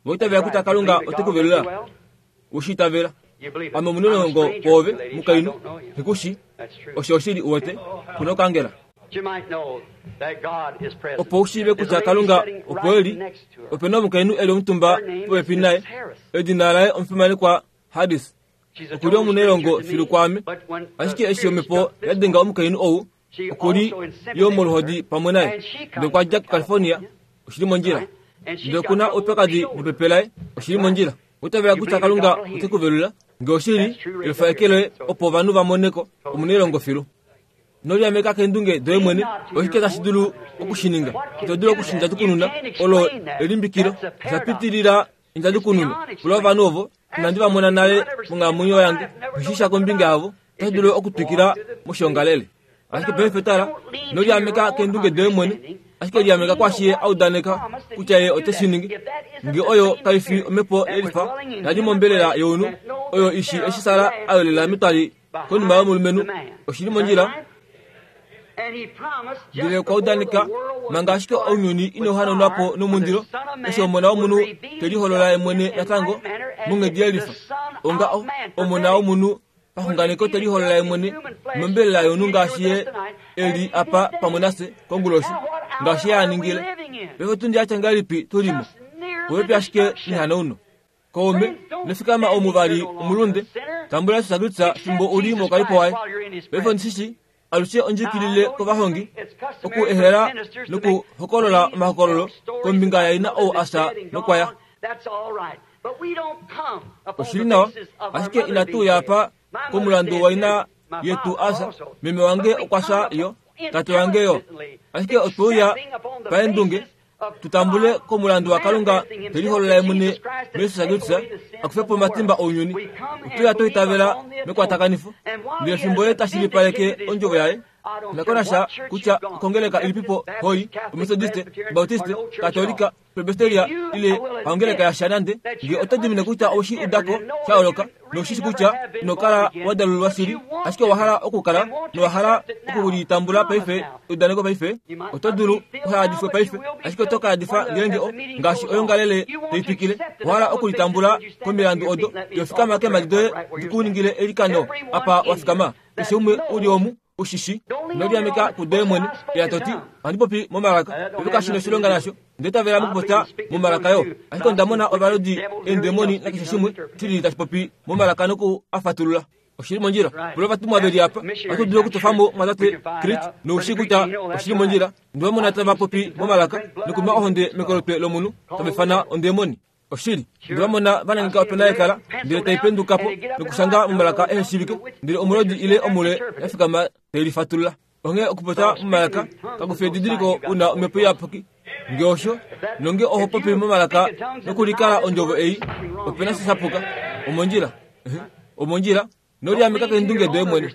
Speaker 1: Wa itavela kutya Kalunga ote ku velula? We shi itavela? Ame omunelongo kwoove, mukainhu. Nghi ku shi. Osho oshili, u wete. Ku na okangela. Opo u shiive kutya Kalunga opo e li, ope na omukainhu e li omutumba popepi naye. Edina laye omufimanekwa Harris. Oku li omunailongo filu kwaame. Ashike eshi omhepo ya denga omukainhu ou, oku li yo moluhodi pamwe naye. Ndele okwa dja kuCalifornia, oshi li mondjila. Ndele oku na oupyakadi mepepe laye, oshi li mondjila. Owa itavela kutya Kalunga ote ku velula? Nge oshili, elufa eke loye opo ovanhu va mone ko, omunailongo filu. Ino liameka keendunge doye mwene. Oshike tashi dulu oku shi ninga? Ito dulu oku shi ndjatukununa. Olo elimbikilo. Osha pitilila endjatukununo. Pula ovanhu ovo, inandi va mona nale monghalamwenyo yange, nghi shii sha kombinga yavo. Otashi dulu okutwikila moshiongalele. Ashike paife tala, ino liameka keendunge doye mwene, ashike liameka kwaashi ye a udaneka kutya ye ote shi ningi. Nge oyo kai fi omhepo yelifa ya li mombelela younhu, oyo i shi eshi Sara a yolela metwali konima yomulumenhu, oshi li mondjila. Ndele okwa udaneka, manga ashike ounyuni inau hanaunwa po nomundilo, eshi Omona womunhu te liholola ye mwene natango monghedi yelifa, onga o, Omona womunhu paxunganeko te liholola ye mwene mombelela yomunhu ngaashi ye e li apa pamwe nafye konguloshi, ngaashi ye a ningile. Paife otundi ya tya ngahelipi tu li mo? Popepi ashike nehanauno. Kaume, nofikama omu vali omulunde, tambula Jesus Kristus fimbo u li moukalipo waye. Paife ondi shi shii, alushe ondjikilile kovahongi oku ehela nokuhokolola omahokololo kombinga yaina ou a fya nokwa ya. Oshi li nawa, ashike inatu uya apa komulandu waina yetu a fya. Meme wange okwa fya yo, tate wange yo. Ashike otwe uya paendunge tu tambule komulandu waKalunga te liholola ye mwene muJesus Kristus a kufe po omatimba ounyuni. Otu ya twa itavela mekwatakanifo, ndele fimbo ye ta shilipaleke ondjovo yaye, na ko nasha kutya okongeleka ilipipo hoi, Ometodiste, Obautiste, Katolika, Presbyteria ile haongeleka yasha nande, nge oto dimine kutya owe shi uda ko sha yooloka, noushi shi kutya ino kala wa dalululwa shili, ashike owa hala okukala nowa hala oku li tambula paife, eudaneko paife, oto dulu uha yadifwe paife, ashike oto ka yadifa ngeenge o, ngaashi oyongalele tai twikile, owa hala oku li tambula komilandu odo, yo fikama keemhadi doye di ku ningile eilikano apa wa fikama. Keshe umwe u li omu, u shi shi. Ino liameka kudoye mwene, ila to ti, Ohandi popi momalaka. Paife kashi noshilonga nasho. Onda itavela mokupopya momalaka yo. Ashike onda mona ovalodi, eendemoni nakeshe shimwe shilili tashi popi momalaka noku a fatulula. Oshi li mondjila. Pula ovatumwa ve li apa. Ohatu dulu okutofa mo Mwatate Creech nou shii kutya oshi li mondjila. Onde va mona tava popi momalaka nokunwa ohonde mekolotwe lomunhu, tava ifana ondemoni. Oshili, onde va mona va nangeka opena yekala, ndele tai penduka po nokushanga momalaka ehe shiivike, ndele omulodi ile omule ya fikama tai lifatulula. Onghee okupopya momalaka kaku fi edidiliko u na omhepo iyapuki. Nge osho, nonge oho popi momalaka nokulikala ondjovo ei, ope na sha sha puka. Omondjila. Omondjila. Noliameka keendunge doye mwene.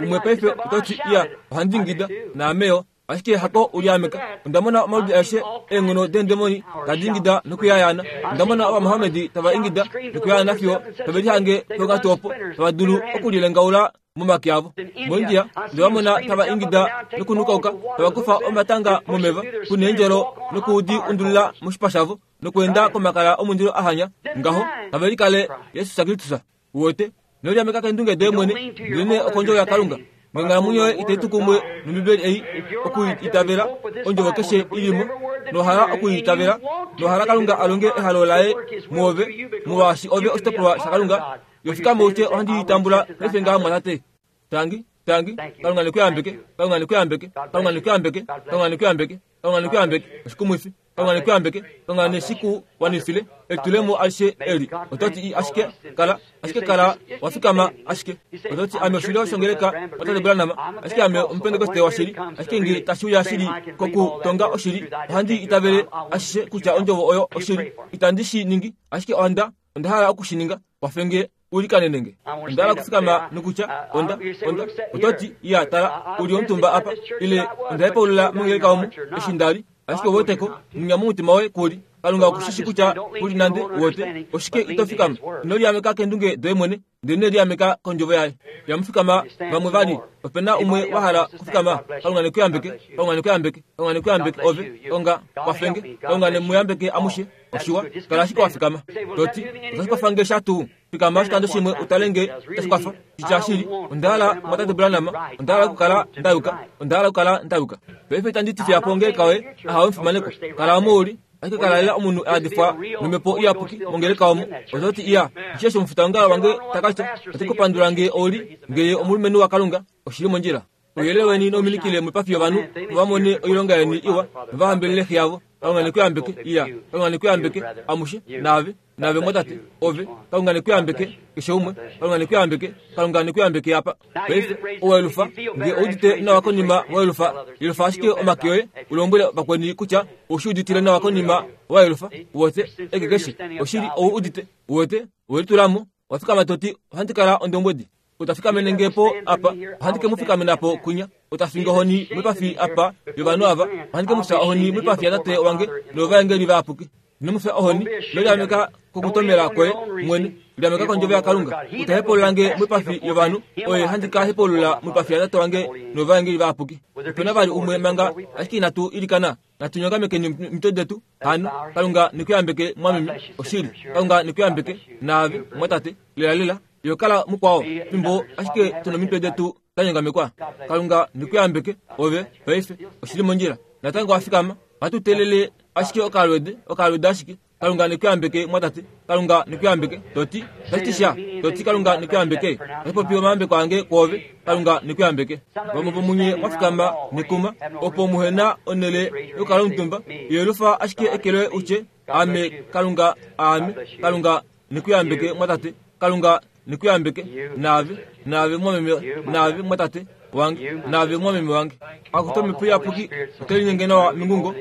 Speaker 1: Umwe paife oto ti, Iya, ohandi ingida, naame yo. Ashike hako uliameka. Onda mona omaludi aeshe eenghono deendemoni tadi ingida nokuyayaana. Onda mona Ovamohamedi tava ingida nokuyayaana fiyo tave lihange ponghatu opo tava dulu okulilengaula momake avo. MoIndia, nde va mona tava ingida nokunukauka, tava kufa omatanga momeva, ku neendjolo noku di undulila moshipa shavo. Nokweenda komakala omundilo a hanya ngaho, tave likale Jesus Kristus. Uwete? Ino liameka keendunge doye mwene, ndelenee okondjovo yaKalunga. Ngenghalamwenyo yoye itai tu kumwe nOmbibeli ei, oku i itavela, ondjovo keshe i li mo, nowa hala oku i itavela, nowa hala Kalunga a longe ehalo laye muove, molwaashi ove oshitopolwa shaKalunga, yo fikama u tye, Ohandi i tambula paife ngaha, mumwatate. Tangi, tangi. Kalunga ne ku yambeke. Kalunga ne ku yambeke. Kalunga ne ku yambeke. Kalunga ne ku yambeke. Kalunga ne ku yambeke. Oshikumwifi. Kalunga ne ku yambeke. Kalunga ne shi ku wanifile elitulemo alishe eli. Oto ti ashike kala, ashike kala wa fikama ashike. Oto ti ame oshilyo shongeleka watate Branham, ashike ame Omupentekoste washili, ashike nge tashi uya shili kokutonga oshili, ohandi itavele ashishe kutya ondjovo oyo oshili. Itandi shi ningi, ashike onda, onda hala oku shi ninga. Kwafe nge u likanene nge. Onda hala okufikama nokutya, Onda, onda. Oto ti, Iya, tala, u li omutumba apa. Ile, onda hepaulula mongeleka omu, eshi nda li. Ashike ou weteko, munya momutima woye ku li. Kalunga oku shi shi kutya ku li nande, uwete. Oshike ito fikama? Ino liameka keendunge doye mwene, ndelenee liameka kOndjovo Yaye. Inamu fikama vamwe vali. Ope na umwe wa hala okufikama? Kalunga ne ku yambeke. Kalunga ne ku yambeke. Kalunga ne ku yambeke, ove. Kalunga, kwafe nge. Kalunga ne mu yambeke amushe. Oshiwa, kala ashike wa fikama. To ti, Otashi kwafa nge sha tuu? Fikama oshikando shimwe u tale nge tashi kwafa. Shitya shili, onda hala, Mumwatate Branham, onda hala okukala nda yuka. Onda hala okukala nda yuka. Paife itandi ti fiya po ongeleka yoye, ahawe omufimanekwa. Kala omo u li. Ashike kala lela omunhu a yadifwa nOmhepo Iyapuki mongeleka omo. Oto ti, Iya, eshi osho omufitaongalo wange ta ka tya. Ote ku pandula nge ou li, nge ye omulumenhu waKalunga. Oshi li mondjila. Ouyelele weni nau minikile moipafi yovanhu, opo va mone oilonga yeni iwa nova hambelele Xe yavo. Kalunga ne ku yambeke. Iya, Kalunga ne ku yambeke, amushe, naave, naave mwatate, ove. Kalunga ne ku yambeke, keshe umwe. Kalunga ne ku yambeke. Kalunga ne ku yambeke apa. Paife, owelufa, nge ou udite nawa konima welufa, yelufa ashike omake oye, u lombwele vakweni kutya ou shi uditile nawa konima wa yelufa. Uwete, eke keshe, oshili, ou udite. Uwete, owe litula mo, wa fikama to ti, Ohandi kala ondombwedi. Ou ta fikamene nge po apa, ohandi ke mu fikamena po kwinya. Ou ta finge ohoni moipafi apa yovanhu ava, ohandi ke mu fya ohoni moipafi yaTate wange noyovaengeli vayapuki. Ino mu fya ohoni, ino liameka kokutomela kwoye mwene, liameka kondjovo yaKalunga. Ou ta hepaulula nge moipafi yovanhu, oye handi ka hepaulula moipafi yaTate wange noyovaengeli vayapuki. Ope na vali umwe manga, ashike inatu ilikana. Natu nyongamekeni omitwe detu hano. Kalunga ne ku yambeke, mwameme. Oshili. Kalunga ne ku yambeke, naave, mwatate. Lelalela. Yo kala mukwao, fimbo ashike tu nomitwe detu da nyongamekwa. Kalunga ne ku yambeke, ove, paife. Oshi li mondjila. Natango wa fikama. Ohatu teelele ashike okalwede, okalwede ashike. Kalunga ne ku yambeke, mwatate. Kalunga ne ku yambeke. To ti, Tashi ti sha. To ti, Kalunga ne ku yambeke. Otashi popi omayambeko ange kwoove. Kalunga ne ku yambeke. Vamwe vomunye mwa fikama nekuma, opo muhe na onhele yokukala omutumba. Yelufa ashike eke loye u tye, Ame, Kalunga, aame. Kalunga ne ku yambeke, mwatate. Kalunga ne ku yambeke, naave, naave, mwameme, naave, mwatate wange, naave, mwameme wange. Akutu Omhepo Iyapuki ote linyenge nawa mengungo.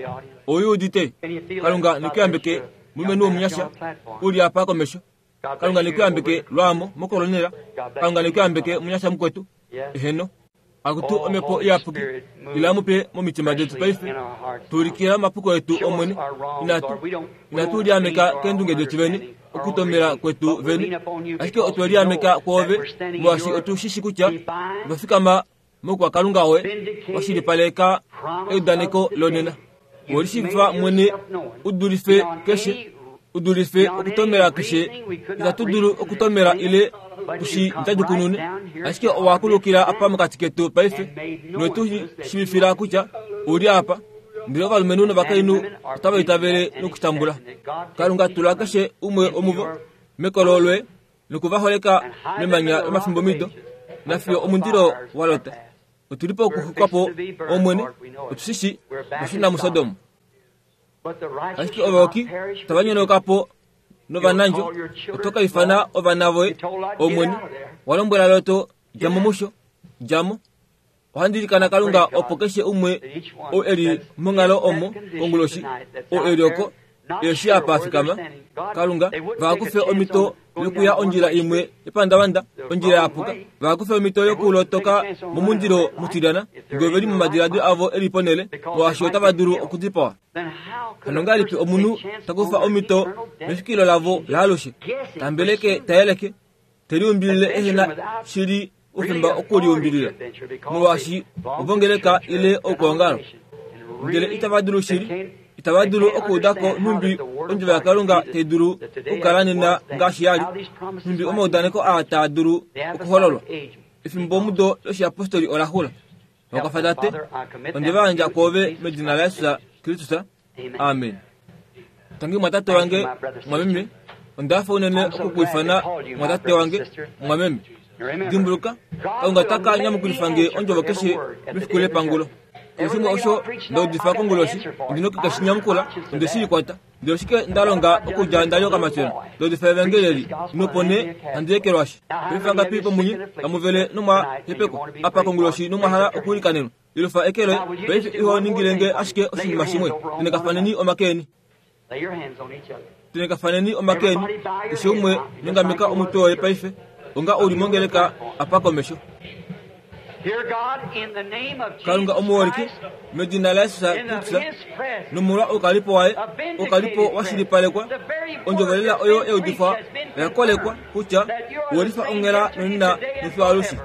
Speaker 1: Ou udite? Kalunga ne ku yambeke, mulumenhu womunyasha, u li apa komesho. Kalunga ne ku yambeke lwaamo mokolonela. Kalunga ne ku yambeke, munyasha mukwetu. Eheno. Akutu Omhepo Iyapuki, ila mupe momitima detu paife. Tu ulikila omapuko etu, Omwene. Inatu, inatu liameka keendunge detu vene, okutomela kwetu vene, ashike otwe liameka kwoove, molwaashi otu shi shi kutya otwa fikama moukwakalunga woye, wa shilipaleka eudaneko lonena. Owe lishiivifa mwene u dulife keshe, u dulife okutomela keshe. Itatu dulu okutomela ile tu shi ndjadjukunune, ashike owa kulukila apa mokati ketu paife nowe tu shiivifila kutya u li apa. Ndele ovalumenhu novakainhu otava itavele nokutambula. Kalunga tula keshe umwe womuvo mekolo loye noku va holeka memanya lomafimbomido nafiyo omundilo wa lota. Otu li pokuxwikwa po, Omwene, otu shi shii, otwa shuna muSodom. Ashike ovayoki tava nyonauka po novanandjo, oto ka ifana ovana voye, Omwene. Wa lombwela Lot, dja mo musho, dja mo. Ohandi ilikana Kalunga opo keshe umwe ou e li monghalo omo konguloshi, ou e li oko, eshi apa a fikama, Kalunga, va kufe omhito yokuya ondjila imwe yepandavanda, ondjila ya puka, va kufe omhito yokulotoka momundilo mutilyana, nge ove li momadiladilo avo e li ponhele, molwaashi otava dulu okudipawa. Hano ongahelipi omunhu ta kufa omhito mefikilo lavo laalushe, ta mbeleke, ta yeleke, te liumbilile ehe na shili oufemba okuliumbilila, molwaashi ovongeleka ile oukwaongalo? Ndele itava dulu shili, itava dulu okuuda ko nhumbi ondjovo yaKalunga tai dulu okukala nena ngaashi ya li, nhumbi omaudaneko aa taa dulu okuhololwa. Efimbomudo loshiapostoli ola xula. Vakwafa Tate, onde va yandja kwoove medina laJesus Kristus. Amen. Tangi mwatate wange, mwameme. Onda hafa unene oku ku ifana mwatate wange, mwameme. Dimbuluka, Kalunga ota ka nyamukulifa nge ondjovo keshe mefiku lepangulo. Keshe shimwe osho nda udifa konguloshi, ondi noku ke shi nyamukula, onde shi likwata. Ndele oshike nda longa okudja nda li okamatyona? Nda udifa evangeli eli, nopo nee handi ekelwashi. Paife vangapi vomunye tamu vele nomwa hepekwa apa konguloshi nomwa hala okuilikanenwa? Yelufa eke loye. Paife iho ningile nge ashike oshinima shimwe. Tenekafaneni omake eni. Tenekafaneni omake eni. Keshe umwe nyongameka omutwe woye paife, onga u li mongeleka apa komesho. Kalunga omuholike, medina laJesus Kristus, nomolwa oukalipo waye, oukalipo wa shilipalekwa, ondjovo lela oyo ya udifwa oya kolekwa kutya owelifa onghela nonena nofiyo alushe.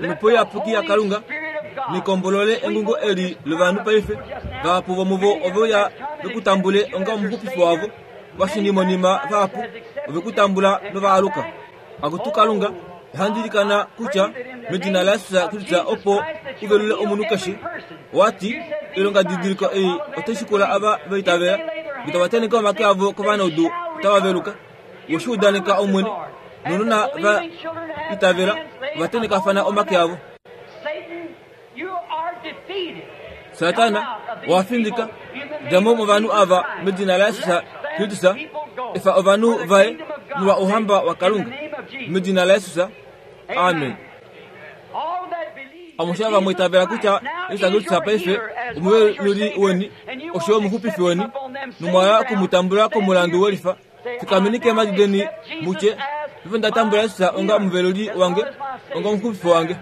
Speaker 1: Omhepo Iyapuki yaKalunga nikombolole engungo eli lovanhu paife. Vahapu vomuvo ove uya ve ku tambule onga omuxupifi wavo vashingimonima vahapu ove ku tambula nova aluka. Akutu Kalunga, ohandi ilikana kutya medina laJesus Kristus opo u velule omunhu keshe. Owa ti, Oilongadidiliko ei otai shikula ava va itavela, nge tava tenheke omake avo kovanaudu otava veluka. We shi udaneka, Omwene, nounona va itavela ova tenhekafana omake avo. Satana, owa findika. Dja mo movanhu ava medina laJesus Kristus. Efa ovanhu vaye molwa Ouhamba waKalunga. Medina laJesus. Amen. Amushe ava mwa itavela kutya Jesus Kristus paife omuveluli weni osho yo omuxupifi weni, nomwa hala oku mu tambula komulandu welifa, Fikameni keemhadi deni mu tye, Paife nda tambula Jesus onga omuveluli wange, onga omuxupifi wange.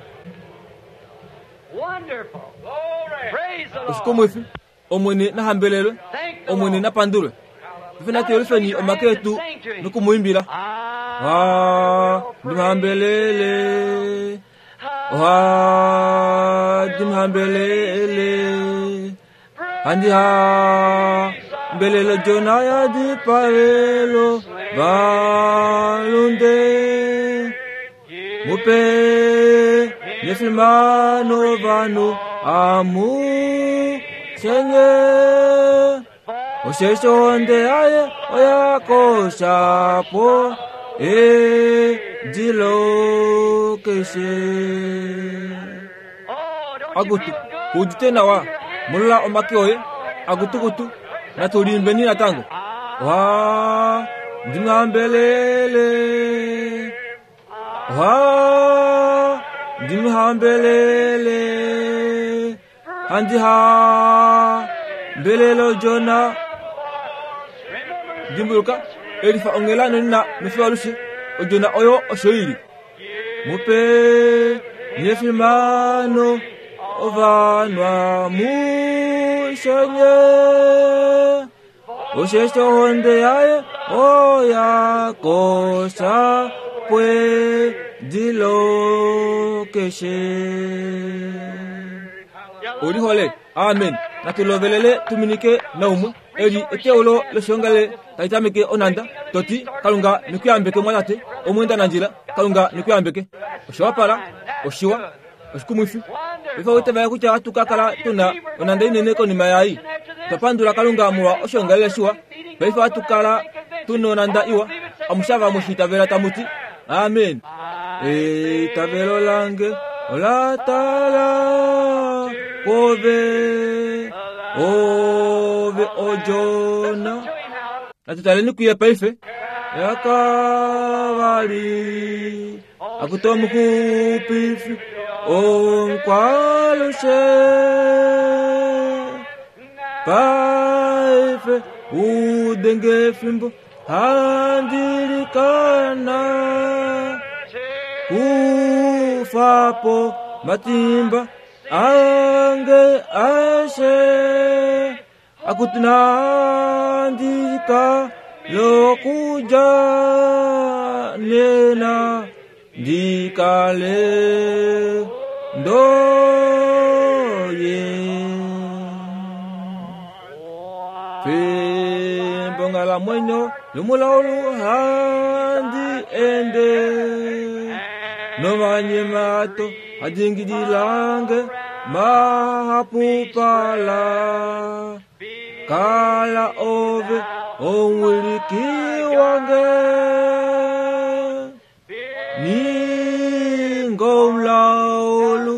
Speaker 1: Oshikumwifi! Omwene na hambelelwe, Omwene na pandulwe. Paife natu yelufeni omake etu noku mu imbila. Ohandi mu hambelele, ohandi mu hambelele. Handi hambelele Jona ya dipavelo valunde mupe nefimano vanhu amu shenye osheshi ohonde yaye oya koshapo edilo keshe. Akutu, udite nawa, molola omake oye, akutukutu, natu liimbeni natango. Oha ndimhambelele, oha ndimhambelele, handi hambelele Jona. Dimbuluka, elifa onghela nonena nofiyo alushe, odjona oyo osho i li. Mupe nefimano ovanhu amushenye, osheshi ohonde yaye oya kosha pwedilo keshe. Olihole, amen. Natu lovelele tuminike naumwe. Eli eteulo loshiongalele tali tameke onhanda, to ti, Kalunga ne ku yambeke, mwatate, omweendanandjila. Kalunga ne ku yambeke. Osha wapala, oshiwa, oshikumwifi. Paife owu itavela kutya ohatu ka kala tu na onhanda inene konima yaai. Otwa pandula Kalunga molwa oshiongalele shiwa. Paife ohatu kala tu nonhanda iwa. Amushe ava mwe shi itavela tamu ti, Amen. Eitavelo lange ola tala kwoove, ove odjona. Natu taleni kuye paife. Yakavali akuta omuxupifi omukwalushe paife udenge efimbo handi likana kufa po matimba ange ashe akuti nandika lokuja nena ndikale ndoye. Fimbo Onghalamwenyo yomulaulu handi ende nomanyemato adingililange mahapupala kala ove omwiliki wange ningomlaulu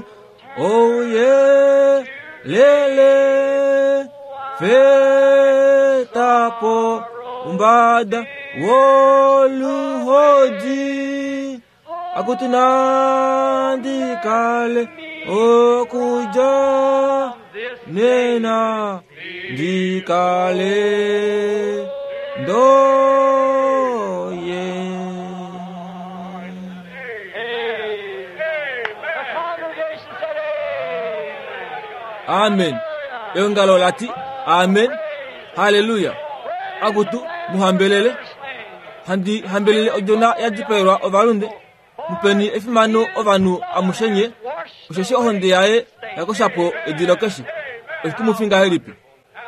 Speaker 1: ouyelele fetapo umbada woluhodi akuti nandikale okuja nena ndikale ndoye
Speaker 2: The congregation said, Amen.
Speaker 1: amen eongalo lati amen haleluya akutu muhambelele handi hambelele odjona ya dipaelwa ovalunde mupeni efimano ovanhu amushenye osheshi ohonde yaye yakoshapo edilo keshe oshikumufi ngahelipi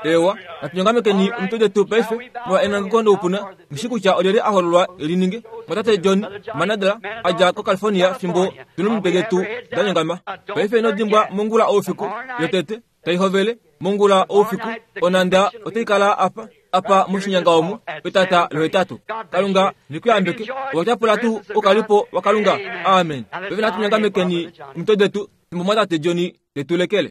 Speaker 1: ewa natunyongamekeni omutwe detu paife molwa enangeko noupuna mushi kutya olyelye a hololwa elininge mwatate john manadla a dja kocalifornia fimbo tuna omitwe detu da nyongama paife ino dimbwa mongula oufiku yotete tai hovele mongula oufiku onanda otai kala apa apa moshinyanga omu petata lohetatu kalunga nekuyambeke owatyapula tuu oukalipo wakalunga amen paife natu nyongamekeni omitwe detu fimbo mwatate john tetulekele.